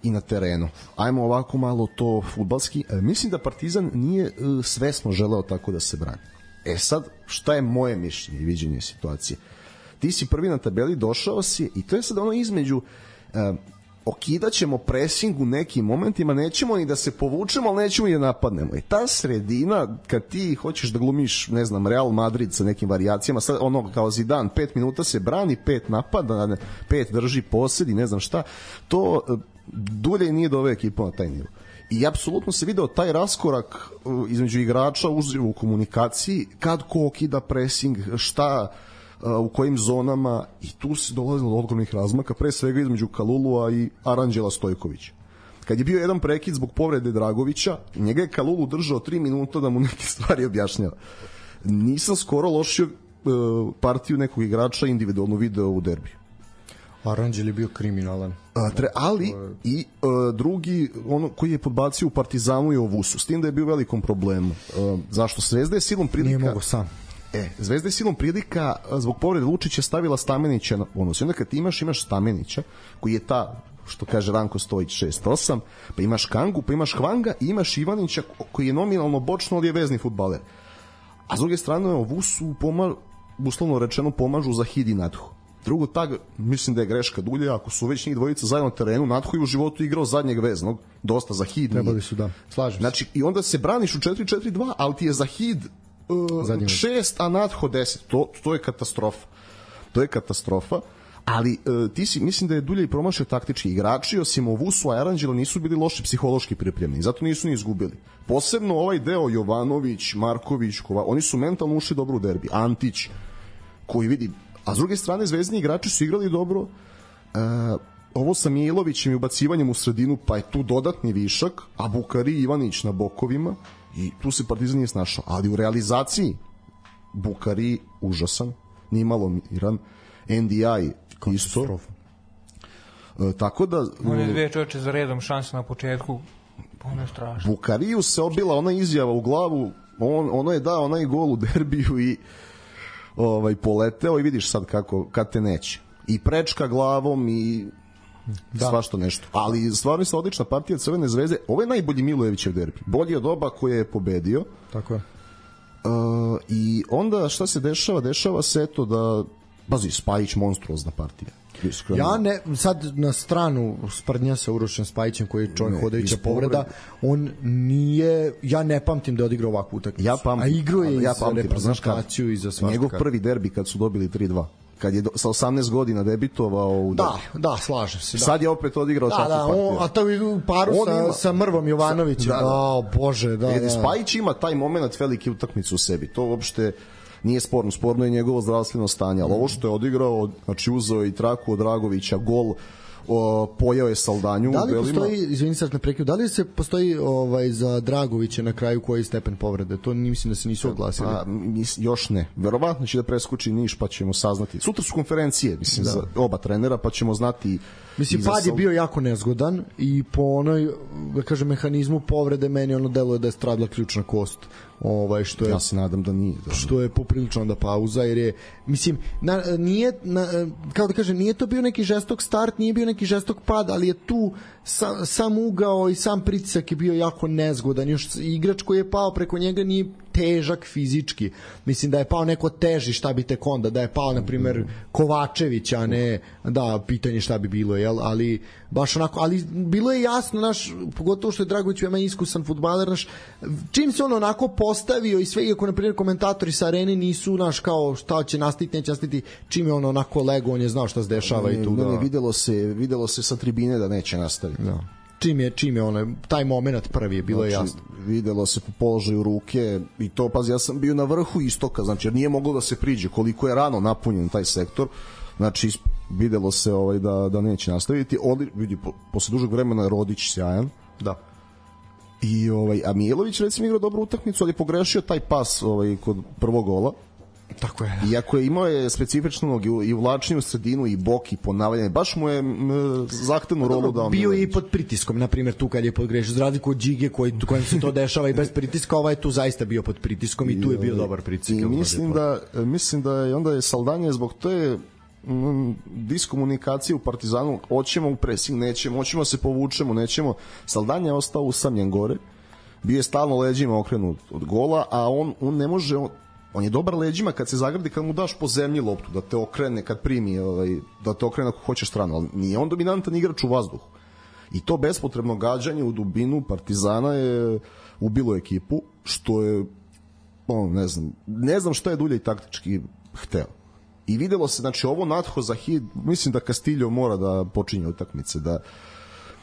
i na terenu. Ajmo ovako malo to fudbalski. E, mislim da Partizan nije uh, svesno želeo tako da se brani. E sad, šta je moje mišljenje i viđenje situacije? Ti si prvi na tabeli, došao si i to je sad ono između uh, okidaćemo pressing u nekim momentima, nećemo ni da se povučemo, ali nećemo i da napadnemo. I ta sredina, kad ti hoćeš da glumiš, ne znam, Real Madrid sa nekim varijacijama, sad ono kao Zidane, pet minuta se brani, pet napada, pet drži posjed i ne znam šta, to uh, dulje nije doveo ekipu na taj nivo. I apsolutno se video taj raskorak uh, između igrača u komunikaciji, kad ko okida pressing, šta u kojim zonama, i tu se dolazilo do ogromnih razmaka, pre svega između Kalulua i Aranđela Stojkovića. Kad je bio jedan prekid zbog povrede Dragovića, njega je Kalulu držao tri minuta da mu neke stvari objašnjava. Nisam skoro lošio uh, partiju nekog igrača individualno video u derbiju. Aranđel je bio kriminalan. A, tre, ali i uh, drugi, ono koji je podbacio u Partizanu je Ovusu, s tim da je bio velikom problemu. Uh, zašto? Zvezda je silom prilika... Nije mogo sam. E, Zvezda je silom prilika zbog povrede Lučića stavila Stamenića na bonus. I onda kad ti imaš, imaš Stamenića, koji je ta, što kaže Ranko Stojić, šest osam, pa imaš Kangu, pa imaš Hvanga i imaš Ivanića, koji je nominalno bočno, ali je vezni fudbaler. A s druge strane, Ovusu, pomažu, uslovno rečeno, pomažu za Hid i Nadhu. Drugo tag, mislim da je greška dulje, ako su već njih dvojica zajedno na terenu, Nadhu je u životu igrao zadnjeg veznog, dosta za Hid. Trebali su, da, slažem se. Znači, i onda se braniš u četiri četiri dva, ali ti je za Hid Uh, šest, a Nadho deset. To, to je katastrofa. To je katastrofa. Ali uh, ti si, mislim da je Dulje i promašio taktički igrači, osim Ovusu, a Aranđelo nisu bili loši psihološki pripremljeni. Zato nisu ni izgubili. Posebno ovaj deo Jovanović, Marković, Kova, oni su mentalno ušli dobro u derbi. Antić, koji vidi... A s druge strane, zvezdni igrači su igrali dobro. Uh, ovo sa Mijelovićem i ubacivanjem u sredinu, pa je tu dodatni višak, a Bukari i Ivanić na bokovima. I tu se Partizan nije snašao, ali u realizaciji Bukari užasan, nimalo miran, N D I isto. E, tako da... On je dve čoveče za redom šanse na početku, ono je strašno. Bukariju se obila ona izjava u glavu, on, ono je dao onaj gol u derbiju i ovaj, poleteo i vidiš sad kako, kad te neće. I prečka glavom i da. Svašto nešto. Ali stvarno je odlična partija Crvene zvezde. Ovo je najbolji Milojevićev derbi. Bolji od oba koje je pobedio. Tako je. Uh, I onda šta se dešava? Dešava se eto da bazi Spajić monstruozna partija. Iskreno. Ja ne, sad na stranu sprdnja sa Urošem Spajićem koji je čovjek hodajuća povreda, on nije, ja ne pamtim da je odigrao ovakvu utakmicu. Ja pamtim, a igrao je ja i za pamtim, reprezentaciju i za svašta. Njegov prvi derbi kad su dobili tri dva. Kad je do, sa osamnaest godina debitovao u da, da, slažem se. Da. Sad je opet odigrao da, takvu da, partiju. On, a to je u paru sa, ima, sa Mrvom Jovanovićem. Da, da. O, Bože, da, Edi da. Spajić ima taj moment velike utakmice u sebi. To uopšte nije sporno. Sporno je njegovo zdravstveno stanje. Ali ovo što je odigrao, znači uzeo i traku od Dragovića, gol, o, pojao je Saldanju. Da li postoji, izvini sad na prekid, da li se postoji ovaj, za Dragovića na kraju koji stepen povrede? To mislim da se nisu oglasili. A, mis, još ne. Verovatno će da preskoči Niš pa ćemo saznati. Sutra su konferencije, mislim, da. Za oba trenera pa ćemo znati. Mislim, pad je bio jako nezgodan i po onoj, da kažem, mehanizmu povrede meni ono deluje da je stradla ključna kost. Ovaj što je, ja se nadam da nije, da. Što je poprilično onda pauza jer je mislim na, nije na, kao da kažem nije to bio neki žestok start, nije bio neki žestok pad, ali je tu sam, sam ugao i sam pritisak je bio jako nezgodan. Još igrač koji je pao preko njega nije težak fizički. Mislim da je pao neko teži, šta bi tek onda, da je pao na primer Kovačević, a ne da pitanje šta bi bilo, jel, ali baš onako, ali bilo je jasno naš, pogotovo što je Dragović veoma iskusan fudbaler naš, čim se on onako postavio i sve, iako na primjer komentatori sa arene nisu naš kao šta će nastaviti, neće nastaviti, čim je on onako lego, on je znao šta se dešava ne, i tu ne, da... Ne, videlo se, videlo se sa tribine da neće nastaviti. Da. Čim je, čim je ono, taj moment prvi je bilo znači, jasno. Videlo se po položaju ruke i to, pazi, ja sam bio na vrhu istoka, znači jer nije moglo da se priđe koliko je rano napunjen taj sektor, znači videlo se ovaj, da, da neće nastaviti. Odli, vidi, po, posle dužeg vremena Rodić sjajan. Da. I ovaj, a Mijelović recimo igrao dobru utakmicu, ali je pogrešio taj pas ovaj, kod prvog gola. Tako je. Iako je imao je specifičnu nogu i uvlačenje u sredinu i bok i ponavljanje, baš mu je m, zahtevnu rolu dao. Bio je i pod pritiskom, na primjer tu kad je podgrešio, za razliku od Đige koji, kojem se to dešava i bez pritiska, ovaj je tu zaista bio pod pritiskom i tu je bio dobar pritisak. I mislim da, mislim da je onda je Saldanje zbog te mm, diskomunikacije u Partizanu, hoćemo u presing, nećemo, hoćemo se povučemo, nećemo. Saldanje je ostao usamljen gore, bio je stalno leđima okrenut od gola, a on, on ne može, on, on je dobar leđima kad se zagradi, kad mu daš po zemlji loptu, da te okrene kad primi, ovaj, da te okrene ako hoćeš stranu, ali nije on dominantan igrač u vazduhu. I to bespotrebno gađanje u dubinu Partizana je ubilo ekipu, što je, on, ne znam, ne znam šta je Dulje i taktički hteo. I videlo se, znači, ovo natho za hit, mislim da Castillo mora da počinje utakmice, da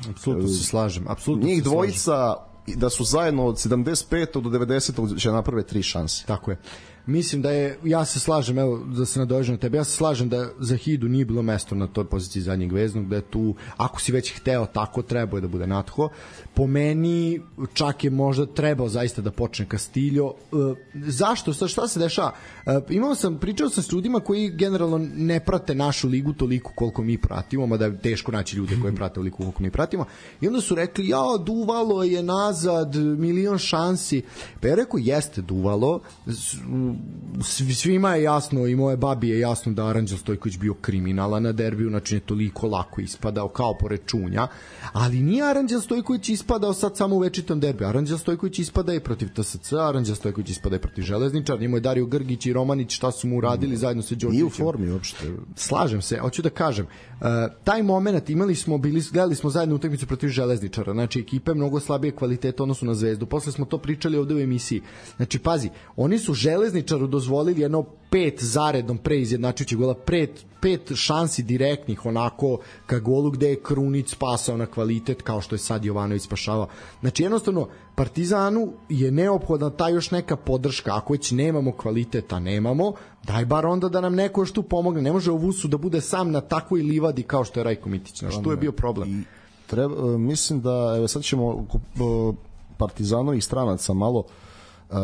apsolutno se slažem, apsolutno njih se dvojica slažem. Da su zajedno od sedamdeset petog do devedesetog će naprave tri šanse. Tako je. Mislim da je, ja se slažem, evo da se nadovežem na tebe, ja se slažem da za Hidu nije bilo mesto na toj poziciji zadnjeg veznog, da je tu, ako si već hteo tako, trebao je da bude Natho. Po meni čak je možda trebao zaista da počne Castillo. E, zašto? Šta se dešava? E, imao sam, pričao sam s ljudima koji generalno ne prate našu ligu toliko koliko mi pratimo, mada je teško naći ljude koji prate toliko koliko mi pratimo, i onda su rekli, ja, duvalo je nazad, milion šansi. Pa ja rekao, jeste duvalo, svima je jasno i moje babi je jasno da Aranđel Stojković bio kriminala na derbiju, znači je toliko lako ispadao kao pored Čunja, ali nije Aranđel Stojković ispadao sad samo u večitom derbiju. Aranđel Stojković ispada i protiv T S C, Aranđel Stojković ispada i protiv Železničara, njemu je Dario Grgić i Romanić šta su mu uradili zajedno sa Đorđevićem. Nije u formi uopšte. Slažem se, hoću da kažem, uh, taj moment imali smo, bili, gledali smo zajedno utakmicu protiv Železničara, znači ekipe mnogo slabije kvalitete odnosu na Zvezdu, posle smo to pričali ovde u emisiji. Znači pazi, oni su Železničaru dozvolili jedno pet zaredom pre izjednačujućeg gola, pet, pet šansi direktnih onako ka golu gde je Krunić spasao na kvalitet kao što je sad Jovanović spašavao. Znači jednostavno Partizanu je neophodna ta još neka podrška, ako već nemamo kvaliteta, nemamo, daj bar onda da nam neko još tu pomogne. Ne može u Vusu da bude sam na takvoj livadi kao što je Rajko Mitić. Znači tu je bio problem. I treba, mislim da evo sad ćemo Partizanovih stranaca malo uh,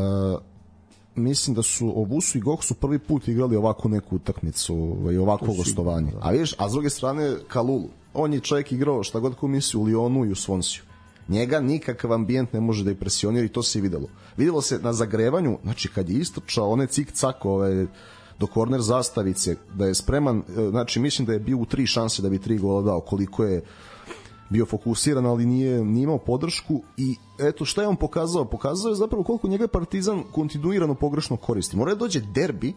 mislim da su Ovusu i Gok su prvi put igrali ovako neku utakmicu i ovako gostovanje. A vidiš, a s druge strane Kalulu, on je čovjek igrao šta god ko misli u Lyonu i u Svonsiju. Njega nikakav ambijent ne može da impresionira i to se i videlo. Videlo se na zagrevanju, znači kad je istočao one cik-cak ove, do korner zastavice, da je spreman, znači mislim da je bio u tri šanse da bi tri gola dao, koliko je bio fokusiran, ali nije, nije imao podršku i eto šta je on pokazao? Pokazao je zapravo koliko njega Partizan kontinuirano pogrešno koristi. Mora da dođe derbi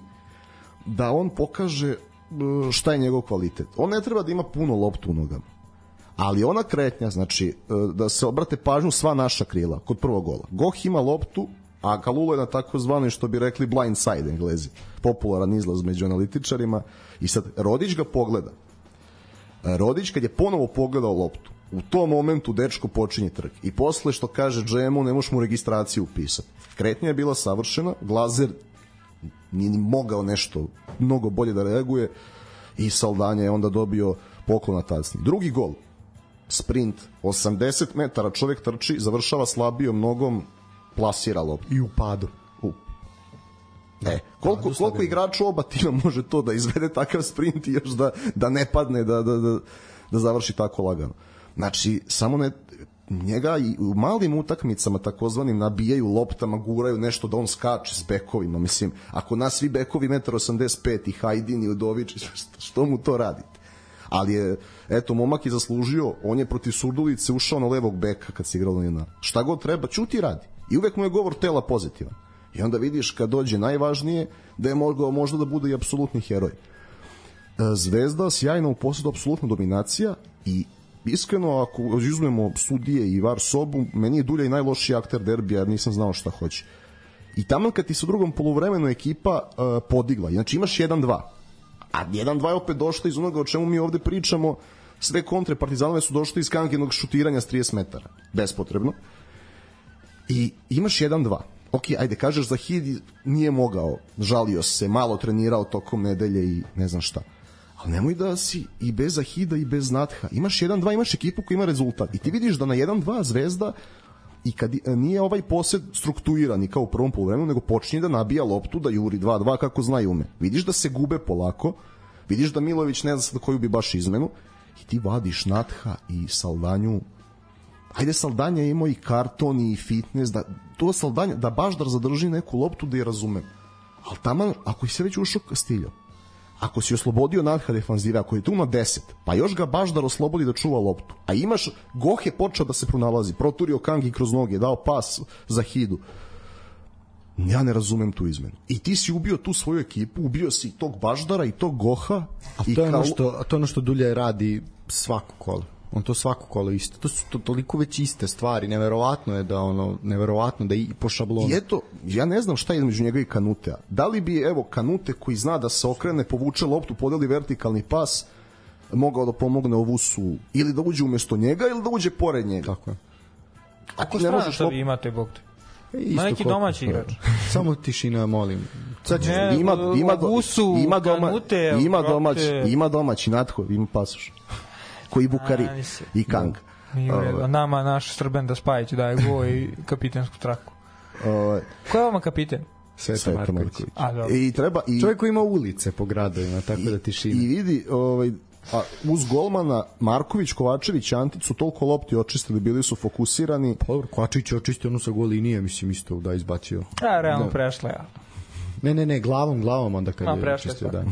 da on pokaže šta je njegov kvalitet. On ne treba da ima puno loptu u nogama, ali ona kretnja, znači da se obrate pažnju sva naša krila kod prvog gola. Goh ima loptu, a Kalulu je na takozvani, što bi rekli, blind side Englezi, popularan izlaz među analitičarima, i sad Rodić ga pogleda. Rodić kad je ponovo pogledao loptu, u tom momentu dečko počinje trk i posle što kaže džemu ne možeš mu registraciju upisati. Kretnja je bila savršena, Glazer nije ni mogao nešto mnogo bolje da reaguje i Saldanja je onda dobio poklon na tacni. Drugi gol, sprint, osamdeset metara, čovjek trči, završava slabijom nogom, plasira loptu. I u padu. U. E, koliko, koliko igrača oba tima može to da izvede takav sprint i još da, da ne padne, da, da, da, da završi tako lagano. Znači, samo ne, njega i u malim utakmicama takozvanim nabijaju loptama, guraju nešto da on skače s bekovima. Mislim, ako nas svi bekovi jedan osamdeset pet i Hajdin i Udović, što mu to radite? Ali je, eto, momak je zaslužio, on je protiv Surdulice ušao na levog beka kad se igralo na šta god treba, čuti radi. I uvek mu je govor tela pozitivan. I onda vidiš kad dođe najvažnije da je mogao možda da bude i apsolutni heroj. Zvezda sjajna u posledu, apsolutna dominacija i iskreno ako izuzmemo sudije i var sobu, meni je Dulja i najlošiji akter derbija jer nisam znao šta hoće. I tamo kad ti se u drugom poluvremenu ekipa uh, podigla, znači imaš jedan dva, a jedan dva je opet došla iz onoga o čemu mi ovde pričamo, sve kontre Partizanove su došle iz kankenog šutiranja s trideset metara, bespotrebno, i imaš jedan dva. Ok, ajde, kažeš Zahid nije mogao, žalio se, malo trenirao tokom nedelje i ne znam šta. Ali nemoj da si i bez Zahida i bez Natha. Imaš jedan dva, imaš ekipu koja ima rezultat. I ti vidiš da na jedan dva Zvezda, i kad nije ovaj posed strukturiran i kao u prvom poluvremenu, nego počinje da nabija loptu, da juri dva dva kako zna i ume. Vidiš da se gube polako, vidiš da Milović ne zna koju bi baš izmenu, i ti vadiš Natha i Saldanju. Ajde, Saldanja je imao i karton i fitness, da, to Saldanja, da baš da zadrži neku loptu da je razumem. Ali tamo, ako je se već ušao Kastiljo, ako si oslobodio Natha defanzive, ako je tu na deset, pa još ga baš da oslobodi da čuva loptu, a imaš, Goh je počeo da se pronalazi, proturio Kangi kroz noge, dao pas za Hidu, ja ne razumem tu izmenu. I ti si ubio tu svoju ekipu, ubio si tog Baždara i tog Goha. A to je ono što, to je ono što Dulja radi svako kolo. On to svako kolo isto. To su to, toliko već iste stvari. Neverovatno je da ono, neverovatno da i po šablonu. I eto, ja ne znam šta je između njega i Kanutea. Da li bi, evo, Kanute koji zna da se okrene, povuče loptu, podeli vertikalni pas, mogao da pomogne Ovusu, ili da uđe umesto njega, ili da uđe pored njega. Tako je. Ako strana što vi imate, Bog te? Ima neki domaći igrač. Samo tišina, molim. Sad će, ne, ima, ima, Ovusu, ima, doma, Kanute, ima, domać, ima domaći, Natho, ima pasoš. Koji Bukari a, i Kang. A nama naš Srben da Spajić daje go i kapitensku traku. Uh, Ko je vama kapiten? Sveta Marković. I treba i čovjek koji ima ulice po gradovima, tako i, da tišina. I vidi, ovaj, a uz golmana Marković, Kovačević, Antić su toliko lopti očistili, bili su fokusirani. Pa dobro, Kovačević je očistio ono sa gol linije, mislim isto da izbacio. A, realno da. Prešla ja. Ne, ne, ne, glavom, glavom onda kad a, je očistio, da.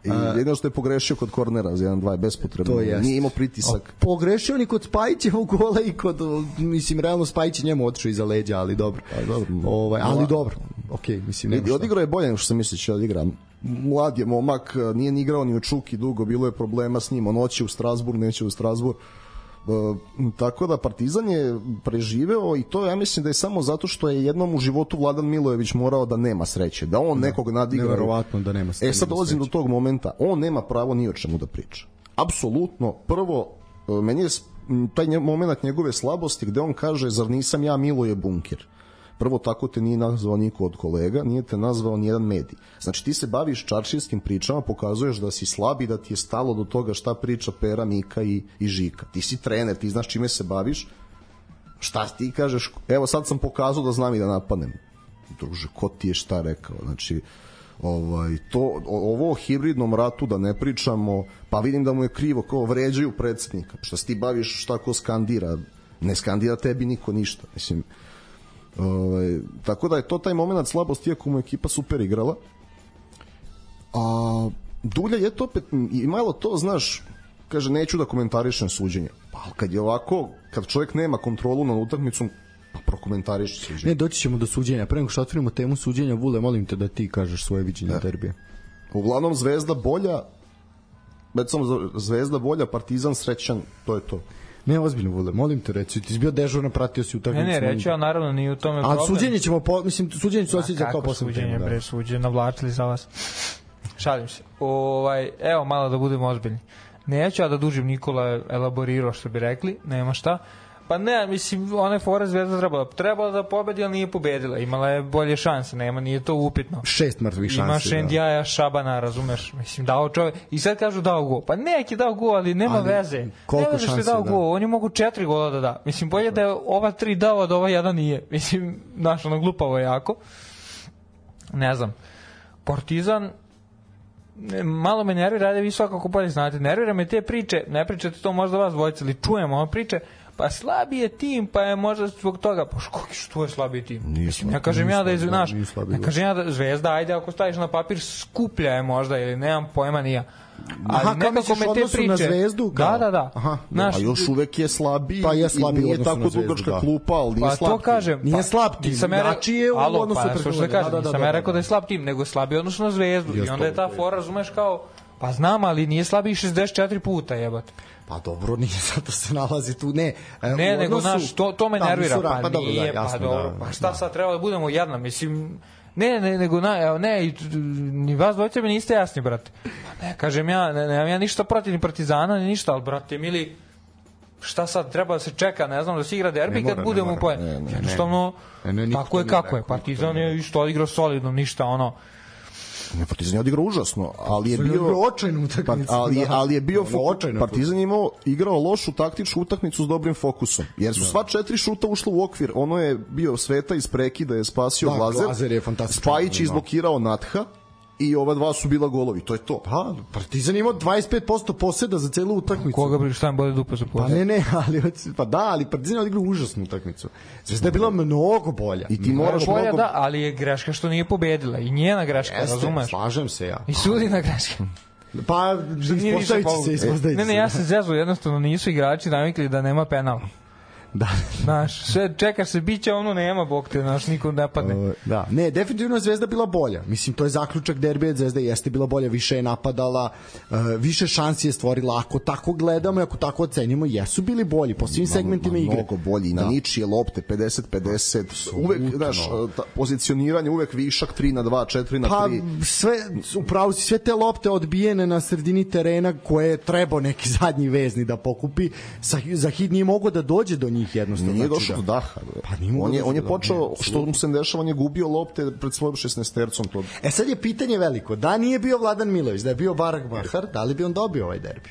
I jedino što je pogrešio kod kornera za jedan dva je bespotrebno. Nije imao pritisak. A, pogrešio ni kod Spajićevog gola i kod, mislim, realno Spajić njemu otišao iza leđa, ali dobro. A, dobro. Ovaj, ali dobro. Okej, okay, mislim, nema šta. Odigrao je bolje nego što sam mislio će odigra. Mlad je momak, nije ni igrao ni u Čuki dugo, bilo je problema s njim. On hoće u Strasburg, neće u Strasburg. Uh, tako da Partizan je preživeo i to ja mislim da je samo zato što je jednom u životu Vladan Milojević morao da nema sreće, da on da, nekog nadigra. Neverovatno da nema sreće. E sad dolazim do tog momenta, on nema pravo ni o čemu da priča. Apsolutno, prvo, meni je taj moment njegove slabosti gde on kaže, zar nisam ja Miloje Bunker? Prvo, tako te nije nazvao niko od kolega, nije te nazvao nijedan medij. Znači ti se baviš čaršijskim pričama, pokazuješ da si slab i da ti je stalo do toga šta priča Pera, Mika i, i Žika. Ti si trener, ti znaš čime se baviš, šta ti kažeš, evo sad sam pokazao da znam i da napadnem. Druže, ko ti je šta rekao? Znači, ovaj, to, ovo o hibridnom ratu da ne pričamo, pa vidim da mu je krivo, kao vređaju predsjednika, šta se ti baviš šta ko skandira. ne skandira tebi niko ništa, mislim. Ovaj, tako da je to taj moment slabosti, iako mu ekipa super igrala. A Dulja je to opet imalo to, znaš, kaže neću da komentarišem suđenje. Pa kad je ovako, kad čovjek nema kontrolu nad utakmicom, pa prokomentariš suđenje. Ne, doći ćemo do suđenja. Pre nego što otvorimo temu suđenja, Vule, molim te da ti kažeš svoje viđenje ne. derbija. Uglavnom Zvezda bolja, već samo Zvezda bolja, Partizan srećan, to je to. Ne, ozbiljno, Vule, molim te reći, ti si bio dežurno, pratio si utakmicu. Ne, ne, reći, a naravno nije u tome problem. A suđenje ćemo, po, mislim, suđenje ću osjeća kao posebno temu. Kako suđenje, bre, suđenje, navlačili za vas. Šalim se. Ovaj, evo, malo da budemo ozbiljni. Neću ja da dužim, Nikola elaborirao, što bi rekli, nema šta. Pa ne, mislim, one fore Zvezda trebala, trebala da pobedi, ali nije pobedila. Imala je bolje šanse, nema, nije to upitno. Šest mrtvih šanse. Ima Šendijaja, Šabana, razumeš? Mislim, dao čovjek. I sad kažu dao gol. Pa neki dao gol, ali nema ali, veze. Koliko nema veze što je dao da. gol. Oni mogu četiri gola da da. Mislim, bolje da je ova tri dao, a da ova jedan nije. Mislim, znaš, ono glupavo jako. Ne znam. Partizan, malo me nervira, ajde vi svakako bolje znate. Nervira me te priče, ne pričate to možda vas dvojice, ali čujemo ove priče. Pa slabiji je tim, pa je možda zbog toga, pa što je slabiji tim? Mislim, ja kažem ja da je, znaš, ja kažem ja da Zvezda, ajde ako staviš na papir, skuplja je možda, ili nemam pojma nija. Ali aha, nekako me te priče na Zvezdu, da, da, da. Aha, naš, a još uvek je slabiji, pa je slabiji, nije tako dugačka klupa, ali nije pa slab to kažem, nije slab tim, znači je u odnosu pa, preko da, da, da, nisam ja rekao da je slab tim, nego je slabiji odnosno na Zvezdu, i onda je ta fora, razumeš, kao, pa znam, ali nije slabiji šezdeset četiri puta, jebate. Pa dobro, nije zato se nalazi tu, ne. E, ne, odnosu, nego, znaš, to, to me nervira, pa, pa dobro, nije, da, jasno, pa dobro, da, pa šta da. sad treba da budemo jedna, mislim, ne, ne, nego, na, ne, ni vas dvojice mi niste jasni, brate. Pa ne, kažem ja, ne, nemam ja ništa protiv ni Partizana, ni ništa, ali, brate, mili, šta sad, treba da se čeka, ne znam, da se igra derbi kad budemo u poje. Jednostavno, tako je kako je, Partizan je isto odigrao solidno, ništa, ono, Ne, Partizan je odigrao užasno, ali je bio očajnu utakmicu. Ali, ali je bio fo- Partizan je imao igrao lošu taktičku utakmicu s dobrim fokusom. Jer su da. sva četiri šuta ušla u okvir. Ono je bio Sveta iz prekida, je spasio da, Glazer. Glazer je fantastičan. Spajić izblokirao Natha i ova dva su bila golovi. To je to. Pa, Partizan imao dvadeset pet posto poseda za celu utakmicu. Koga bi šta im bode dupe za posed? Pa ne, ne, ali pa da, ali Partizan je odigrao užasnu utakmicu. Zvezda je bila mnogo bolja. I ti moraš bolja, mnogo... da, ali je greška što nije pobedila. I njena greška, jeste, razumeš? Slažem se ja. I sudina greška. Pa, ispostavit će se, ispostavit Ne, ne, ja se zezu, jednostavno nisu igrači navikli da nema penala. Da. Znaš, sve čekaš se, biće ono nema, bog te, znaš, nikom ne padne. Uh, da, ne, definitivno je Zvezda bila bolja. Mislim, to je zaključak derbija, Zvezda jeste bila bolja, više je napadala, uh, više šansi je stvorila. Ako tako gledamo i ako tako ocenimo, jesu bili bolji po svim segmentima igre. Mnogo bolji, na da. ničije lopte, pedeset pedeset, uvek, znaš, pozicioniranje, uvek višak tri na dva, četiri na tri. Pa, sve, upravo si, sve te lopte odbijene na sredini terena koje je trebao neki zadnji vezni da pokupi, Zahid nije mogao da dođe do njih jednostavno. Nije došao do daha. Pa on je, on je počeo, što mu se dešava, on je gubio lopte pred svojom šesnaestercom. To... E sad je pitanje veliko, da nije bio Vladan Milović, da je bio Barak Bahar, da li bi on dobio ovaj derbi?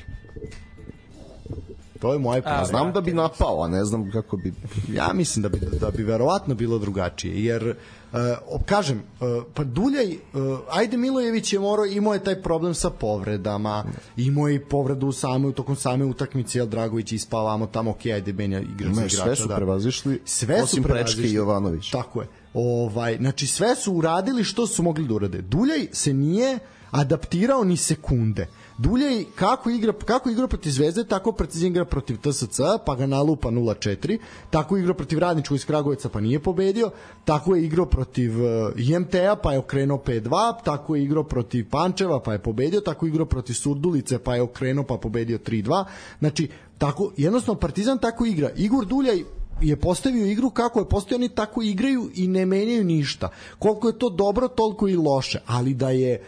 To je moje pitanje. Znam da bi napao, a ne znam kako bi... Ja mislim da bi, da bi verovatno bilo drugačije, jer Uh, kažem, uh, pa Duljaj, uh, ajde Milojević je morao, imao je taj problem sa povredama, imao je i povredu same, tokom same utakmice, jel Dragović ispavamo tamo, ok, ajde Benja igra za igrača. Sve su da. prevazišli, sve osim su Prečke i Jovanović. Tako je. Ovaj, znači sve su uradili što su mogli da urade. Duljaj se nije adaptirao ni sekunde. Duljaj kako igra, kako igra protiv Zvezde, tako precizno igra protiv T S C, pa ga nalupa nula četiri, tako igra protiv Radničkog iz Kragujevca, pa nije pobedio, tako je igrao protiv I M T-a, pa je okrenuo pet dva, tako je igrao protiv Pančeva, pa je pobedio, tako je igrao protiv Surdulice, pa je okrenuo, pa pobedio tri dva. Znači, tako, jednostavno Partizan tako igra. Igor Duljaj je postavio igru kako je postavio, oni tako igraju i ne menjaju ništa. Koliko je to dobro, toliko i loše, ali da je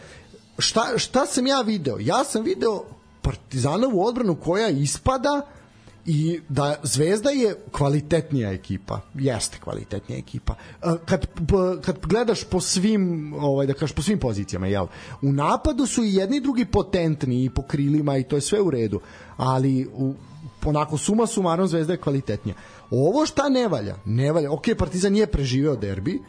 Šta, šta sam ja video? Ja sam video Partizanovu odbranu koja ispada i da Zvezda je kvalitetnija ekipa. Jeste kvalitetnija ekipa. Kad, kad gledaš po svim, ovaj, da kažeš, po svim pozicijama, jel? U napadu su i jedni i drugi potentni i po krilima i to je sve u redu. Ali u, onako suma sumarom Zvezda je kvalitetnija. Ovo šta ne valja? Ne valja. Ok, Partizan nije preživeo derbi,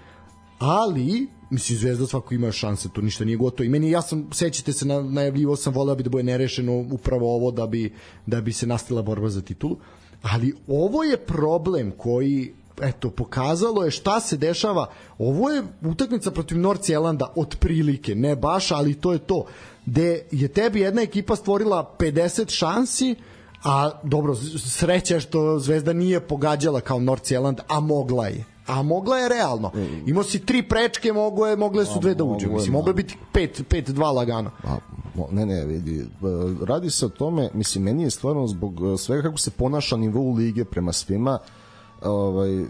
ali mislim Zvezda svako ima šanse, to ništa nije gotovo. I meni, ja sam, sećate se, na, najavljivo sam, voleo bi da bude nerešeno upravo ovo da bi, da bi se nastavila borba za titulu. ali ovo je problem koji eto, pokazalo je šta se dešava. Ovo je utakmica protiv Nordsjelanda otprilike, ne baš, ali to je to. Gde je tebi jedna ekipa stvorila pedeset šansi, a dobro, sreća je što Zvezda nije pogađala kao Nordsjeland, a mogla je. A mogla je realno. Imao si tri prečke, mogo je, mogle su dve da uđe. Mislim, moglo je biti pet dva lagano. Ne, ne, vidi. Radi se o tome, mislim, meni je stvarno zbog svega kako se ponaša nivou lige prema svima, ovaj,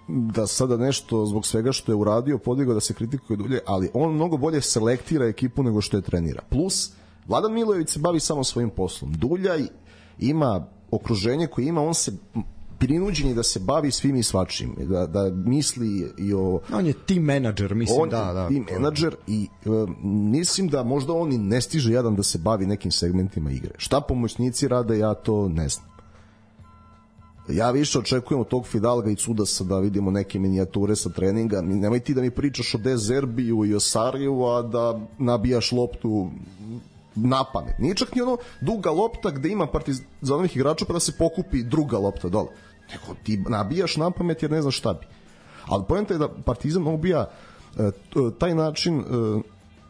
da sada nešto zbog svega što je uradio podigao da se kritikuje dulje, ali on mnogo bolje selektira ekipu nego što je trenira. Plus, Vladan Milojević se bavi samo svojim poslom. Duljaj ima okruženje koje ima, on se prinuđen je da se bavi svim i svačim, da, da misli i o... On je team menadžer, mislim, on da, da. team menadžer i e, mislim da možda on i ne stiže jadan da se bavi nekim segmentima igre. Šta pomoćnici rade, ja to ne znam. Ja više očekujem od tog Fidalga i Cudasa da vidimo neke minijature sa treninga. Nemoj ti da mi pričaš o Dezerbiju i o Sariju, a da nabijaš loptu na pamet. Nije čak ni ono duga lopta gde ima Partizanovih igrača pa da se pokupi druga lopta dole. Nego ti nabijaš na pamet jer ne znaš šta bi. Ali poenta je da Partizan ubija e, taj način, e,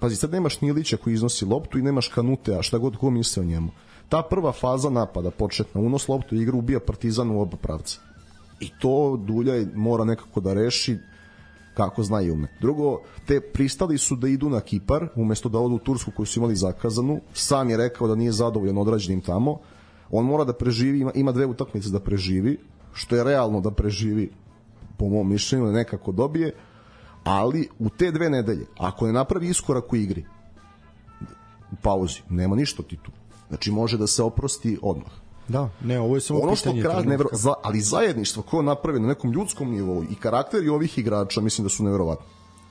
pazi, sad nemaš Nilića koji iznosi loptu i nemaš Kanutea, šta god ko misle o njemu. Ta prva faza napada, početna, unos loptu i igru ubija Partizan u oba pravca. I to Duljaj mora nekako da reši kako zna i ume. Drugo, te pristali su da idu na Kipar, umesto da odu u Tursku koju su imali zakazanu. Sam je rekao da nije zadovoljan odrađenim tamo. On mora da preživi, ima, ima dve utakmice da preživi, što je realno da preživi, po mom mišljenju, nekako dobije, ali u te dve nedelje, ako ne napravi iskorak u igri, u pauzi, nema ništa ti tu. Znači može da se oprosti odmah. Da, ne, ovo je samo ono pitanje što kraj, nevro, za, ali zajedništvo koje je napravljeno na nekom ljudskom nivou i karakteri ovih igrača mislim da su neverovatni.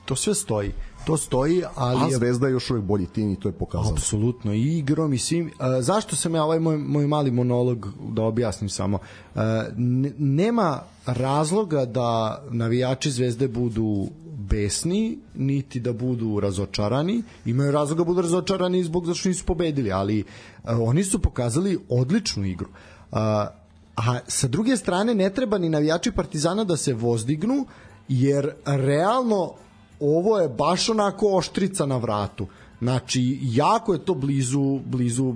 To sve stoji. To stoji, ali... A Zvezda je još uvijek bolji tim i to je pokazano. Apsolutno, i igrom i svim. A, zašto sam ja ovaj moj, moj mali monolog da objasnim samo? A, n- nema razloga da navijači Zvezde budu besni, niti da budu razočarani. Imaju razloga da budu razočarani zbog zašto nisu pobedili, ali a, oni su pokazali odličnu igru. A, a sa druge strane ne treba ni navijači Partizana da se vozdignu, jer realno ovo je baš onako oštrica na vratu. Znači, jako je to blizu, blizu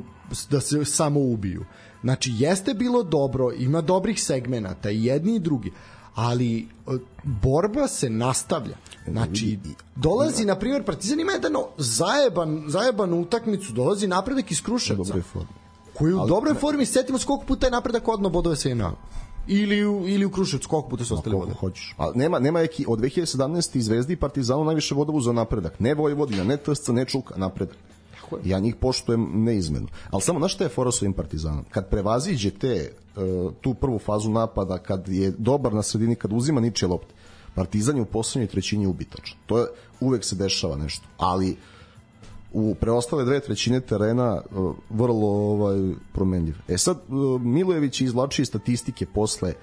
da se samo ubiju. Znači, jeste bilo dobro, ima dobrih segmenata i jedni i drugi, ali borba se nastavlja. Znači, dolazi, na primjer, Partizan ima jedan zajeban, zajeban utakmicu, dolazi napredak iz Kruševca, koji u dobroj formi, setimo se koliko puta je napredak odno bodove sve ima. Ili u, ili u Kruševcu, koliko puta su ostali vode? Hoćeš. A nema, nema eki, od dve hiljade sedamnaeste. Zvezdi i Partizanu najviše voda uzeo napredak. Ne Vojvodina, ne T S C, ne Čuka, napredak. Ja njih poštujem neizmeno. Ali samo, znaš šta je fora s ovim Partizanom? Kad prevaziđe te, uh, tu prvu fazu napada, kad je dobar na sredini, kad uzima ničije lopte, Partizan je u poslednjoj trećini ubitačan. To je, uvek se dešava nešto. Ali u preostale dve trećine terena uh, vrlo ovaj, promenljiv. E sad, uh, Milojević izvlači statistike posle.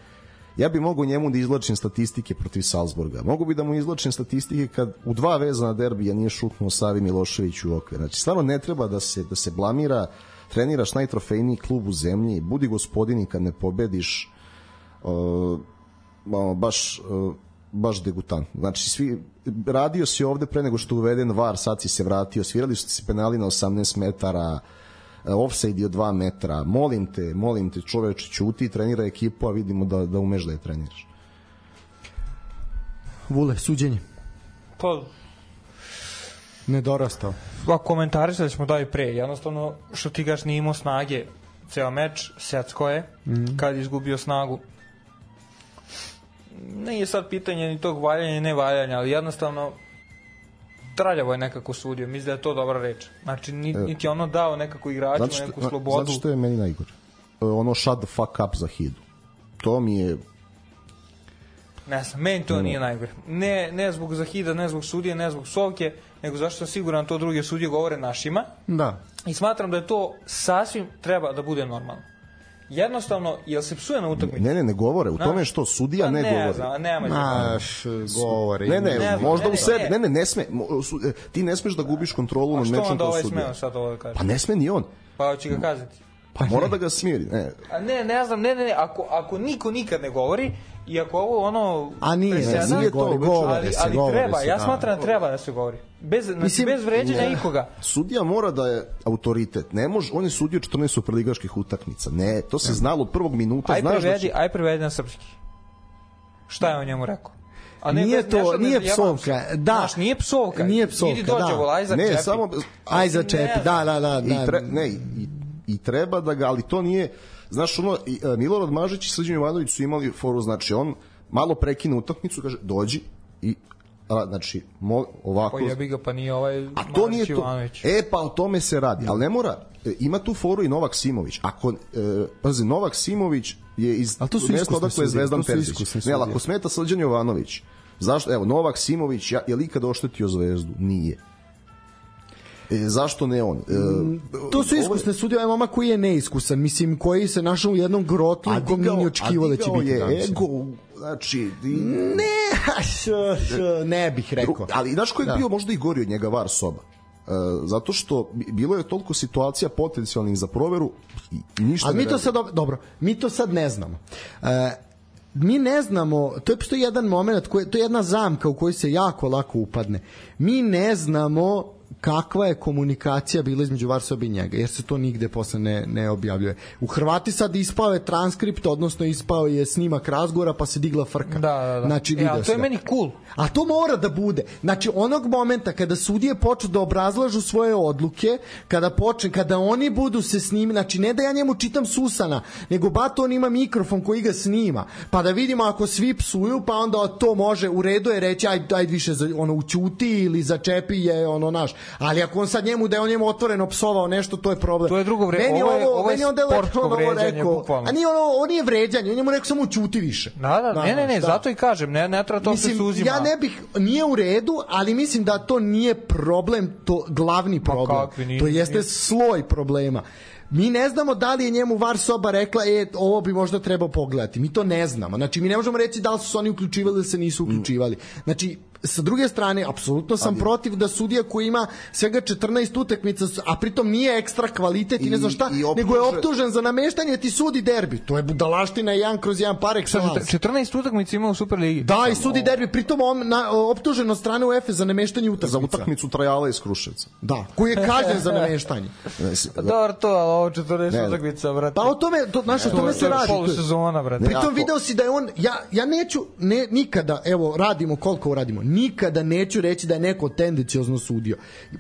Ja bi mogao njemu da izvlačim statistike protiv Salzburga. Mogu bi da mu izvlačim statistike kad u dva vezana derbija nije šutnuo Savi Milošević u okvir. Znači, stvarno ne treba da se, da se blamira. Treniraš najtrofejniji klub u zemlji, budi gospodini kad ne pobediš. Uh, baš... Uh, baš degutant. Znači, svi, radio si ovde pre nego što je uveden V A R, sad si se vratio, svirali su se penali na osamnaest metara, offside je od dva metra, molim te, molim te, čoveče, ćuti, trenira ekipu, a vidimo da, da umeš da je treniraš. Vule, suđenje? Pa... Nedorastao. Pa komentarisali smo da i pre, jednostavno, što ti gaš nije imao snage, ceo meč, secko je, mm-hmm. kad je izgubio snagu, nije sad pitanje ni tog valjanja i ne valjanja, ali jednostavno traljavo je nekako sudio, mislim da je to dobra reč. Znači, niti je ono dao nekako igračima što, neku slobodu. Zato što je meni najgore? Ono shut the fuck up za Hidu. To mi je... Ne znam, meni to ne, nije ne. najgore. Ne, ne zbog Zahida, ne zbog sudije, ne zbog Sovke, nego zašto sam siguran to druge sudije govore našima. Da. I smatram da je to sasvim treba da bude normalno. Jednostavno, jel se psuje na utakmici? Ne, ne, ne govore. U tome što sudija ne, ne govori. Znam, nema Naš govori. Ne, ne, ne znam, možda ne, u sebi. Ne, ne, ne sme. Ti ne smeš da gubiš kontrolu nad mečom kao sudija. A što onda ovaj smeo sad ovo da kaže? Pa ne sme ni on. Pa hoće ga kazati. Pa mora da ga smiri. Ne, A ne, ne znam, ne, ne, ne, ako, ako niko nikad ne govori, i ako ovo ono... A nije, preseda, ne, nije to, ali, govore se, ali govore treba, se, ja da. smatram da treba da se govori. Bez, znači, Mislim, bez vređanja ne. nikoga. Sudija mora da je autoritet. Ne može, on je sudio četrnaest superligaških utakmica. Ne, to se znalo od prvog minuta. Aj Znaš da prevedi, će... aj prevedi na srpski. Šta je on njemu rekao? A ne, Nije bez- to, nešto ne nije zajebam psovka, se. da. Znaš, nije psovka. Nije psovka, Idi dođe, da. volaj za Ne, čepi. samo... Aj za čepi, da, da, da. I, da. tre, ne, i, i treba da ga, ali to nije, znaš, ono, i, e, Milorad Mažić i Srđan Jovanović su imali foru, znači, on malo prekine utakmicu, kaže, dođi i, a, znači, mo, ovako... Pa jebi ga, pa nije ovaj A to nije Marić to. Ivanović. E, pa o tome se radi, ali ne mora, e, ima tu foru i Novak Simović. Ako, e, pazi, Novak Simović je iz Ali to su mesta iskusne odakle je sudije, Zvezdan to su Terzić. iskusne Ne, ali sudije. ako smeta Srđan Jovanović, zašto, evo, Novak Simović, ja, je li ikada oštetio Zvezdu? Nije. E, zašto ne on? E, To su iskusne sudije, ovaj momak koji je neiskusan, mislim, koji se našao u jednom grotlu u kom nije očekivao da će biti je danas. ego, znači... Di, Ne, š, š, ne bih rekao. ali znaš ko je Da. bio možda i gori od njega var soba? E, zato što bi- bilo je toliko situacija potencijalnih za proveru i i ništa Ali ne mi to radi. sad, dobro- dobro, mi to sad ne znamo. E, mi ne znamo, to je postoji jedan moment, koji, to je jedna zamka u kojoj se jako lako upadne. Mi ne znamo kakva je komunikacija bila između Varsobe i njega, jer se to nigde posle ne, ne objavljuje. U Hrvati sad ispao je transkript, odnosno ispao je snimak razgovora, pa se digla frka. Da, da, da. Znači, E, video ali to je sve. meni cool. A to mora da bude. Znači, onog momenta kada sudije počnu da obrazlažu svoje odluke, kada počne, kada oni budu se snimi, znači ne da ja njemu čitam Susana, nego bato on ima mikrofon koji ga snima, pa da vidimo ako svi psuju, pa onda to može, u redu je reći, aj, aj više za, ono, ućuti ili začepi je ono naš. Ali ako on sad njemu, da je on njemu otvoreno psovao nešto, to je problem. To je drugo vre- Meni ovo je- ovo je meni onda sportsko lepo ono vređanje, rekao, bukvalno. a nije ono, on nije vređanje, on njemu rekao samo ućuti više. Da, da, ne, ne, ne, šta? zato i kažem, ne, ne treba to se Mislim, suzima. ja ne bih, nije u redu, ali mislim da to nije problem, to glavni problem. kakvi, nije- to jeste nije. sloj problema. Mi ne znamo da li je njemu var soba rekla, e, ovo bi možda trebao pogledati. Mi to ne znamo. Znači, mi ne možemo reći da li su se oni uključivali ili se nisu uključivali. Znači, sa druge strane, apsolutno sam protiv da sudija koji ima svega četrnaest utakmica, a pritom nije ekstra kvalitet i, I- ne znam šta, i optuže- nego je optužen za nameštanje, ti sudi derbi. To je budalaština jedan kroz jedan par excellence. četrnaest utakmica ima u Superligi. Da, i sudi derbi, pritom on na, optužen od strane UEFA za nameštanje utakmica. Za utakmicu Trajala iz Kruševca. Da, koji je kažnjen za nameštanje. Ne, si- Dobro to, ali ovo četrnaest Ne. utakmica, brate. Pa o tome, to, znaš, o To tome je- se to je radi. polusezona, brate. Pritom Jako. video si da je on, ja, ja neću, ne, nikada, evo, radimo koliko radimo, nikada neću reći da je neko tendenciozno sudio.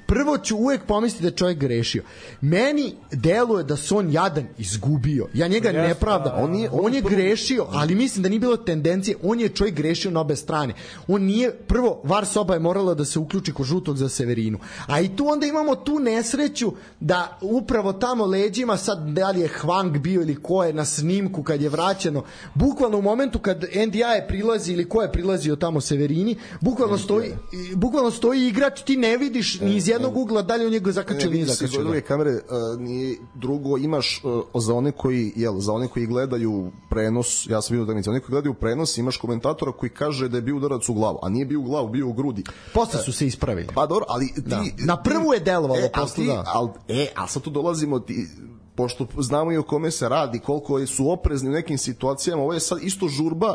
Prvo ću uvek pomisliti da je čovjek grešio. Meni deluje da se on jadan izgubio. Ja njega Jeste, ne pravdam. da, da. On je, on je grešio, ali mislim da nije bilo tendencije. On je čovjek grešio na obe strane. On nije, prvo, var soba je morala da se uključi kod žutog za Severinu. A i tu onda imamo tu nesreću da upravo tamo leđima, sad da li je Hwang bio ili ko je na snimku kad je vraćeno, bukvalno u momentu kad N D I je prilazi ili ko je prilazio tamo Severini, bukvalno stoji, bukvalno stoji igrač, ti ne vidiš ni iz jednog ugla da li on njega zakačio ili nije vidi se iz zakačio. druge kamere, uh, nije drugo, imaš uh, za one koji, jel, za one koji gledaju prenos, ja sam vidio utakmice, oni koji gledaju prenos, imaš komentatora koji kaže da je bio udarac u glavu, a nije bio u glavu, bio u grudi. Posle su se ispravili. Pa dobro, ali ti... Da. Na prvu je delovalo, e, posle ali ti, da. al, e, ali sad tu dolazimo ti, pošto znamo i o kome se radi, koliko su oprezni u nekim situacijama, ovo je sad isto žurba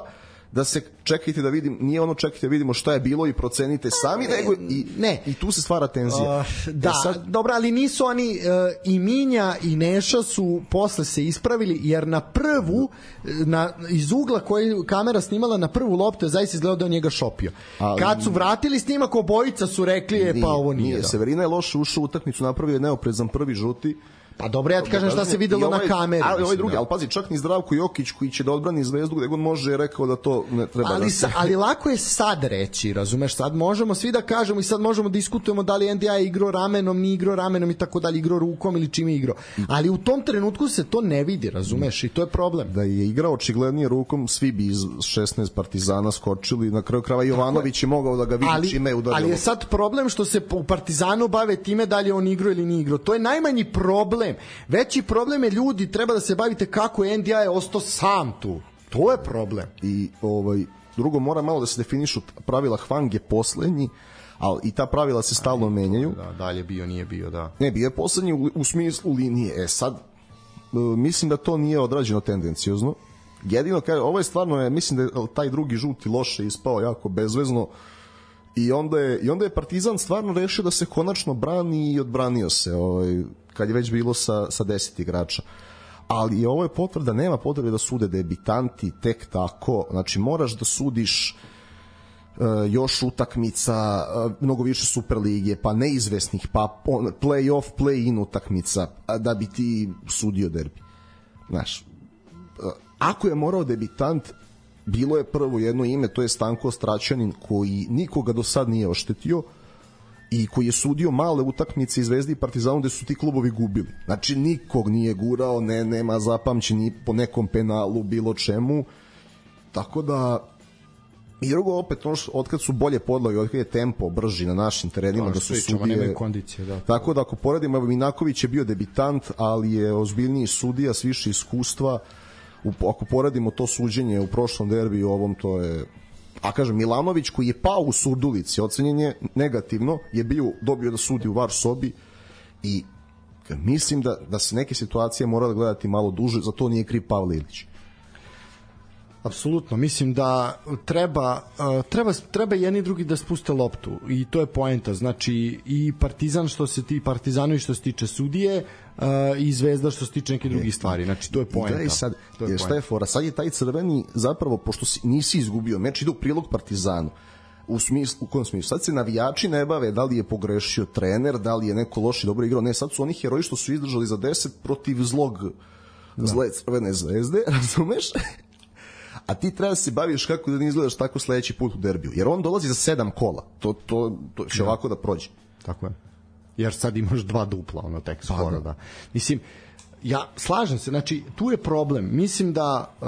da se čekajte da vidim, nije ono čekajte da vidimo šta je bilo i procenite sami, nego i, ne. i tu se stvara tenzija. Uh, da, E sad, dobro, ali nisu oni, uh, i Minja i Neša su posle se ispravili, jer na prvu, na, iz ugla koji kamera snimala na prvu loptu je zaista izgledao da je on njega šopio. Ali- Kad su vratili snimak, obojica su rekli, e, pa ovo nije. da. Severina je loše ušao u utakmicu, napravio je neoprezan prvi žuti. Pa dobro, ja ti kažem šta se videlo I ovaj- na kameri. Ali ovaj mislim, drugi, da. ali pazi, čak ni Zdravko Jokić koji će da odbrani Zvezdu gde god može je rekao da to ne treba ali, da se... sa, ali lako je sad reći, razumeš, sad možemo svi da kažemo i sad možemo da diskutujemo da li N D I igrao ramenom, ni igrao ramenom i tako dalje, igrao rukom ili čim je igrao. Ali u tom trenutku se to ne vidi, razumeš, i to je problem. Da je igrao očiglednije rukom, svi bi iz šesnaest Partizana skočili, na kraju krava Jovanović je mogao da ga vidi ali, čime je udario. ali je sad problem što se u Partizanu bave time da li je on igrao ili nije igrao. To je najmanji problem. Veći problem je ljudi, treba da se bavite kako je N D I ostao sam tu. To je problem. I ovaj, drugo, mora malo da se definišu pravila. Hwang je poslednji, ali i ta pravila se stalno menjaju. Da, dalje bio, nije bio, da. Ne, bio je poslednji u, u smislu linije. E sad, mislim da to nije odrađeno tendencijozno. Jedino, kaže, ovo je stvarno, mislim da je taj drugi žuti loše ispao jako bezvezno i onda je, i onda je Partizan stvarno rešio da se konačno brani i odbranio se ovaj, kad je već bilo sa, sa deset igrača. Ali ovo je potvrda, nema potrebe da sude debitanti tek tako, znači moraš da sudiš uh, još utakmica, uh, mnogo više Superlige, pa neizvesnih, pa on, play-off, play-in utakmica, da bi ti sudio derbi. Znaš, uh, ako je morao debitant, bilo je prvo jedno ime, to je Stanko Straćanin, koji nikoga do sad nije oštetio i koji je sudio male utakmice i Zvezdi i Partizanu gde su ti klubovi gubili. Znači nikog nije gurao, ne, nema zapamćeni po nekom penalu, bilo čemu. Tako da i drugo opet, ono što, otkad su bolje podloge, otkad je tempo brži na našim terenima, da, da su sudije... Kondicije, da. Tako da ako poredimo, evo Minaković je bio debitant, ali je ozbiljniji sudija s više iskustva. U, ako poredimo to suđenje u prošlom derbiju, ovom to je... A kažem, Milanović koji je pao u Surdulici, ocenjen je negativno, je bio, dobio da sudi u var sobi i mislim da, da se neke situacije mora gledati malo duže, za to nije kriv Pavle Ilić. Apsolutno, mislim da treba, treba, treba jedni i drugi da spuste loptu i to je poenta, znači i Partizan što se ti Partizanovi što se tiče sudije i Zvezda što se tiče neke drugih stvari, znači to je poenta. Sad, to je šta je fora, sad je taj crveni zapravo, pošto si, nisi izgubio meč, ide u prilog Partizanu. U, smislu, u kojem smislu? Sad se navijači ne bave da li je pogrešio trener, da li je neko loše dobro igrao, ne, sad su oni heroji što su izdržali za deset protiv zlog da. zle Crvene Zvezde, razumeš? A ti treba da se baviš kako da ne izgledaš tako sledeći put u derbiju. Jer on dolazi za sedam kola. To, to, to će ovako da prođe. Tako je. Jer sad imaš dva dupla, ono tek skoro, da. Mislim, ja slažem se, znači, tu je problem. Mislim da uh,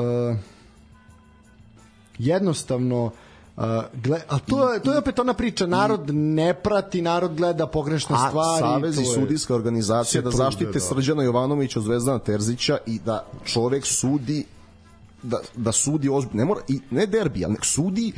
jednostavno uh, gle, a to je, to je opet ona priča, narod i, ne prati, narod gleda pogrešne a, stvari. A Savez i sudijska organizacija da zaštite da. Srđana Jovanovića od Zvezdana Terzića i da čovek sudi da, da sudi ozbiljno, ne mora, i ne derbi, ali nek sudi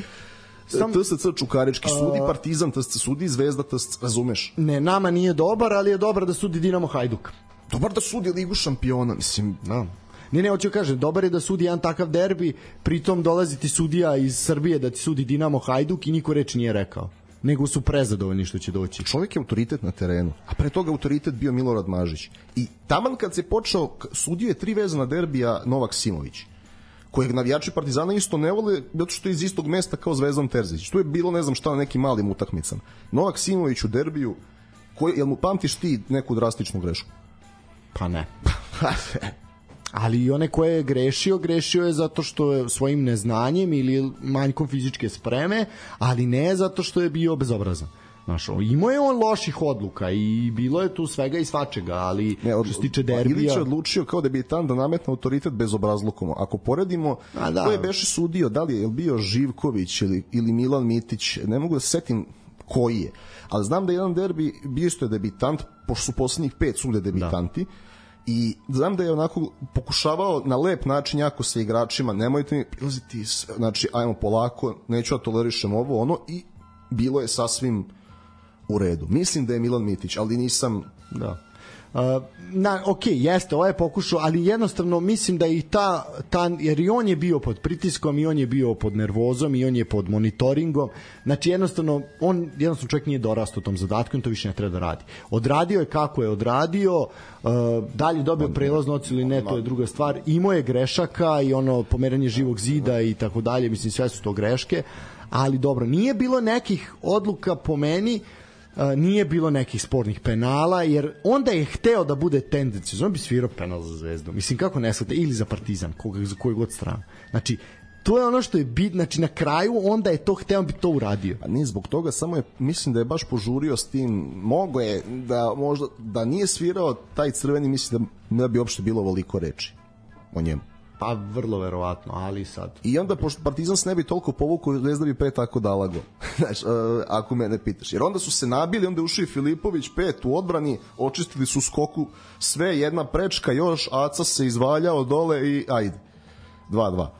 Sam, T S C Čukarički, sudi Partizan, T S C, sudi Zvezda, T S C, razumeš? Ne, nama nije dobar, ali je dobar da sudi Dinamo Hajduk. Dobar da sudi Ligu šampiona, mislim, da. Ne, ne, hoću kažem, dobar je da sudi jedan takav derbi, pritom dolazi ti sudija iz Srbije da ti sudi Dinamo Hajduk i niko reč nije rekao. Nego su prezadovoljni što će doći. Čovjek je autoritet na terenu, a pre toga autoritet bio Milorad Mažić. I taman kad se počeo, sudio je tri vezana derbija Novak Simović, kojeg navijači Partizana isto ne vole, zato što je iz istog mesta kao Zvezdan Terzić. Tu je bilo, ne znam šta, na nekim malim utakmicama. Novak Simović u derbiju, koji, jel mu pamtiš ti neku drastičnu grešku? Pa ne. Ali i one koje je grešio, grešio je zato što je svojim neznanjem ili manjkom fizičke spreme, ali ne zato što je bio bezobrazan. Znaš, imao je on loših odluka i bilo je tu svega i svačega, ali ne, od, što se tiče derbija... Ilić je odlučio kao debitant da nametne autoritet bezobrazlukom. Ako poredimo, da. Ko je beše sudio, da li je bio Živković ili, ili Milan Mitić, ne mogu da se setim koji je, ali znam da je jedan derbi bio isto je debitant, pošto su poslednjih pet sude debitanti, da. I znam da je onako pokušavao na lep način jako sa igračima, nemojte mi prilaziti, znači ajmo polako, neću da tolerišem ovo, ono, i bilo je sasvim u redu. Mislim da je Milan Mitić, ali nisam... Da. Uh, na, ok, jeste, ovo je pokušao, ali jednostavno mislim da i ta, ta, jer i on je bio pod pritiskom i on je bio pod nervozom i on je pod monitoringom, znači jednostavno on jednostavno čovjek nije dorastao tom zadatku i to više ne treba da radi. Odradio je kako je odradio, uh, dalje dobio prelaznu ocenu ili ne, to je druga stvar, imao je grešaka i ono pomeranje živog zida i tako dalje, mislim sve su to greške, ali dobro, nije bilo nekih odluka po meni, Uh, nije bilo nekih spornih penala, jer onda je hteo da bude tendencijozno, on bi svirao penal za Zvezdu, mislim kako ne shvate, ili za Partizan, koga, za koju god stranu, znači to je ono što je bit, znači na kraju onda je to hteo, on bi to uradio. A nije zbog toga, samo je, mislim da je baš požurio s tim, mogo je da možda, da nije svirao taj crveni, mislim da ne bi uopšte bilo ovoliko reči o njemu. Pa vrlo verovatno, ali sad. I onda, pošto Partizan se ne bi toliko povukao, Zvezda bi pre tako dala go. Znaš, uh, ako mene pitaš. Jer onda su se nabili, onda je ušao i Filipović, pet u odbrani, očistili su skoku, sve, jedna prečka još, Aca se izvaljao dole i ajde. dva dva.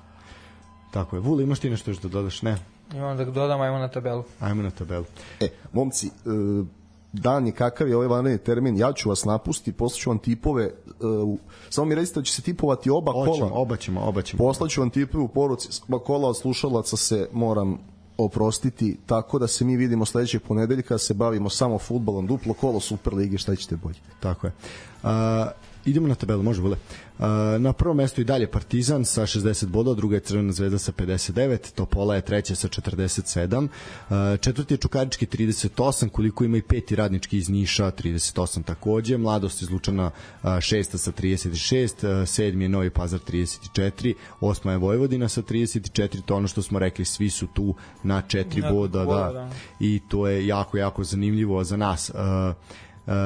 Tako je. Vuli, imaš ti nešto još da dodaš? Ne. Imam da dodam, ajmo na tabelu. Ajmo na tabelu. E, momci, uh, dan je kakav je ovaj vanredni termin, ja ću vas napustiti, poslaću vam tipove, uh, samo mi recite da će se tipovati oba Oćemo, kola. oba ćemo, oba ćemo. Poslaću vam tipove u poruci, oba kola od slušalaca se moram oprostiti, tako da se mi vidimo sledećeg ponedeljka, se bavimo samo fudbalom, duplo kolo Superlige, šta ćete bolje. Tako je. Uh, idemo na tabelu, može bude. Uh, na prvom mestu i dalje Partizan sa šezdeset bodova, druga je Crvena zvezda sa pedeset devet, Topola je treća sa četrdeset sedam, uh, četvrti je Čukarički trideset osam, koliko ima i peti Radnički iz Niša trideset osam takođe, Mladost iz Lučana uh, šesta sa trideset šest, uh, sedmi je Novi Pazar trideset četiri, osma je Vojvodina sa trideset četiri, to ono što smo rekli, svi su tu na četiri boda, da, da, i to je jako, jako zanimljivo za nas. Uh,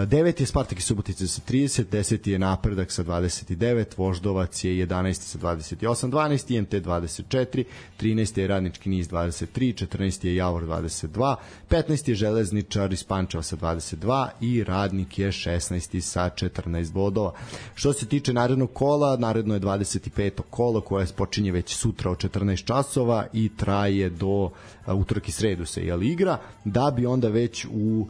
devet je Spartak iz Subotice sa trideset, deset je Napredak sa dvadeset devet, Voždovac je jedanaesti sa dvadeset osam, dvanaesti I M T dvadeset četiri, trinaesti je Radnički Niš dvadeset tri, četrnaesti je Javor dvadeset dva, petnaesti je Železničar iz Pančeva sa dvadeset dva i Radnik je šesnaesti sa četrnaest bodova. Što se tiče narednog kola, naredno je dvadeset peto kolo koje počinje već sutra od četrnaest časova i traje do utorak i sredu se jel igra, da bi onda već u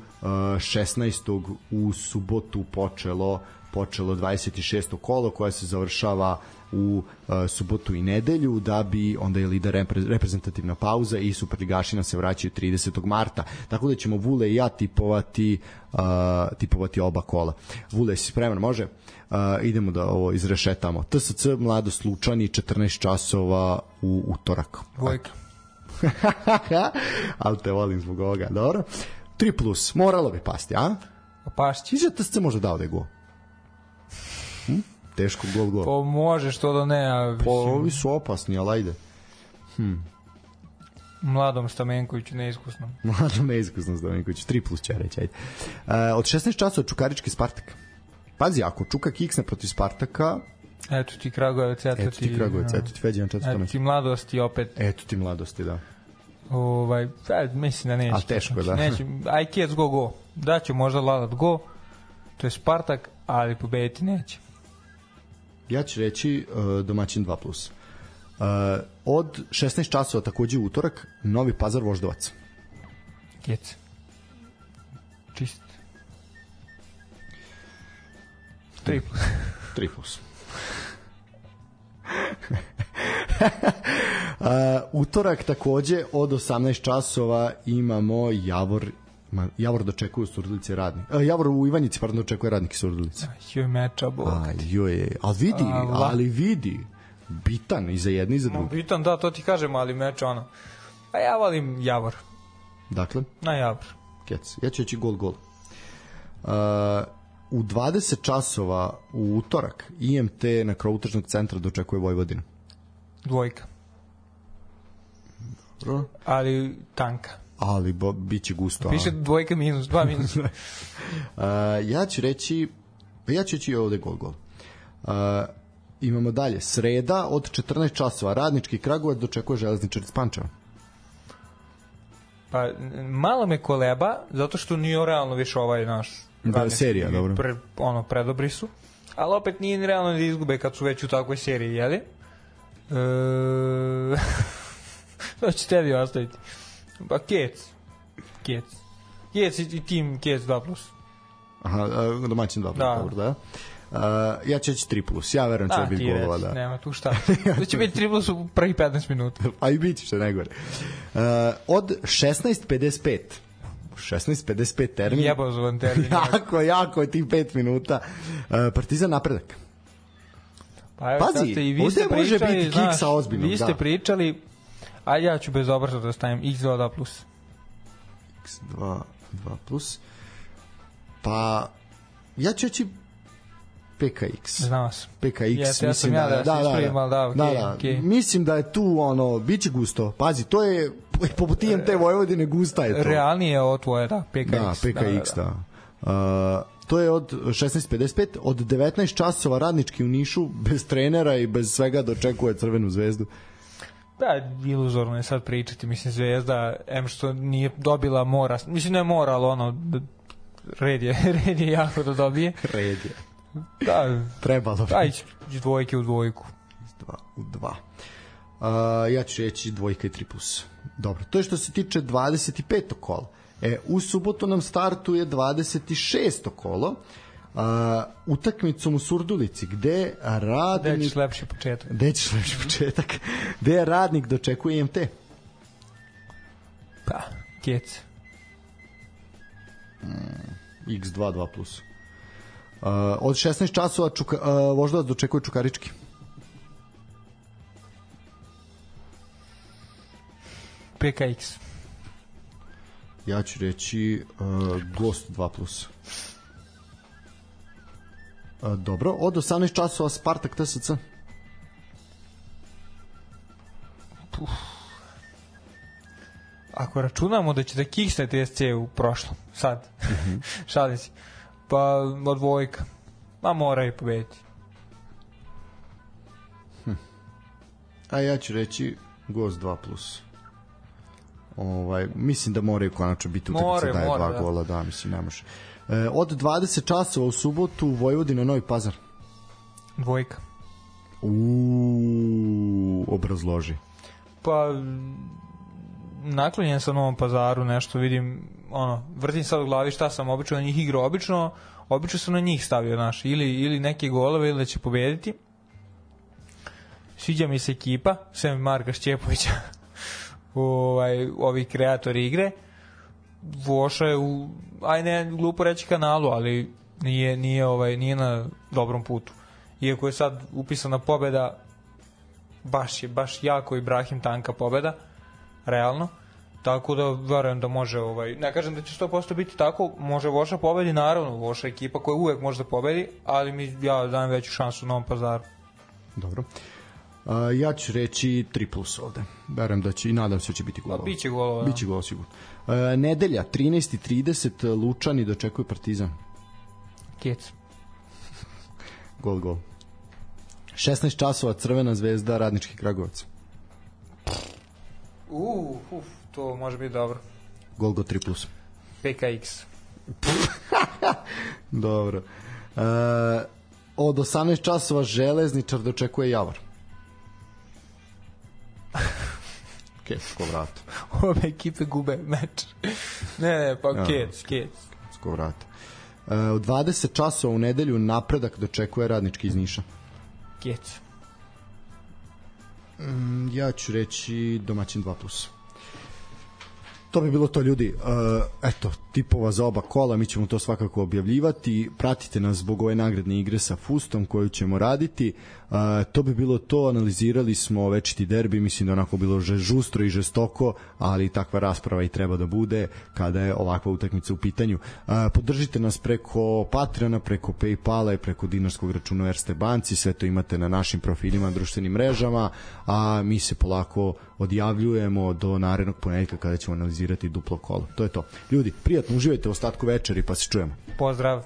šesnaestog u subotu počelo počelo dvadeset šesto kolo koje se završava u uh, subotu i nedelju, da bi onda je lider repre, reprezentativna pauza i superligaši nam se vraćaju tridesetog marta. Tako da ćemo Vule i ja tipovati uh, tipovati oba kola. Vule, si spreman, može? Uh, idemo da ovo izrešetamo. T S C Mladost Lučani četrnaest časova u utorak. Dvojka. Ali te volim zbog ovoga, dobro. tri plus, moralo bi pasti, a? Pašći. Iza T S C može dao da je gol. Hm? Teško gol, gol. Pa može, što da ne. A, pa ovi su opasni, ali ajde. Hm. Mladom Stamenkoviću neiskusnom. Mladom neiskusnom Stamenkoviću, tri plus će reći, ajde. Uh, od šesnaest časova Čukarički Spartak. Pazi, ako Čuka kiksne protiv Spartaka... Eto ti Kragujevac, eto ti... Eto ti Kragujevac, eto ti Feđan četvrto mesto. Eto ti Mladosti opet. Eto ti Mladosti, da. Ovaj, da, mislim da neće. A teško, da. Neće, aj Kijec go go. Da će možda Lalat go, to je Spartak, ali pobediti neće. Ja ću reći uh, domaćin dva plus. Uh, od šesnaest časova takođe u utorak Novi Pazar Voždovac. Kijec. Čist. tri plus. tri plus. uh, utorak takođe od osamnaest časova imamo Javor Javor dočekuje u Surdulici Radnik. Uh, Javor u Ivanjici, pardon, dočekuje Radnik i Surdulici. Joj meča, bog. Aj, joj, ali vidi, ali vidi, bitan i za jedni i za drugi. Bitan, da, to ti kažem, ali meč ono. A ja volim Javor. Dakle? Na Javor. Kec, ja ću reći gol, gol. Uh, u dvadeset časova u utorak I M T na krovu tržnog centra dočekuje Vojvodinu. Dvojka. Dobro. Ali tanka. Ali bo, bit će gusto. Piše dvojka minus, dva minus. uh, ja ću reći ja ću reći ovde gol, gol. Uh, imamo dalje. Sreda od četrnaest časova Radnički Kragujevac dočekuje Železničar iz Pančeva. Pa malo me koleba, zato što nije realno više ovaj naš da, serija, dobro. Pre, ono, predobri su. Ali opet nije realno da izgube kad su već u takvoj seriji, jeli? E... to će tebi ostaviti. Pa Kec. Kec. Kec i tim Kec dva plus. Aha, domaćin dva plus, da. Dobro, da. Uh, ja ću reći tri plus, ja verujem će biti golova, da. Nema tu šta. To će biti tri plus u prvih petnaest minuta. A i biti što najgore. Uh, od šesnaest pedeset pet šesnaest pedeset pet termin. Jebozovan termin. jako, jako je tih pet minuta. Uh, Partizan Napredak. Pa evo, pazi, i vi ovde može pričali, biti znaš, kiksa ozbiljnog. Vi ste da. pričali, a ja ću bez obrata da stavim iks dva plus. iks dva plus. Pa, ja ću reći P K X. Znam se. P K X, Jeste, ja mislim ja da, da, da, da, da, da, da, okay, da, da. Okay. Mislim da je tu ono, biće gusto. Pazi, to je poput I M T Vojvodine gusta je to. Realnije je ovo tvoje, da, P K X. Da, P K X, da. da. da. Uh, to je od šesnaest pedeset pet, od devetnaest časova Radnički u Nišu, bez trenera i bez svega dočekuje Crvenu zvezdu. Da, iluzorno je sad pričati, mislim, Zvezda, em što nije dobila mora, mislim ne mora, ali ono, red je, red je jako da dobije. Red je. Da, trebalo bi. Aj, dvojke u dvojku. Dva u dva. Uh, ja ću reći dvojka i tri plus. Dobro, to je što se tiče dvadeset petog kola. E, u subotu nam startuje dvadeset šesto kolo, uh, utakmicom u Surdulici, gde radnik... Gde ćeš lepši početak. Gde ćeš lepši početak. Gde radnik dočekuje I M T? Pa, Kec. Mm, iks dva, dva plus. Uh, od šesnaest časova čuka, uh, Voždovac dočekuje Čukarički. P K X. Ja ću reći uh, Gost dva plus. Uh, dobro, od osamnaest časova Spartak T S C. Puf. Ako računamo da će da kiksne T S C u prošlom, sad, mm-hmm. šalim si, pa od dvojka, ma moraju pobediti. Hm. A ja ću reći Gost dva plus. Ovaj, mislim da moraju konačno biti utakmice daje dva da. gola, da, mislim, ne može. E, od dvadeset časova u subotu Vojvodina Novi Pazar. Dvojka. Uuu, obrazloži. Pa, naklonjen sam Novom Pazaru, nešto vidim, ono, vrtim sad u glavi šta sam obično na njih igrao, obično, obično sam na njih stavio, naš, ili, ili neke golove, ili da će pobediti. Sviđa mi se ekipa, sem Marka Šćepovića, ovaj, ovi kreatori igre. Voša je u, aj ne glupo reći kanalu, ali nije, nije, ovaj, nije na dobrom putu. Iako je sad upisana pobeda, baš je, baš jako Ibrahim tanka pobeda, realno. Tako da verujem da može, ovaj, ne kažem da će sto posto biti tako, može Voša pobedi, naravno, Voša je ekipa koja uvek može da pobedi, ali mi, ja dajem veću šansu Novom Pazaru. Dobro. Uh, ja ću reći tri plus ovde. Verujem da će i nadam se da će biti golova. Biće golova. Biće golova sigurno. Uh, nedelja, trinaest i trideset, Lučani dočekuju Partizan. Kec. Gol, gol. šesnaest časova Crvena zvezda, Radnički Kragujevac. Uh, uf, to može biti dobro. Gol, go tri plus. P K X. Dobro. Uh, od osamnaest časova Železničar dočekuje Javor. Kec, ko vrata. Ove ekipe gube meč. Ne, ne, pa Kec, Kec. Ko vrata. Uh, od dvadeset časova u nedelju Napredak dočekuje Radnički iz Niša. Kec. Mm, ja ću reći domaćin dva plus. To bi bilo to, ljudi. Uh, eto, tipova za oba kola, mi ćemo to svakako objavljivati. Pratite nas zbog ove nagradne igre sa Fustom koju ćemo raditi. Uh, to bi bilo to, analizirali smo večiti derbi, mislim da onako bilo žustro i žestoko, ali takva rasprava i treba da bude kada je ovakva utakmica u pitanju. Uh, podržite nas preko Patreona, preko Paypala i preko dinarskog računa u Erste banci, sve to imate na našim profilima, društvenim mrežama, a mi se polako odjavljujemo do narednog ponedeljka kada ćemo analizirati duplo kolo. To je to. Ljudi, prijatno uživajte u ostatku večeri, pa se čujemo. Pozdrav.